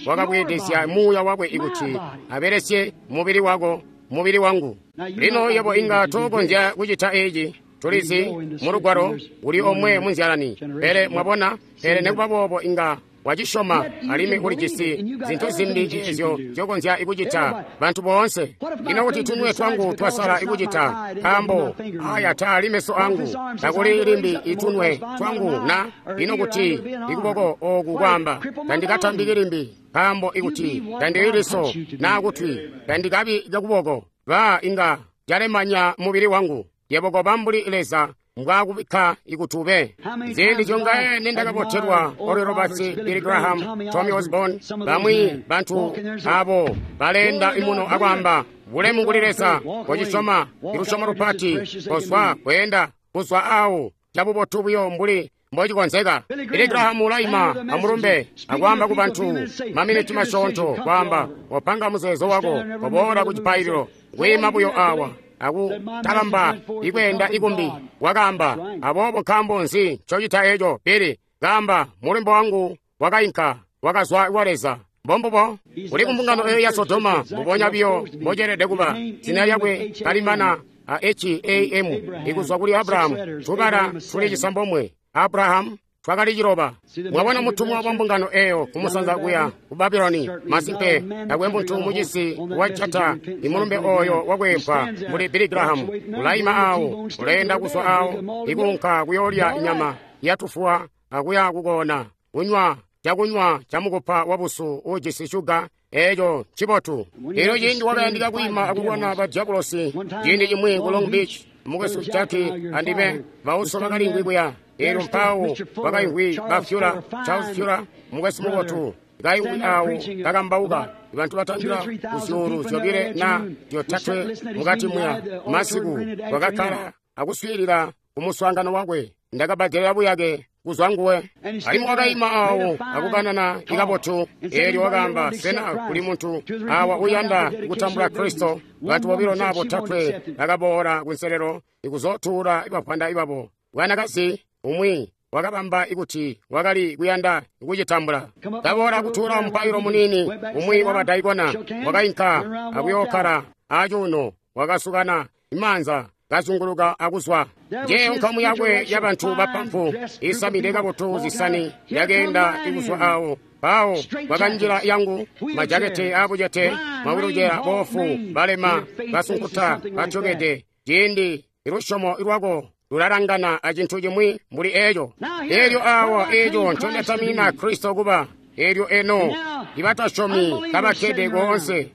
wakabweedezya muuya wakwe ikuti abelesye mubili wako, mubili wangu. Lino yebo inga tokonzya kucita eci. Tulizi mu lugwalo uli omwe munzyalani, pele mwabona, pele nekuba boobo inga wacisyoma alimwi ulijisi zintu zimbi ezyo zyokonzya ikucita bantu boonse. Ino kuti tunwe twangu twasala ikucita, nkaambo aya taali meso angu, takuli limbi itunwe twangu na? Ino kuti ikuboko oku kwaamba, tandikatambiki limbi, nkaambo ikuti tandili liso naa kutwi, tandikabi kakuboko, ba inga calemanya mubili wangu. Yebo koba mbuli Leza mbwakubikka ikutube. Ziindi zyongaye nendakabotelwa Oral Roberts, Billy Graham, Tommy Osborne, bamwi bantu abo balenda imuno akwamba bulemu kuli Leza. Kocisoma ilusyomo lupati, kozwa kweenda kuzwa awo cabubotu buyo mbuli mbocikonzeka. Billy Graham ulaima amulumbe akwaamba ku bantu maminiti masyoonto, kwaamba, wapanga muzeezo wako, waboola ku cipaililo, kwiima buyo awa akutalamba ikweenda ikumbi. Wakaamba, aboobo nkaambo nzi ncocita eco, Billy? Kaamba, mulembo wangu wakainka, wakazwa kwa Leza. Mbombubo uli kumbungano eyo ya Sodoma, mbubonya biyo mboceelede kuba. Zina lyakwe kalimana a H A M, ikuzwa kuli Abrahamu, tubala tuli cisambomwe. Abrahamu twakali ciloba. Mwabona mutumwa wa mbungano eyo kumusanza kuya ku Babuloni. Masimpe takwe muntu mucisi wajata imulumbe oyo wakwempwa mbuli Billy Graham. Ulaima awo, uleenda kuzwa awo, ikuunka kuyoolya inyama yatufuwa akuya kukona, kunywa cakunywa camukupa wabusu ujisi shuga. Eco ncibotu. Elyo ciindi wakayandika kwiima akulwana ba diabulosi ciindi cimwi ku Long Beach, mukwesu Jackie andime bauso bakaliimvwi kuya. Elyo mpawo bakaimvwi ba Fuller, Charles Fuller, mukwesu mubotu, kaimvwi awo kakambauka. Bantu batandila kuzyuulu zyobile na zyotatwe mukati muya masiku bakakkala akuswiilila kumuswaangano wakwe. Ndakabbadelela buyake kuzwa nguwe. Alimwi wakaima awo akukanana ikabotu. Eelyo wakaamba, sena kuli muntu awa uyanda kutambula Kristo? Bantu bobilo na botatwe bakaboola kunselelo ikuzotuula ibapanda ibabo. Bwanakazi umwi wakabamba ikuti wakali kuyanda kucitambula. Kaboola kutuula mupailo munini, umwi wabadaikona wakainka akuyookkala acuuno, wakasukana imaanza kazunguluka akuzwa. Njeyo nkamu yakwe yabantu bapampu isamide kabotu zisani yakeenda ikuzwa awo. Pawo bakanjila yangu majakete abucete, mawilujera, boofu, balema, basunkuta, batyokede. Ciindi ilusyomo lwako lulalangana acintu cimwi mbuli eco. Elyo awa eco ncondatamina Kristo kuba. Elyo eno ibatasyomi kabakkede koonse,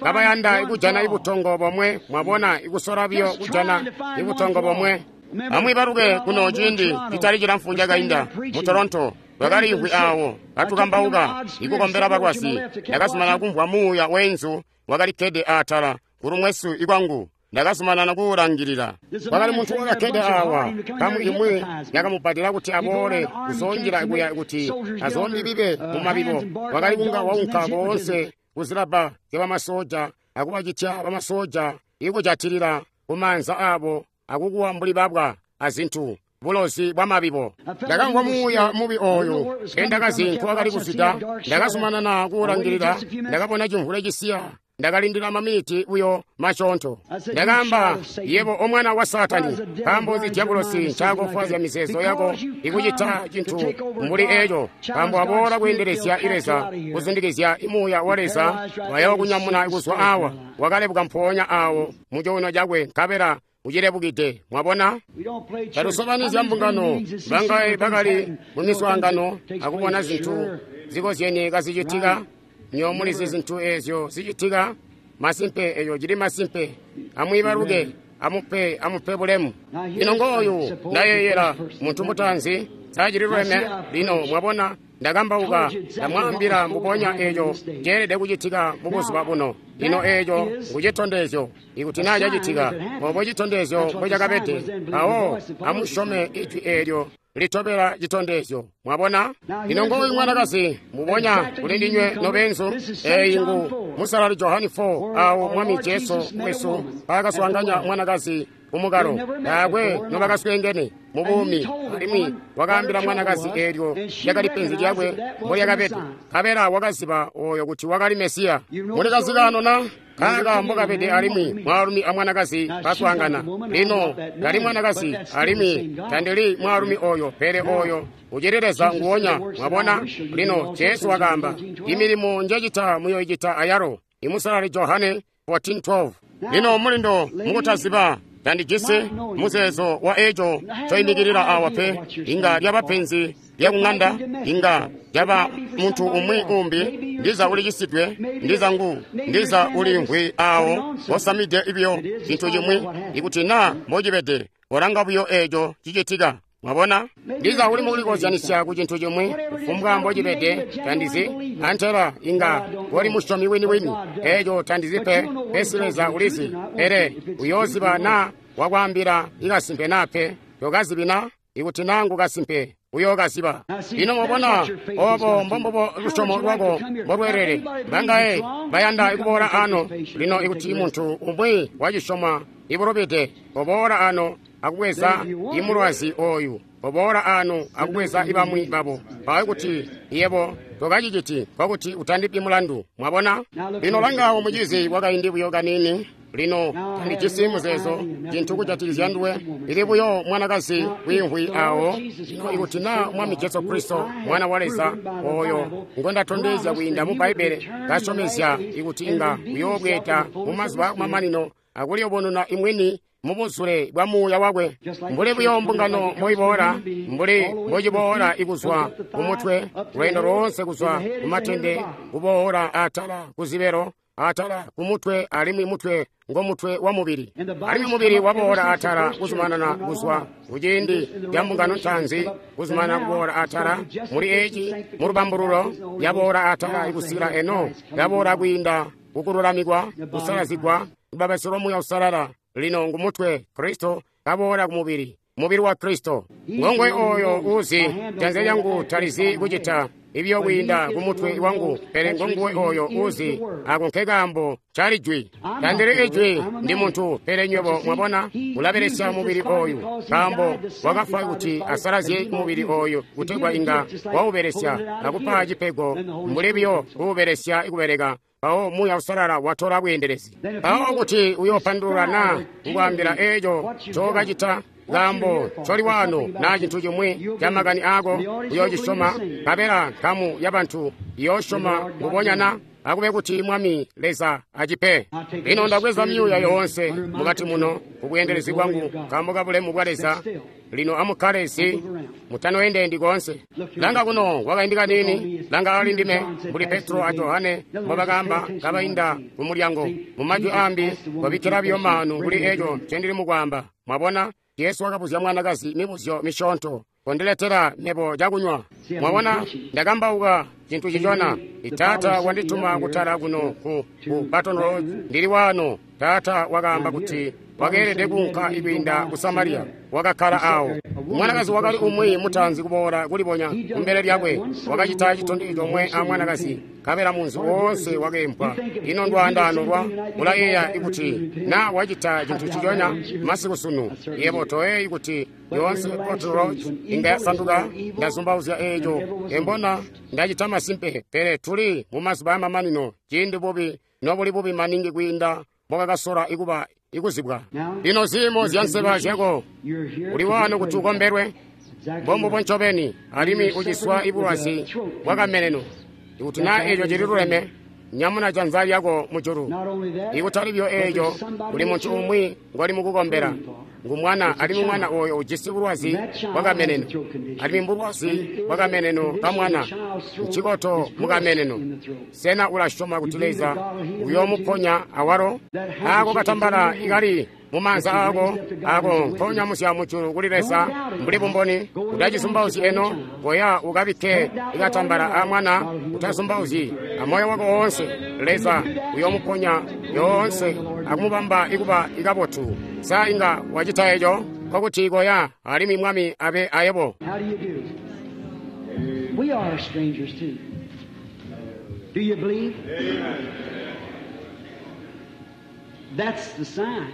kabayanda ikujana ibutongo bomwe. Mwabona, ikusola biyo kujana ibutongo bomwe. Amwi baluke kuno ciindi citali cilamfu cakainda mu Toronto, bakaliimvwi awo katukambauka ikukombela balwazi. Ndakazumanana kumvwa muuya wenzu wakalikkede atala kulumwesu ikwangu. Ndakazumanana kuwulangilila. Kwakali muntu wakakkede awa, kamu imwi yakamubbadela kuti aboole kuzoonjila kuya kuti azoondibibe mumabibo. Wakali kunga waunka koonse kuzilabba zyabamasoja akubacitya bamasoja ikujatilila kumaanza abo akukuwa mbuli babwa azintu, bulozi bwa mabibo. Ndakamvwa muuya mubi oyo endakazi nkuwakali kuzwida. Ndakazumanana kuwulangilila. Ndakabona cimvule cisiya. Ndakalindila maminiti buyo masyoonto. Ndakaamba, yebo omwana wa Saatani, nkaambo nzi diabulosi ncaakofwaazya mizeezo yako ikucita cintu mbuli eco? Nkaambo aboola kweendelezya Leza, kuzundikizya imuuya wa Leza wayokunyamuna kuzwa awa. Wakalebuka mpoonya awo mu cuuno cakwe, nkabela ucilebukide. Mwabona, talusobanizya mbungano. Bangaye bakali mu miswaangano akubona zintu zikozyene kazicitika. Nyo mulizi zintu ezyo zicitika. Masimpe, eyo cili masimpe. Amwiibaluke, amupe amupe bulemu. Lino ngooyu ndayeeyela muntu mutaanzi sacililweme. Lino mwabona, ndakambauka, ndamwaambila mbubonya eco ceelede kucitika mubuzuba buno. Lino eco ngucitondezyo. Ikuti naa cacitika obo citondezyo mbocakabede, awo amusyome ijwi eelyo litobela citondezyo. Mwabona, lino ngooyu mwanakazi mbubonya kuli ndinywe nobenzu. Eyi ngu Musalali Johani four, awo Mwami Jesu wesu paakaswaanganya mwanakazi kumukalo. Taakwe nobakasweengene mubuumi, alimwi wakaambila mwanakazi eelyo lyakali penzi lyakwe mbolyakabede, nkabela wakaziba oyo kuti wakali Mesiya. Mulikazikano na kaaka mbokabede, alimwi mwaalumi amwanakazi baswaangana. Lino ndali mwanakazi alimwi tandili mwaalumi oyo, pele oyo ucili Leza nguwonya. Mwabona, lino Jesu wakaamba, imilimo njecita muyoicita ayalo. Imusalali Johane fourteen twelve. Lino mulindo mukutaziba tandijisi muzeezo wa eco coimikilila awa pe. Inga lyaba penzi lyakung'anda, inga lyaba muntu umwi umbi, ndiza ulicisidwe, ndiza ngu, ndiza ulimvwi awo osamide ibyo cintu cimwi. Ikuti naa mbocibede, olanga buyo eco cicitika. Mwabona, ndiza uli mukulikozyanisya ku cintu cimwi, kufumbwa mbocibede, tandizi. Antela inga wali musyomi wini-wini, eco tandizi pe, pesi Leza ulizi. Pele uyooziba naa wakwaambila ikasimpe naa pe, tokazibi na. Ikuti naa ngu kasimpe, uyookaziba. Lino mwabona, obo mbombubo lusyomo lwako mbolweelele. Bangaye bayanda kuboola ano. Lino ikuti muntu umwi wacisyoma ibulubide, oboola ano akubweza imulwazi oyu, oboola ano akubweza ibamwi babo. Mpawo kuti yebo tokaciciti, nkokuti utandipi mulandu. Mwabona? Lino langawo mucizi wakaindi buyo kanini. Lino tandijisi muzeezo cintu kujatikizya nduwe, ili buyo mwanakazi wiimvwi awo. Lino ikuti naa Mwami Jesu Kristo, Mwana wa Leza, oyo ngwendatondezya kwiinda mu Bbaibbele, kasyomezya ikuti inga uyoobweeda mu mazuba akumamanino akuliyubununa imwini mubuzule bwa muuya wakwe, mbuli buyo mbungano moiboola, mbuli mbociboola ikuzwa kumutwe, lweendo loonse kuzwa kumatende, kuboola atala kuzibelo, atala kumutwe, alimwi mutwe ngomutwe wa mubili, alimwi mubili waboola atala kuzumanana kuzwa kuciindi ca mbungano ntaanzi, kuzumanana kuboola atala muli eci mulubambululo, yaboola atala ikusikila eno, yaboola kwiinda kukululamikwa, kusalazigwa, lubabasyo lwa Muuya Uusalala. Lino ngumutwe Kristo kaboola kumubili, mubili wa Kristo. Ngongwe oyo uzi janza lyangu talizi kucita ibyo kwiinda kumutwe wangu, pele ngonguwe oyo uzi. Ako nkekaambo cali jwi. Tandili ijwi, ndi muntu, pele nywebo mwabona ulabelesya mubili oyu, nkaambo wakafwa kuti asalazye mubili oyu kutegwa inga waubelesya akupa cipego, mbuli buyo kuubelesya kubeleka. Mpawo Muuya Uusalala watola bweendelezi. Mpawo kuti uyoopandulula naa kukwaambila eeco ncookacita, nkaambo ncoli waano naa cintu cimwi ca makani aako, uyoocisyoma, nkabela nkamu yabantu iyoosyoma mbubonya na akube kuti Mwami Leza acipe. Lino ndabweza myuuya yoonse mukati muno kubweendelezi bwangu nkaambo ka bulemu bwa Leza. Lino amukkale si mutanoendendi koonse. Langa kuno kwakaindi kaniini, langa ali ndime, mbuli Petro a Johane mbobakaamba kabainda ku mulyango. Mu majwi aambi, kobikkila biyo maanu kuli eco ncendili mukwaamba. Mwabona, Jesu wakabuzya mwanakazi mibuzyo misyoonto. Kondiletela mebo cakunywa. Mwabona, ndakambauka cintu cicona. Taata wandituma kutala kuno ku, ku Baton Rouge. Ndili waano. Taata wakaamba kuti wakeelede kuunka ikwiinda ku Samariya. Wakakkala awo. Mwanakazi wakali umwi mutaanzi kuboola kulibonya kumbele lyakwe. Wakacita citondezyo comwe a mwanakazi, nkabela munzi woonse wakeempwa. Ino ndwaandaano lwa ulayeeya ikuti na wacita cintu ciconya masiku sunu. Yebo toyeeyi kuti yoonse Baton Rouge inga yasanduka. Ndazumbauzya eeco. Embona ndacita masimpe, pele tuli mu mazuba amamanino, ciindi bubi nobuli bubi maningi kwiinda mbokakasola ikuba ikuzibwa. Lino ziimo zya nseba zyako, uli waano kuti ukombelwe, mbombubo ncobeni, alimwi uciswa ibulwazi bwakameneno. Ikuti naa eeco cililuleme, nyamuna janza lyako mujulu. Ikutali byo eeco, kuli muntu umwi ngoli mukukombela, ngu mwana, alimwi mwana oyo ujisi bulwazi bwakameneno, alimwi mbulwazi bwakameneno ka mwana, ncikoto mukameneno. Sena ulasyoma kuti Leza uyoomuponya awalo? Aako katambala ikali mumaanza aako, ako nkonyamusya mujulu kuli Leza mbuli bumboni. Utacizumbauzyi eno, koya ukabikke ikatambala a mwana. Utazumbauzyi amoyo wako woonse, Leza uyoomuponya yoonse akumubamba ikuba ikabotu. Sa inga wacita eco? Nkokuti koya, alimwi Mwami abe ayebo. How do you do? We are strangers too. Do you believe? That's the sign.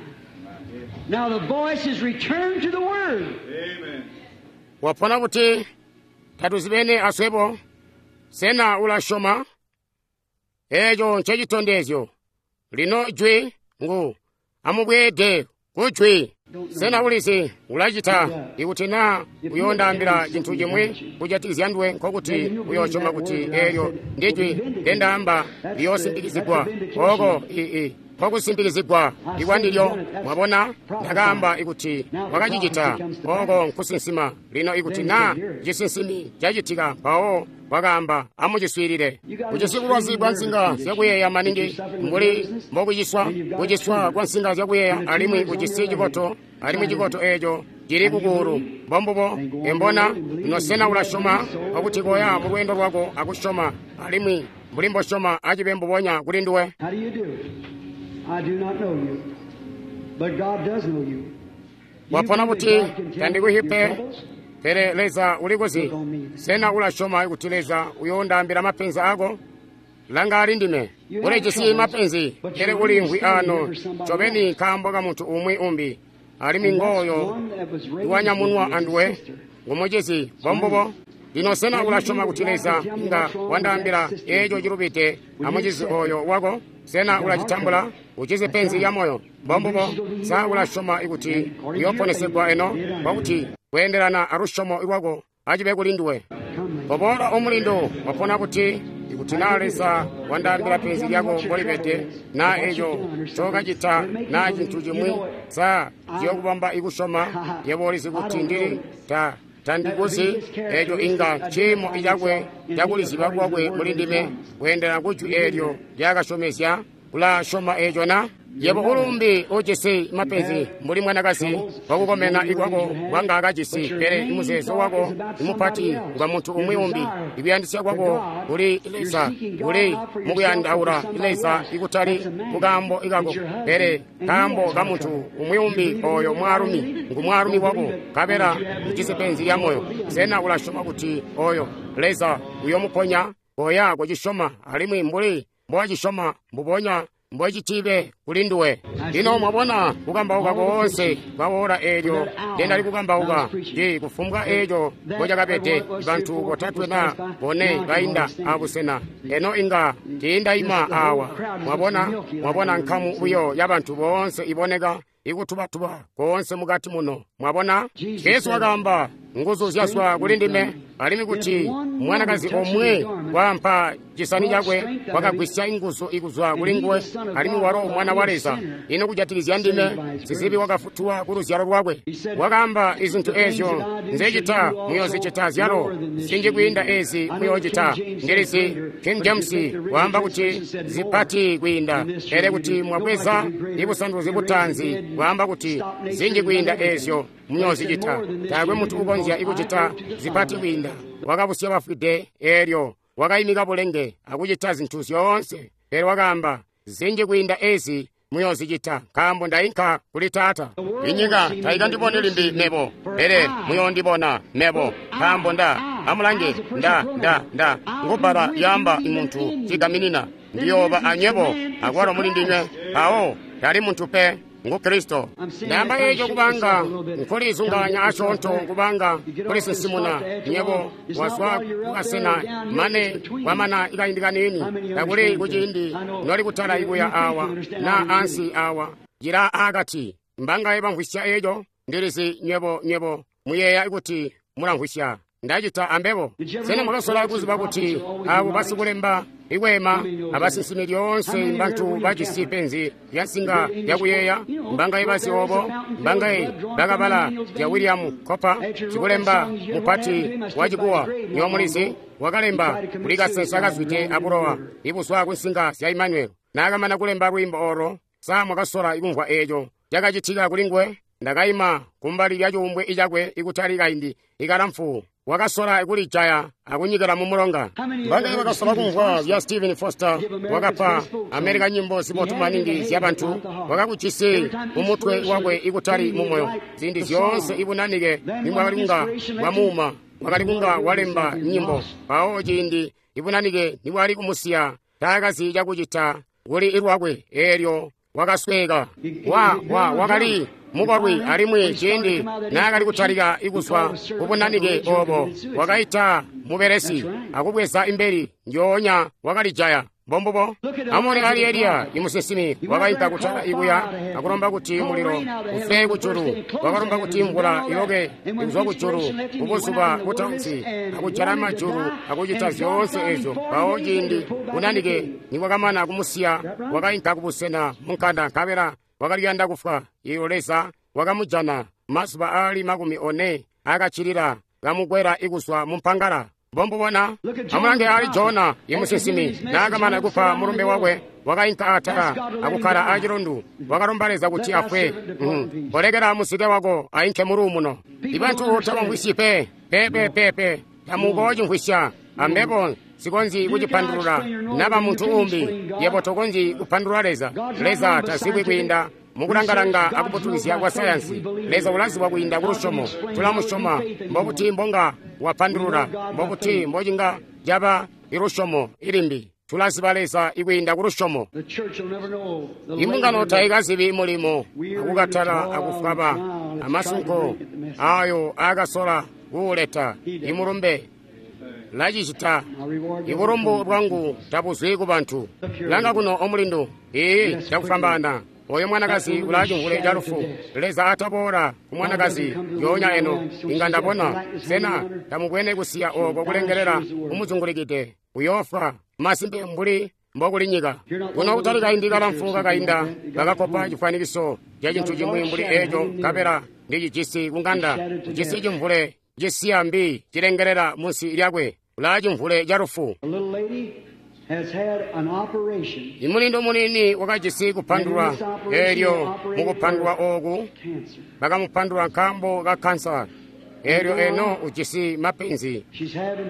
Now the voice is returned to the Word. Wapona kuti tatuzibene aswebo. Sena ulasyoma? Eeco ncecitondezyo. Lino jwi ngu amubweede kujwi. Sena ulizi ulacita? Ikuti naa uyoondaambila cintu cimwi kujatikizya nduwe, nkokuti uyoosyoma kuti eelyo ndijwi ndendaamba liyoosimpikizigwa. Oko ii nkokusimpikizigwa ikwandilyo. Mwabona, ndakaamba ikuti wakacicita. Oko nkusinsima. Lino ikuti naa cisinsimi cacitika, mpawo wakaamba amuciswiilile. Kucisi bulwazi bwa nsinga zyakuyeeya maningi mbuli mbokuciswa, kuciswa kwa nsinga zyakuyeeya, alimwi kucisi cikoto, alimwi cikoto eeco cili kukuulu. Mbombubo. Embona ino sena ulasyoma? Kwakuti koya mu lweendo lwako akusyoma, alimwi mbuli mbosyoma acibe mbubonya kuli nduwe. How do you do? I do not know you, but God does know you. You Wapona believe kuti that God can tell tandikuhipe your troubles? Pele Leza ulikuzi. Sena ulasyoma kuti Leza uyoondaambila mapenzi ako? Langa ali ndime. Ulijisi mapenzi, pele uliimvwi ano ncobeni nkaambo ka muntu umwi umbi. Alimwi ngooyo iwanyamunwa anduwe ngumucizi bombubo. Lino sena ulasyoma kuti Leza inga wandaambila eeco cilubide amucizi oyo wako? Sena ulacitambula? Ucizi penzi lya moyo bombubo. Sa ulasyoma kuti uyooponesegwa eno? Kwakuti kweendelana alusyomo lwako acibe kuli nduwe. Koboola omulindu, wapona kuti ikuti naa Leza wandaambila penzi lyako mbolibede, naa eeco ncookacita naa cintu cimwi, sa ciyookubamba ikusyoma? Yebo ulizi kuti ndili ta tandikuzi. Eeco inga ciimo cakwe cakuliziba kwakwe muli ndime kweendelana kujwi eelyo lyakasyomezya. Ulasyoma eeco na? Yebo ulumbi ujisi mapenzi mbuli mwanakazi wakukomena ikwako kwanga akajisi, pele imuzeezo wako imupati ngwa muntu umwi umbi. Ikuyandisya kwako kuli Leza, kuli mukuyandaula Leza ikutali kukaambo ikako, pele kaambo ka muntu umwi umbi. Oyo mwaalumi ngu mwaalumi wako, nkabela ujisi penzi lya moyo. Sena ulasyoma kuti oyo Leza uyomuponya? Koya kucisyoma, alimwi mbuli mbowacisyoma mbubonya mbocitibe kuli nduwe. Lino mwabona kukambauka koonse kwawola eelyo ndendali kukambauka ndi kufumbwa eeco mbocakabede. Bantu botatwe na bone bainda abusena eno inga tiindaima awa. Mwabona, mwabona nkamu buyo yabantu boonse iboneka ikutubatuba koonse mukati muno. Mwabona, Jesu wakaamba nguzu zyazwa kuli ndime, alimwi kuti mwanakazi omwe wampa cisani cakwe wakagwisya inguzu ikuzwa kuli nguwe, alimwi walo mwana wa Leza. Ino kujatikizya ndime, sizibi wakafutulwa ku luzyalo lwakwe. Wakaamba izintu eezyo nzecita muyoozicita zyalo, zinji kwiinda ezi muyoocita. Ndilizi King James waamba kuti zipati kwiinda, pele kuti mwabweza ibusanduluzi butaanzi waamba kuti zinji kwiinda eezyo muyoozicita. Taakwe muntu ukonzya ikucita zipati kwiinda. Wakabusya bafwide eelyo wakayimika bulenge akucita zintu zyoonse, pele wakaamba zinji kwiinda ezi muyoozicita, nkaambo ndainka kuli Taata. Inyika taikandiboni limbi mebo, pele muyoondibona mebo, nkaambo nda amulange nda nda nda ngubbala lyaamba muntu cigaminina. Ndiyooba anywebo akwalo muli ndinywe. Mpawo tali muntu pe, ngu Kristo. Ndaamba eeco kubanga nkulizunganya asyoonto, kubanga kulisinsimuna nywebo wazwa kukasena mane kwamana ikaindi kaniini, takuli kuciindi noli kutala ikuya awa na ansi awa cila akati. Mbangaye bamvwisya eeco? Ndilizi nywebo nywebo muyeeya kuti mulamvwisya. Ndacita ambebo. Sena mwakasola kuziba kuti abo basikulemba ikweema abasinsimi lyoonse mbantu bajisi penzi lya nsinga yakuyeeya? Mbangaye bazi obo? Mbangaye bakabala zya William Cooper, sikulemba mupati wa Chikuwa? Nywebo mulizi wakalemba kuli kasensa kazwide abulowa ibuzwa ku nsinga zya Emmanuel. Naakamana kulemba lwiimbo olo, sa mwakasola ikumvwa eeco cakacitika kuli nguwe? Ndakaima kumbali lya cuumbwe icakwe ikutali kaindi ikalamfu. Wakasola kulijaya akunyikila mu mulonga. Mbangaye bakasola kumvwa zya Stephen Foster? Wakapa Amerika nyimbo zibotu maningi zya bantu. Wakakujisi mumutwe wakwe ikutali mumoyo. Ziindi zyoonse ibunanike nimwakali kunga bwamuuma, wakali kunga walemba nyimbo. Mpawo ciindi ibunanike nibwali kumusiya, taakazi cakucita kuli ilwakwe eelyo wakasweka. Wa wa wakali mukolwi, alimwi ciindi naakali kutalika ikuzwa kubunanike obo, wakaita mubelesi akubweza imbeli njoonya wakalijaya. Mbombubo. Amone ali Eliya imusinsimi wakainka kutala ikuya akulomba kuti mulilo ufe kujulu. Wakalomba kuti mvula iloke ikuzwa kujulu kubuzuba butaanzi, akujala majulu akucita zyoonse ezyo. Mpawo ciindi bunanike nibwakamana kumusiya, wakainka kubusena munkanda, nkabela wakaliyanda kufwa. Iyo Leza wakamujana mazuba aali makumi one akacilila kamukwela ikuzwa mumpangala. Mbombubona. Amulange ali Jona imusinsimi naakamana kupa mulumbe wakwe, wakainka atala akukkala acilundu. Wakalomba Leza kuti afwe. Mm. Kolekela muzike wako ainke muluumuno. Ibantu tabamvwisyi pe pepe pepe, tamukoocimvwisya. Ambebo sikonzyi kucipandulula naba muntu umbi. Yebo tokonzyi kupandulula Leza. Leza tazibwi kwiinda Mukulangalanga akuputukizya kwa sayansi, Leza ulazibwa kwiinda ku lusyomo. Tulamusyoma. Mbobuti mbonga wapandulula, mbobuti mbocinga caba ilusyomo ilimbi. Tulaziba Leza ikwiinda ku lusyomo. Imbungano taikazibi mulimo akukatala akufwaba amasunko ayo aakasola kuuleta imulumbe lacicita. Ibulumbu bwangu tabuzwi ku bantu. Langa kuno omulindu, ii cakufwambaana. Oyo mwanakazi ulaa cimvule ca lufu. Leza ataboola ku mwanakazi yoonya eno. Inga ndabona. Sena tamubwene kusiya oko kulengelela kumuzungulikide? Uyoofwa masimpe mbuli mbokuli nyika. Kuno kutali kaindi kalamfu kakainda bakakopa cifwanikiso ca cintu cimwi mbuli eco, nkabela ndicijisi kunganda. Ujisi cimvule cisiya mbi cilengelela munsi lyakwe. Ulaa cimvule ca lufu. Imulindu muniini wakajisi kupandulwa. Eelyo mukupandulwa ooku bakamupandulwa nkaambo ka kansa. Eelyo eno ujisi mapenzi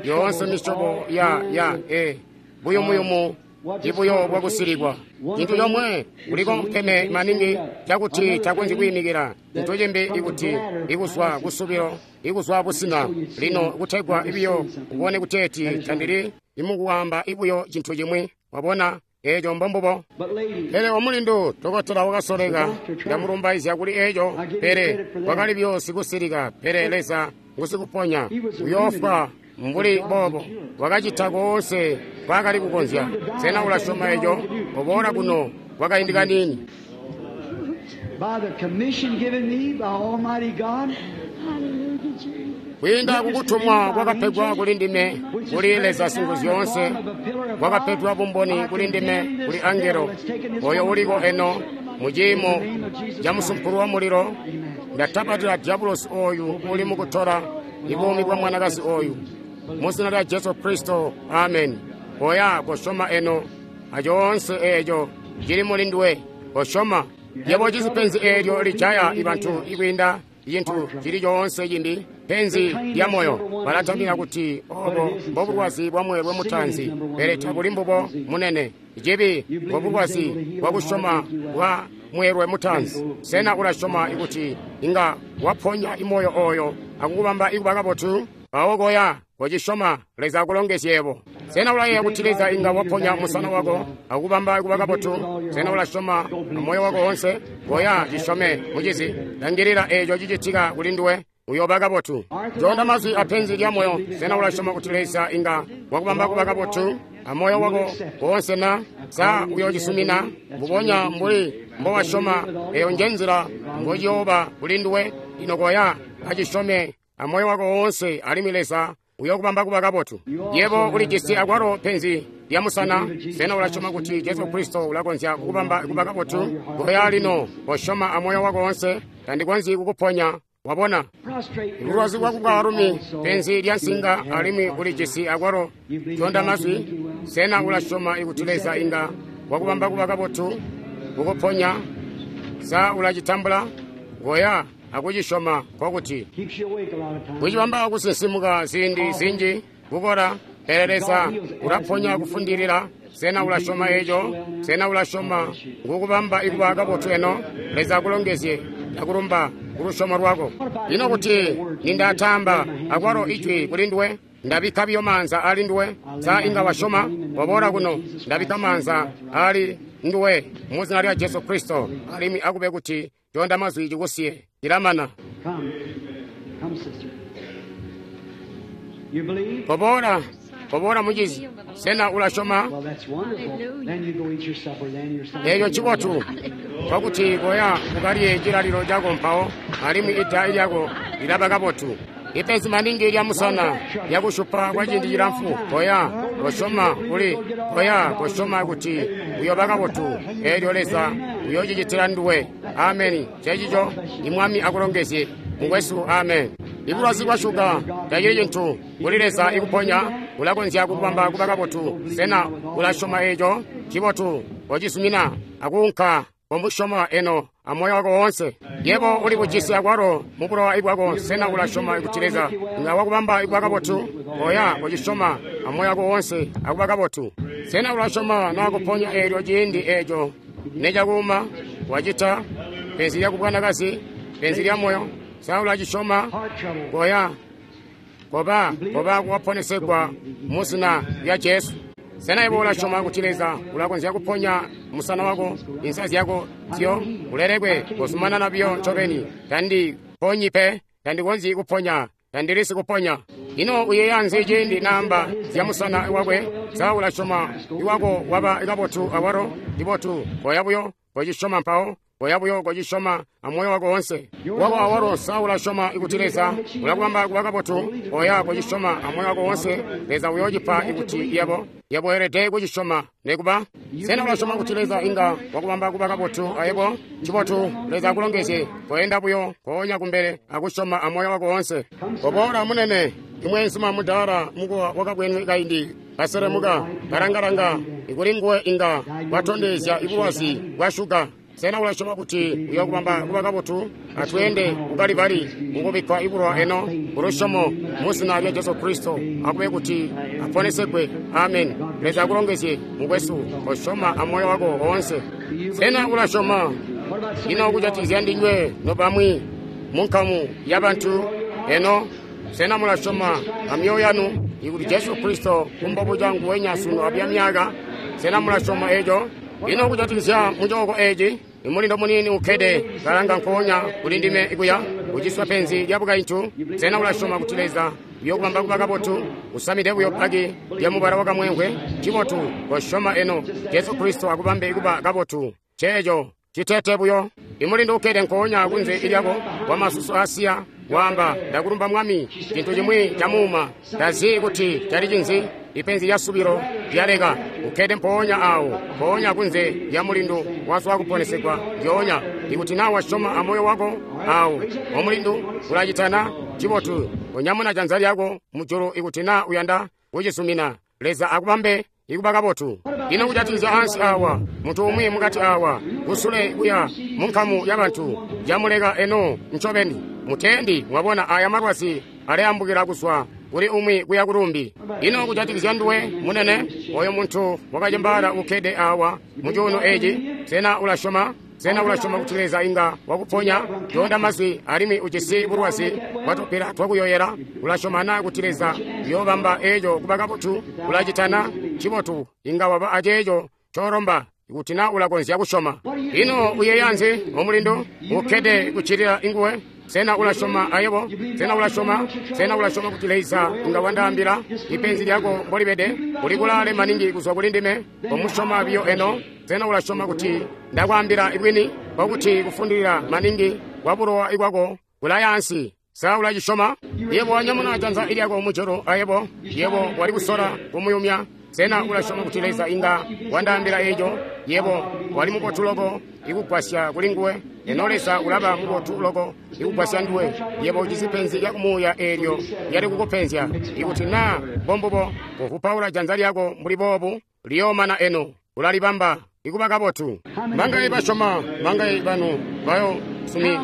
yoonse misyobo ya ya e buyumuyumu ibuyo bwakusilikwa. Cintu comwe kuliko mpeme maningi cakuti takonzyi kwiimikila. Cintu cimbi ikuti ikuzwa kusubilo ikuzwa busina. Lino kutegwa ibiyo ubone kuteeti tandili imukuwamba ibuyo cintu cimwi. Wabona eeco mbombubo. Pele omulindu dokotela wakasoleka, ndamulumbaizya kuli eeco, pele wakali buyo sikusilika. Pele Leza ngusikuponya. Uyoofwa mbuli boobo. Wakacita koonse kwaakali kukonzya. Sena ulasyoma eco? Oboola kuno kwakaindi kaniini. Kwiinda kukutumwa kwakapegwa kuli ndime kuli Leza Singuzyoonse, kwakapegwa bumboni kuli ndime kuli angelo oyo uliko eno mu ciimo ca musumpulu wa mulilo. Ndatapatila diabulosi oyu uli mukutola ibuumi bwa mwanakazi oyu mu zina lya Jesu Kristo, amen. Oya kosyoma eno acoonse eeco cili muli nduwe. Kosyoma. Yebo cisi penzi eelyo lijaya ibantu ikwiinda cintu cili coonse cimbi, penzi lya moyo. Balatambila kuti obo mbobulwazi bwa mweelwe mutaanzi, pele tabuli mbubo munene. Cibi mbobulwazi bwakusyoma bwa mweelwe mutaanzi. Sena ulasyoma ikuti inga waponya imoyo oyo akukubamba ikuba kabotu? Mpawo koya kocisyoma. Leza akulongezye. Sena ulayeeya kuti Leza inga waponya musana wako akukubamba ikuba kabotu? Sena ulasyoma amoyo wako wonse? Koya cisyome, mucizi. Langilila eeco cicitika kuli nduwe, uyooba kabotu. Jonda mazwi apenzi lya moyo. Sena ulasyoma kuti Leza inga wakubamba kuba kabotu amoyo wako wonse na? Sa uyoocisumina mbubonya mbuli mbowasyoma? Eyo njenzila mbociyooba kuli nduwe. Lino koya acisyome amoyo wako wonse, alimwi Leza uyokubamba kuba kabotu. Yebo ulijisi akwalo penzi lya musana. Sena ulasyoma kuti Jesu Kristo ulakonzya kukubamba kuba kabotu? Koya lino kosyoma amoyo wako wonse. Tandikonzyi kukuponya. Wabona bulwazi bwa bwaalumi, penzi lya nsinga, alimwi ulijisi akwalo jonda mazwi. Sena ulasyoma ikuti Leza inga wakubamba kuba kabotu kukuponya? Sa ulacitambula? Koya akucisyoma. Nkokuti kucibamba kusinsimuka ziindi zinji kukola, pele Leza ulaponya kufundilila. Sena ulasyoma eco? Sena ulasyoma ngukubamba ikuba kabotu eno? Leza akulongezye. Ndakulumba kulusyomo lwako. Lino kuti nindatamba akwalo ijwi kuli nduwe, ndabikka biyo maanza ali nduwe. Sa inga wasyoma? Waboola kuno, ndabikka maanza ali nduwe mu zina lya Jesu Kristo, alimwi akube kuti jonda mazwi cikusiye. Cilamana. Koboola, koboola mucizi. Sena ulasyoma? Eeco ncibotu. Nkokuti koya ukalye cilalilo cako mpawo, alimwi ida lyako lilaba kabotu. Ipenzi maningi lya musana lyakushupa kwa ciindi cilamfu. Koya kosyoma kuli, koya kosyoma kuti uyoba kabotu. Eelyo Leza uyoocicitila nduwe. Ameni. Cecico. Imwami akulongezye mukwesu. Amen. Ibulwazi bwa shuga tacili cintu kuli Leza ikuponya. Ulakonzya kukubamba kuba kabotu. Sena ulasyoma eeco? Cibotu. Kocisumina akuunka komusyoma eno amoyo wako woonse. Yebo uli bujisi akwalo mubulowa ibwako. Sena ulasyoma kuti Leza inga wakubamba ikuba kabotu? Oya kocisyoma amoyo wako woonse akuba kabotu. Sena ulasyoma nakuponya eelyo ciindi eeco necakuuma? Wacita. Penzi lya kubwanakazi, penzi lya moyo. Sa ulacisyoma? Koya. Koba, koba kuwaponesegwa mu zina lya Jesu. Sena yebo ulasyoma kuti Leza ulakonzya kuponya musana wako, insa zyako zyo ulelekwe kozumanana biyo ncobeni. Tandi ponyi pe, tandikonzyi kuponya, tandilisi kuponya. Ino uyeeya nzi ciindi naamba zya musana wakwe? Sa ulasyoma iwako waba kabotu awalo? Cibotu, koya buyo kocisyoma mpawo. Koya buyo kocisyoma amoyo wako wonse. Wako awalo, sa ulasyoma ikuti Leza ulakubamba kuba kabotu? Koya kocisyoma amoyo wako wonse. Leza uyoocipa ikuti yebo yebo weelede kucisyoma nekuba. Sena ulasyoma kuti Leza inga wakubamba kuba kabotu ayebo? Cibotu, Leza akulongezye. Koenda buyo koonya kumbele akusyoma amoyo wako wonse. Koboola munene, imweenzuma mudaala mukuwa wakabwenwe kaindi kaselemuka kalangalanga ikuli nguwe inga watondezya ibulwazi bwa shuga. Sena ulasyoma kuti uyakubamba kuba kabotu? Atweende kukalibali mukubikkwa ibulwa eno kulusyomo mu zina lya Jesu Kristo, akube kuti aponesegwe. Amen. Leza akulongezye mukwesu, kosyoma amoyo wako woonse. Sena ulasyoma? Ino kujatikizya ndinywe nobamwi munkamu yabantu eno, sena mulasyoma amyoyo yanu ikuti Jesu Kristo kumbobuca nguwenya sunu abya myaka? Sena mulasyoma eco? Ino kujatikizya mucooko eci, imulindo muniini ukkede kalanga nkoonya kuli ndime ikuya uciswa penzi lya bukaintu. Sena ulasyoma kuti Leza uyokubamba kuba kabotu? Usamide buyo paki lya mubala wakamwenkwe. Cibotu, kosyoma eno Jesu Kristo akubambe kuba kabotu. Ceeco citete buyo. Imulindo ukkede nkoonya kunze ilyako wamasusu asiya waamba, ndakulumba Mwami, cintu cimwi camuuma. Tazi kuti cali cinzi. Ipenzi lya subilo lyaleka. Ukkede mpoonya awo, mpoonya kunze lya mulindu wazwa kuponesegwa ndyoonya. Ikuti naa wasyoma amoyo wako awo, omulindu ulacitana. Cibotu, onyamuna janza lyako mujulu ikuti naa uyanda kucisumina. Leza akubambe ikuba kabotu. Ino kujatikizya ansi awa, muntu umwi mukati awa, kusule kuya munkamu yabantu, yamuleka eno ncobeni. Mutendi mwabona aya malwazi aleyambukila kuzwa kuli umwi kuya kulumbi. Ino kujatikizya nduwe munene, oyo muntu wakacembaala ukkede awa mucuuno eci, sena ulasyoma? Sena ulasyoma kuti Leza inga wakuponya? Toonda mazwi alimwi ujisi bulwazi bwatupila twakuyoyela. Ulasyoma na kuti Leza uyoobamba eco kuba kabotu? Ulacitana? Cibotu, inga waba aceeco colomba ikuti na ulakonzya kusyoma. Ino uyeeya nzi omulindu ukkede kuccilila inguwe? Sena ulasyoma ayebo? Sena ulasyoma? Sena ulasyoma kuti Leza inga wandaambila ipenzi lyako mbolibede? Uli kulaale maningi kuzwa kuli ndime, omusyoma biyo eno. Sena ulasyoma kuti ndakwaambila ibwini kwakuti kufundilila maningi kwa bulowa ikwako kulayaansi? Sa ulacisyoma? Yebo wanyamuna janza ilyako mujulu ayebo, yebo wali kusola kumuyumya. Sena ulasyoma kuti Leza inga wandaambila eco? Yebo wali mubotu loko ikugwasya kuli nguwe. Eno Leza ulaba mubotu loko ikugwasya nduwe. Yebo ujisi penzi lya kumuuya eelyo lyali kukupenzya. Ikuti naa mbombubo, kovupaula janza lyako mbuli boobu, liyoomana eno. Ulalibamba ikuba kabotu. Mangayi basyoma, mangayi banu bayo sumi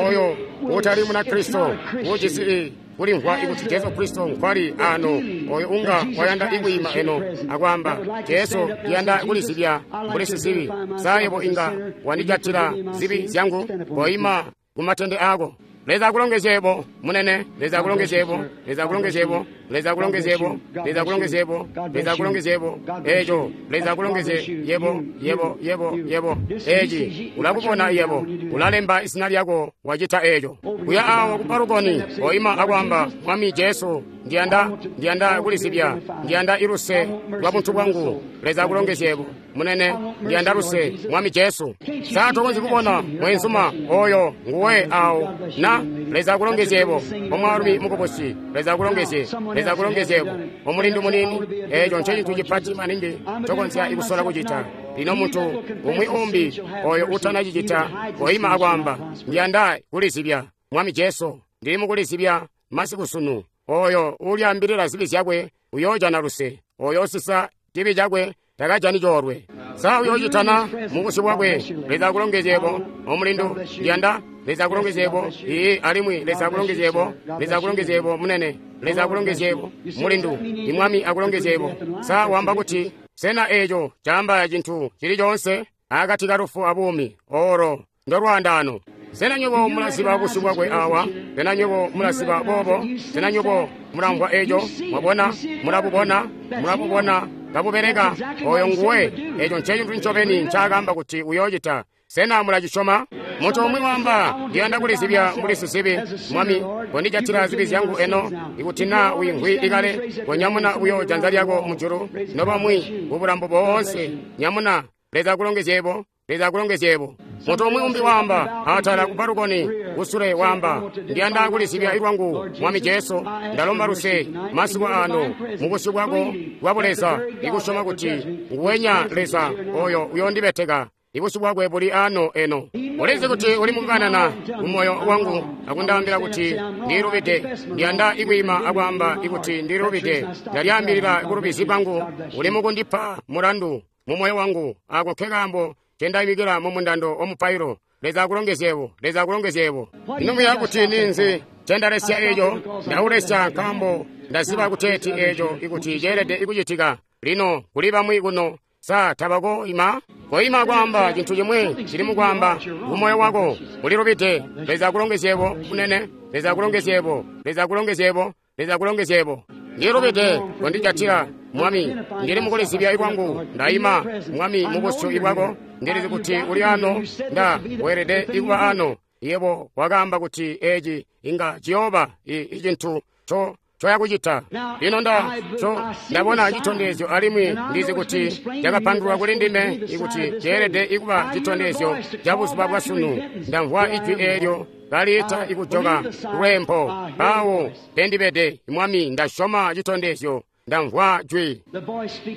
oyo utali muna Kristo ujisi kulimvwa ikuti Jesu Kristo nkwali ano, oyo unga wayanda ikwiima eno akwaamba, Jesu ndiyanda kulizibya mbuli sizibi. Sa yebo inga wandijatila zibi zyangu? Koima kumatende ako. Leza akulongezye yebo munene. Leza akulongezye yebo. Leza akulongezye yebo. Leza akulongezye yebo. Leza akulongezye yebo. Leza akulongezye yebo. Eco Leza akulongezye yebo, yebo, yebo, yebo. Eci ulakubona yebo, ulalemba izina lyako wacita eco. Kuya awo kubalukoni oima akwamba, Mwami Jesu, ndiyanda ndiyanda kulizibya, ndiyanda iluse lwa buntu bwangu. Leza akulongezye yebo munene, ndiyanda luse Mwami Jesu. Sa tokonzyi kubona mwenzuma oyo nguwe awo na Leza akulongezye yebo omwaalumi mukubusi. Leza akulongezye, Leza akulongezye yebo omulindu munini. Eco ncecintu cipati maningi tokonzya ikusola kucita. Lino muntu umwi umbi oyo utanacicita koima akwamba, ndiyanda kulizibya Mwami Jesu, ndili mukulizibya masiku sunu. Oyo ulyaambilila zibi zyakwe uyoojana luse, oyo osisa cibi cakwe takajani coolwe. Sa uyoocitana mubusyu bwakwe? Leza akulongezye yebo omulindu, ndiyanda. Leza akulongezye yebo ii, alimwi Leza akulongezye yebo. Leza akulongezye yebo munene. Leza akulongezye yebo mulindu. Imwami akulongezye yebo. Sa wamba kuti sena eco caamba cintu cili coonse akati ka lufu abuumi? Oro Ndolwaandaano. Sena nywebo mulaziba busyu bwakwe awa? Sena nywebo mulaziba boobo? Sena nywebo mulamvwa eco? Mwabona? Mulabubona? Mulabubona kabubeleka? Oyo nguwe. Eco ncecintu ncobeni ncaakaamba kuti uyoocita. Sena mulacisyoma? Muntu umwi waamba, ndiyanda kulizibya mbuli sizibi. Mwami, kondijatila zibi zyangu eno. Ikuti naa wiimvwi ikale, konyamuna buyo janza lyako mujulu. Nobamwi kubulambo boonse, nyamuna. Leza akulongezyebo. Leza akulongezyebo. Muntu umwi umbi waamba, atala ku balukoni, kusule waamba, ndiyanda kulizibya ilwangu, Mwami Jesu, ndalomba luse masiku ano mubusyu bwako bwa Buleza, ikusyoma kuti nguwenya Leza oyo uyondibeteka. Ibusyu bwakwe buli ano eno. Ulizi kuti uli mukukanana mumoyo wangu akundaambila kuti ndilubide. Ndiyanda ikwiima akwaamba ikuti ndilubide. Ndalyaambilila kulubizi bwangu. Uli mukundipa mulandu mumoyo wangu. Ako nkekaambo ncendayimikila mumundando omupailo. Leza akulongezyebo. Leza akulongezyebo. Ino muya kuti ninzi ncendalesya eco? Ndaulesya nkaambo ndaziba kuteeti eco ikuti ceelede ikucitika. Lino kuli bamwi kuno. Sa tabakoima? Koima kwaamba cintu cimwi cili mukwaamba kumoyo wako. Ulilubide. Leza akulongezyebo munene. Leza akulongezyebo. Leza akulongezyebo. Leza akulongezyebo. Ndilubide. Kondijatila Mwami, ndili mukulizibya ikwangu. Ndaima Mwami mubusyu ibwako. Ndilizi kuti uli ano. Nda weelede ikuba ano. Yebo wakaamba kuti eci inga ciyooba icintu co coyakucita. Lino nda co ndabona citondezyo alimwi ndizi kuti cakapandulwa kuli ndime ikuti ceelede ikuba citondezyo ca buzuba bwa sunu. Ndamvwa ijwi eelyo kaliita ikujoka lwempo. Awo pendibede Mwami, ndasyoma citondezyo. Ndamvwa jwi.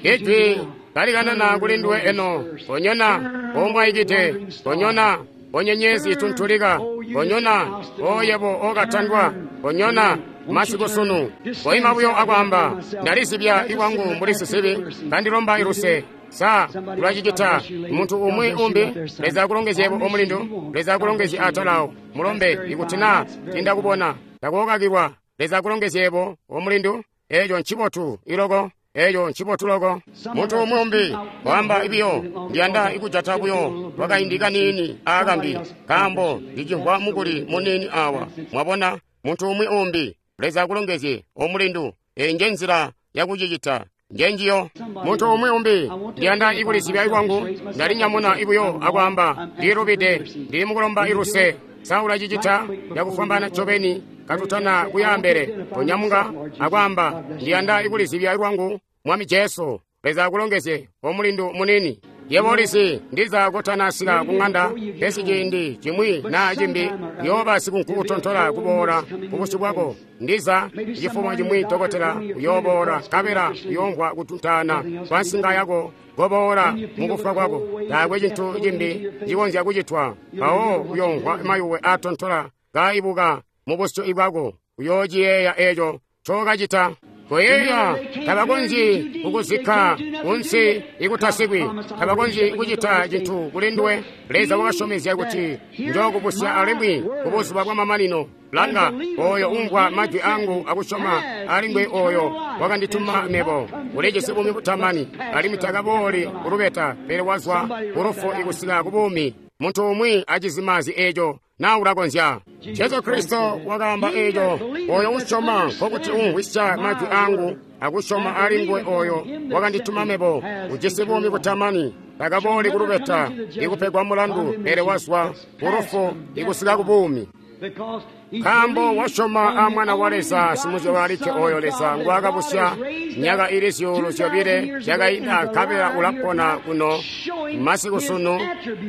Ijwi kalikanana kuli nduwe eno. Konyona omwayikite. Konyona onyenyezi ituntulika. Konyona oyebo okatandwa. Konyona masiku sunu. Koima buyo akwaamba, ndalizibya ikwangu mbuli sisibi, kandilomba iluse. Sa ulacicita muntu umwi umbi? Leza akulongezyebo omulindu. Leza akulongezye atalawo mulombe. Ikuti naa tindakubona, takookakilwa. Leza akulongezyebo omulindu. Eco ncibotu iloko. Eco ncibotu loko. Muntu umwi umbi waamba ibiyo, ndiyanda ikujata buyo lwakaindi kaniini aakambi, nkaambo ndicimvwa mukuli muniini awa. Mwabona? Muntu umwi umbi. Leza akulongezye omulindu. Eyi nje nzila yakucicita. Njenjiyo. Muntu umwi umbi, ndiyanda ikulizibya ikwangu. Ndalinyamuna ibuyo akwaamba, ndilubide. Ndili mukulomba iluse. Sa ulacicita yakufwambaana ncobeni katutana kuyaambele. Konyamuka akwaamba, ndiyanda ikulizibya ikwangu, Mwami Jesu. Leza akulongezye omulindu munini. Yebo ulizi ndiza kotanasika ku ng'anda, pesi ciindi cimwi naa cimbi uyooba sikunkukutontola kuboola kubusyu bwako. Ndiza cifumo cimwi dokotela uyooboola, nkabela uyoomvwa kutuntaana kwa nsinga yako koboola mukufwa kwako. Taakwe cintu cimbi cikonzya kucitwa. Mpawo uyoomvwa mayuwe aatontola kaibuka mubusyu bwako. Uyoociyeeya eco ncokacita. Koyeeya, tabakonzyi kukuzikka kunsi ikutasikwi. Tabakonzyi kucita cintu kuli nduwe. Leza wakasyomezya kuti njookubusya alimwi kubuzuba bwamamanino. Langa, oyo umvwa majwi angu akusyoma alimwi oyo wakandituma mebo ulijisi buumi butamani, alimwi takabooli kulubeta, pele wazwa kulufu ikusika kubuumi. Muntu umwi acizimazi eco naa ulakonzya. Jesu Kristo wakaamba eco, oyo usyoma nkokuti umvwisya majwi angu akusyoma alinguwe oyo wakandituma mebo ujisi buumi butamani, takabooli kulubeta ikupegwa mulandu, pele wazwa kulufu ikusika kubuumi. Nkaambo wasyoma a Mwana wa Leza simuzyalwa alikke oyo Leza ngwaakabusya myaka ili zyuulu zyobile zyakainda, nkabela ulapona kuno masiku sunu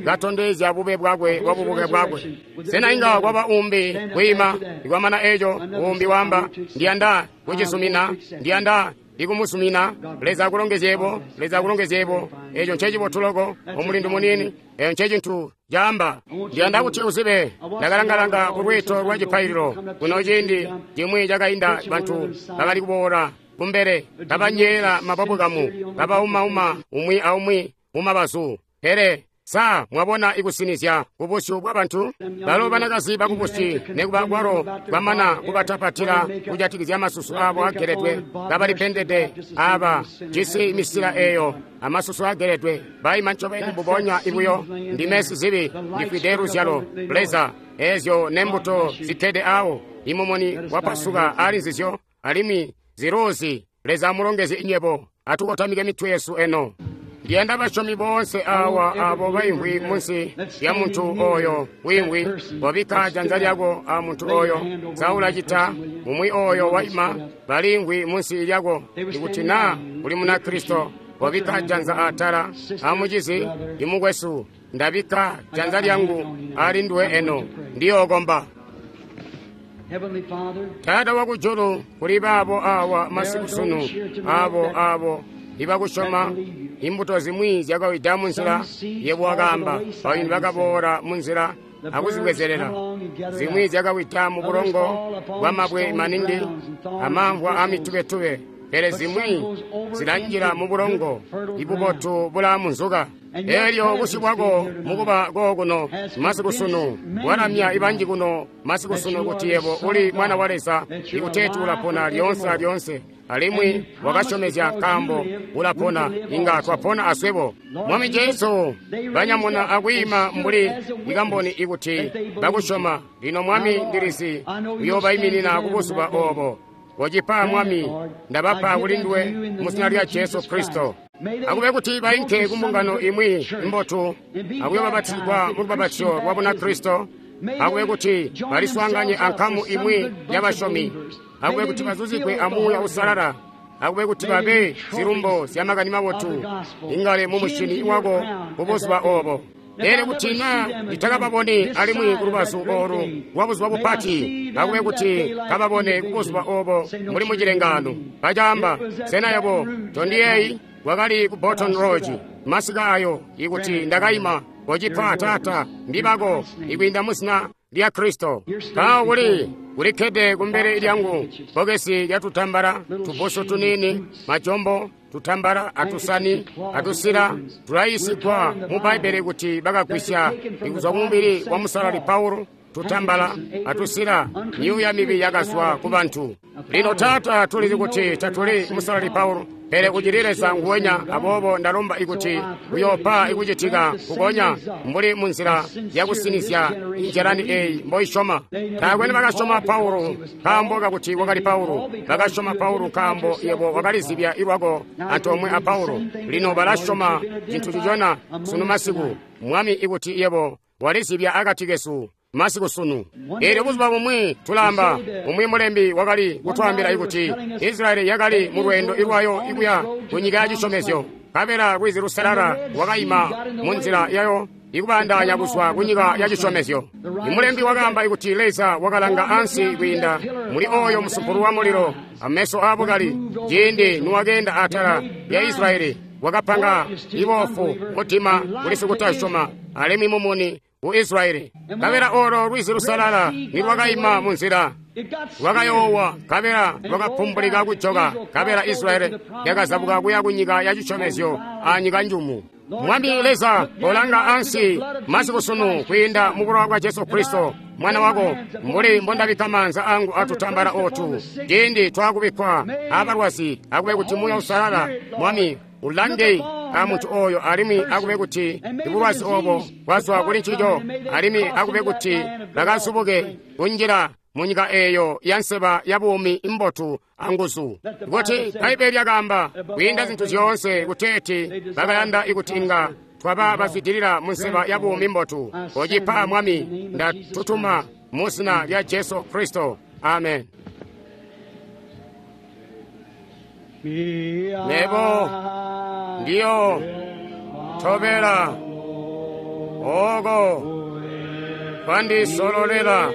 katondezya bube bwakwe bwa bubuke bwakwe. Sena inga kwaba umbi kwiima ikwamana eco? Umbi waamba, ndiyanda kucizumina, ndiyanda ikumusumina. Leza akulongezyebo. Leza akulongezyebo. Eco ncecibotu loko, omulindu munini. Eco ncecintu caamba. Ndiyanda kuti uzibe. Ndakalangalanga kulwiito lwa cipaililo kuno ciindi cimwi cakainda. Bantu bakali kuboola kumbele kabanyeela mapapu kamu, kabaumauma umwi aumwi mumabazu. Pele Sa mwabona ikusinizya kubusyu bwa bantu? Balo banakazi bakubusi nekuba kwalo kwamana kubatapatila kujatikizya masusu abo ageledwe, kabalipendede aba jisi misila eyo amasusu ageledwe, baima ncobeni mbubonya ibuyo. Ndime sizibi, ndifwide luzyalo. Leza, ezyo nembuto zikkede awo, imumuni wapasuka ali nzizyo, alimwi ziruzi. Leza amulongezye inyebo. Atukotamike mitwe yesu eno. Ndiyanda basyomi boonse awa abo baimvwi munsi lya muntu oyo wiimvwi, wabikka janza lyako a muntu oyo. Sa ulacita umwi oyo waima balimvwi munsi lyako? Ikuti naa uli Munakristo, wabikka janza atala amucizi imukwesu. Ndabikka janza lyangu ali nduwe eno, ndiyookomba. Taata wakujulu, kuli baabo awa masiku sunu, abo abo ibakusyoma, imbuto zimwi zyakawida munzila, yebo wakaamba, bayuni bakaboola munzila akuzibwezelela. Zimwi zyakawida mu bulongo bwamabwe maningi amamvwa amitubetube, pele zimwi zilanjila mu bulongo ibubotu bula munzuka. Elyo busyu bwako mukuba kookuno masiku sunu walamya ibanji kuno masiku sunu kuti yebo uli mwana wa Leza, ikuteeti ulapona lyoonse alyoonse, alimwi wakasyomezya nkaambo ulapona, inga twapona aswebo. Mwami Jesu, banyamuna akwiima mbuli ikamboni ikuti bakusyoma. Lino Mwami, ndilizi uyoobayiminina kubuzuba obo. Wocipa Mwami, ndabapa kuli nduwe mu zina lya Jesu Kristo. Akube kuti bainke kumbungano imwi imbotu akuyoobapatizigwa mu lubapatizyo lwa Bunakristo. Akube kuti baliswaanganye ankamu imwi y'abasyomi. Akube kuti bazuzigwe amuuya usalala. Akube kuti babe zilumbo zya makani mabotu ingale mu musyini wako kubuzuba obo. Pele kuti naa nditakababone alimwi kulubazu olu lwa buzuba bupati, akube kuti kababone kubuzuba obo muli mucilengano. Bacaamba, sena yebo tondiyeeyi? Wakali ku Baton Rouge masika ayo, ikuti ndakaima kocipa Taata ndibako ikwiinda muzina lya Kristo. Mpawo kuli kulikkede kumbele lyangu bbokesi lya tutambala, tubusu tuniini, majombo, tutambala atusani atusila. Tulayiisigwa mu Bbaibbele kuti bakagwisya ikuzwa kumubili wa Musalali Paulo tutambala atusila, myuuya mibi yakazwa ku bantu. Lino Taata, tulizi kuti tatuli Musalali Paulo, pele ucili Leza nguwenya. Aboobo ndalomba ikuti uyoopa ikucitika kukonya mbuli munzila yakusinizya injalani eyi mboisyoma. Taakwe nibakasyoma Paulo nkaambo kakuti wakali Paulo, bakasyoma Paulo nkaambo yebo wakalizibya ilwako antoomwe a Paulo. Lino balasyoma cintu cicona sunu masiku, Mwami, ikuti yebo walizibya akati kesu masiku sunu. Eelyo buzuba bumwi tulamba, umwi mulembi wakali kutwaambila ikuti Israyeli yakali mu lweendo ilwayo ikuya ku nyika ya cisyomezyo, nkabela lwizi lusalala lwakaima mu nzila yayo ikubandaanya kuzwa ku nyika ya cisyomezyo. Imulembi wakaamba ikuti Leza wakalanga ansi kwiinda muli oyo musumpulu wa mulilo ameso aabukali ciindi niwakeenda atala ya Israyeli, wakapanga ibofu mutima kuli sikutasyoma alimwi mumuni ku Israyeli. Nkabela olo lwizi lusalala nilwakaima mu nzila, lwakayoowa, nkabela lwakapumbulika kujoka, nkabela Israyeli yakazabuka kuya ku nyika ya cisyomezyo a nyika njumu. Mwami Leza, kolanga ansi masiku sunu kwiinda mu bulowa bwa Jesu Kristo mwana wako, mbuli mbondabikka maanza angu atutambala otu ciindi twakubikkwa abalwazi. Akube kuti Muuya Usalala, Mwami, ulange a muntu oyo, alimwi akube kuti ibulwazi obo bwazwa kuli ncico, alimwi akube kuti bakazubuke kunjila mu nyika eyo ya nseba ya buumi imbotu anguzu. Kuti Bbaibbele lyakaamba kwiinda zintu zyoonse kuteeti bakayanda ikuti inga twaba bazwidilila mu nseba ya buumi mbotu. Kocipa Mwami, ndatutuma mu zina lya Jesu Kristo. Amen. Nebo ndiyo tobela oko kwandisololela.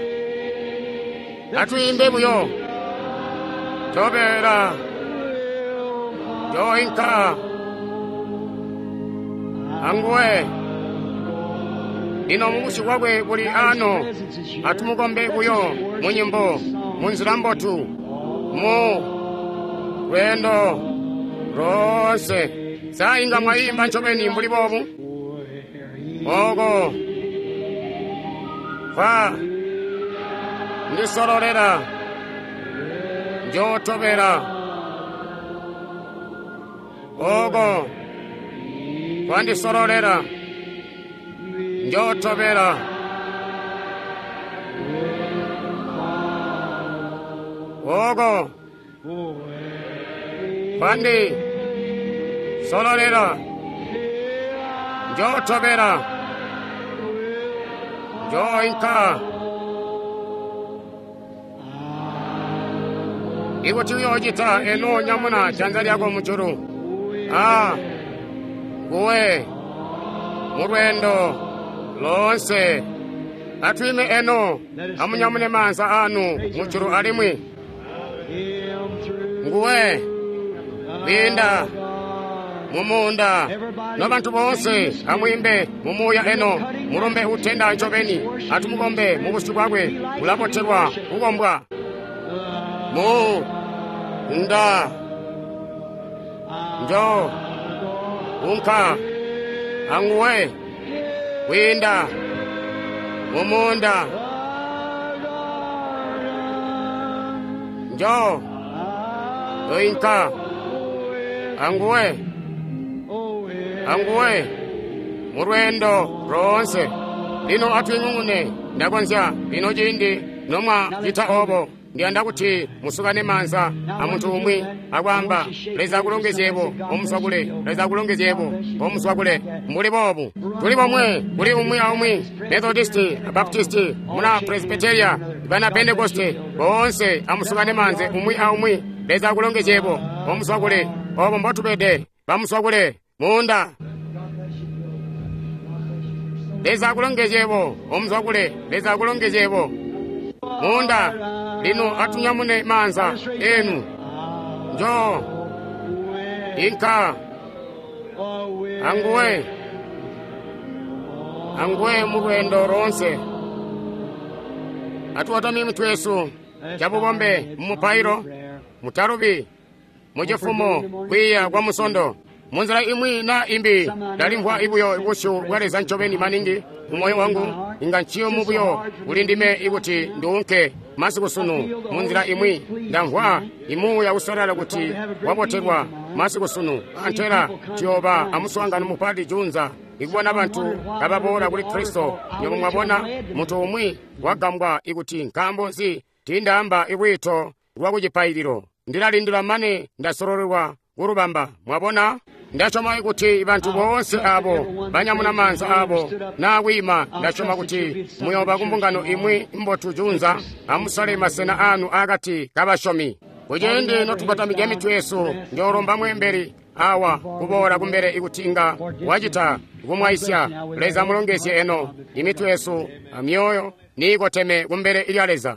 Atwiimbe buyo tobela yoinka anguwe. Lino mubusyu bwakwe buli ano, atumukombe buyo mu nyimbo, mu nzila mbotu, mu lweendo loonse. Sa inga mwayimba ncobeni mbuli boobu? Oko kwa ndisololela, njootobela. Oko kwandisololela, njootobela. Oko kwandisololela, njootobela. Njooinka. Ikuti uyoocita eno nyamuna janza lyako mujulu. A nguwe mulweendo loonse. Atwiime eno amunyamune maanza anu mujulu alimwi. Nguwe kwiinda mumuunda. Nobantu boonse amwiimbe mumuuya eno mulumbe utenda ncobeni. Atumukombe mubusyu bwakwe ulabotelwa kukombwa. Mu nda njo unka anguwe kwiinda mumuunda. Njo inka anguwe anguwe mulweendo loonse. Lino atwing'ung'une ndakonzya lino ciindi nomwa cita obo. Ndiyanda kuti musukane maanza amuntu umwi akwaamba Leza akulongezyebo omuswakule, Leza akulongezyebo omuswakule. Mbuli boobu tuli bomwe kuli umwi aumwi, Methodisti, Baptisti, muna Presbyteria, bana Pentekoste, boonse amusukane maanza umwi aumwi. Leza akulongezyebo omuswakule. Obo mbotubede bamuswakule muunda. Leza akulongezyebo omuswakule. Leza akulongezyebo muunda. Lino atunyamune maanza enu. Njo inka anguwe anguwe mulweendo loonse. Atuwatami mitwe yesu cabubombe mumupailo mutalubi mucifumo kwiiya kwa musondo. Munzila imwi na imbi ndalimvwa ibuyo busyu bwa Leza ncobeni maningi mumoyo wangu. Inga nciyumu buyo kuli ndime ikuti nduunke masiku sunu. Munzila imwi ndamvwa imuuya usalala kuti wabotelwa masiku sunu. Antela tuyooba amuswaangano mupati junza ikubona bantu kababoola kuli Kristo. Nywebo mwabona muntu umwi wagambwa ikuti nkaambo nzi tiindaamba ibwiito lwa kucipaililo. Ndilalindila mane ndasololelwa kulubamba. Mwabona? Ndasyoma kuti bantu boonse abo banyamuna maanza abo naa kwiima, ndasyoma kuti muyooba kumbungano imwi mbotu junza. Amusale masena anu akati kabasyomi. Kuciindi notukotamika mitwe yesu, njoolomba mweembeli awa kuboola kumbele ikuti inga wacita kumwaisya. Leza amulongezye eno imitwe yesu amyoyo niikoteme kumbele lya Leza.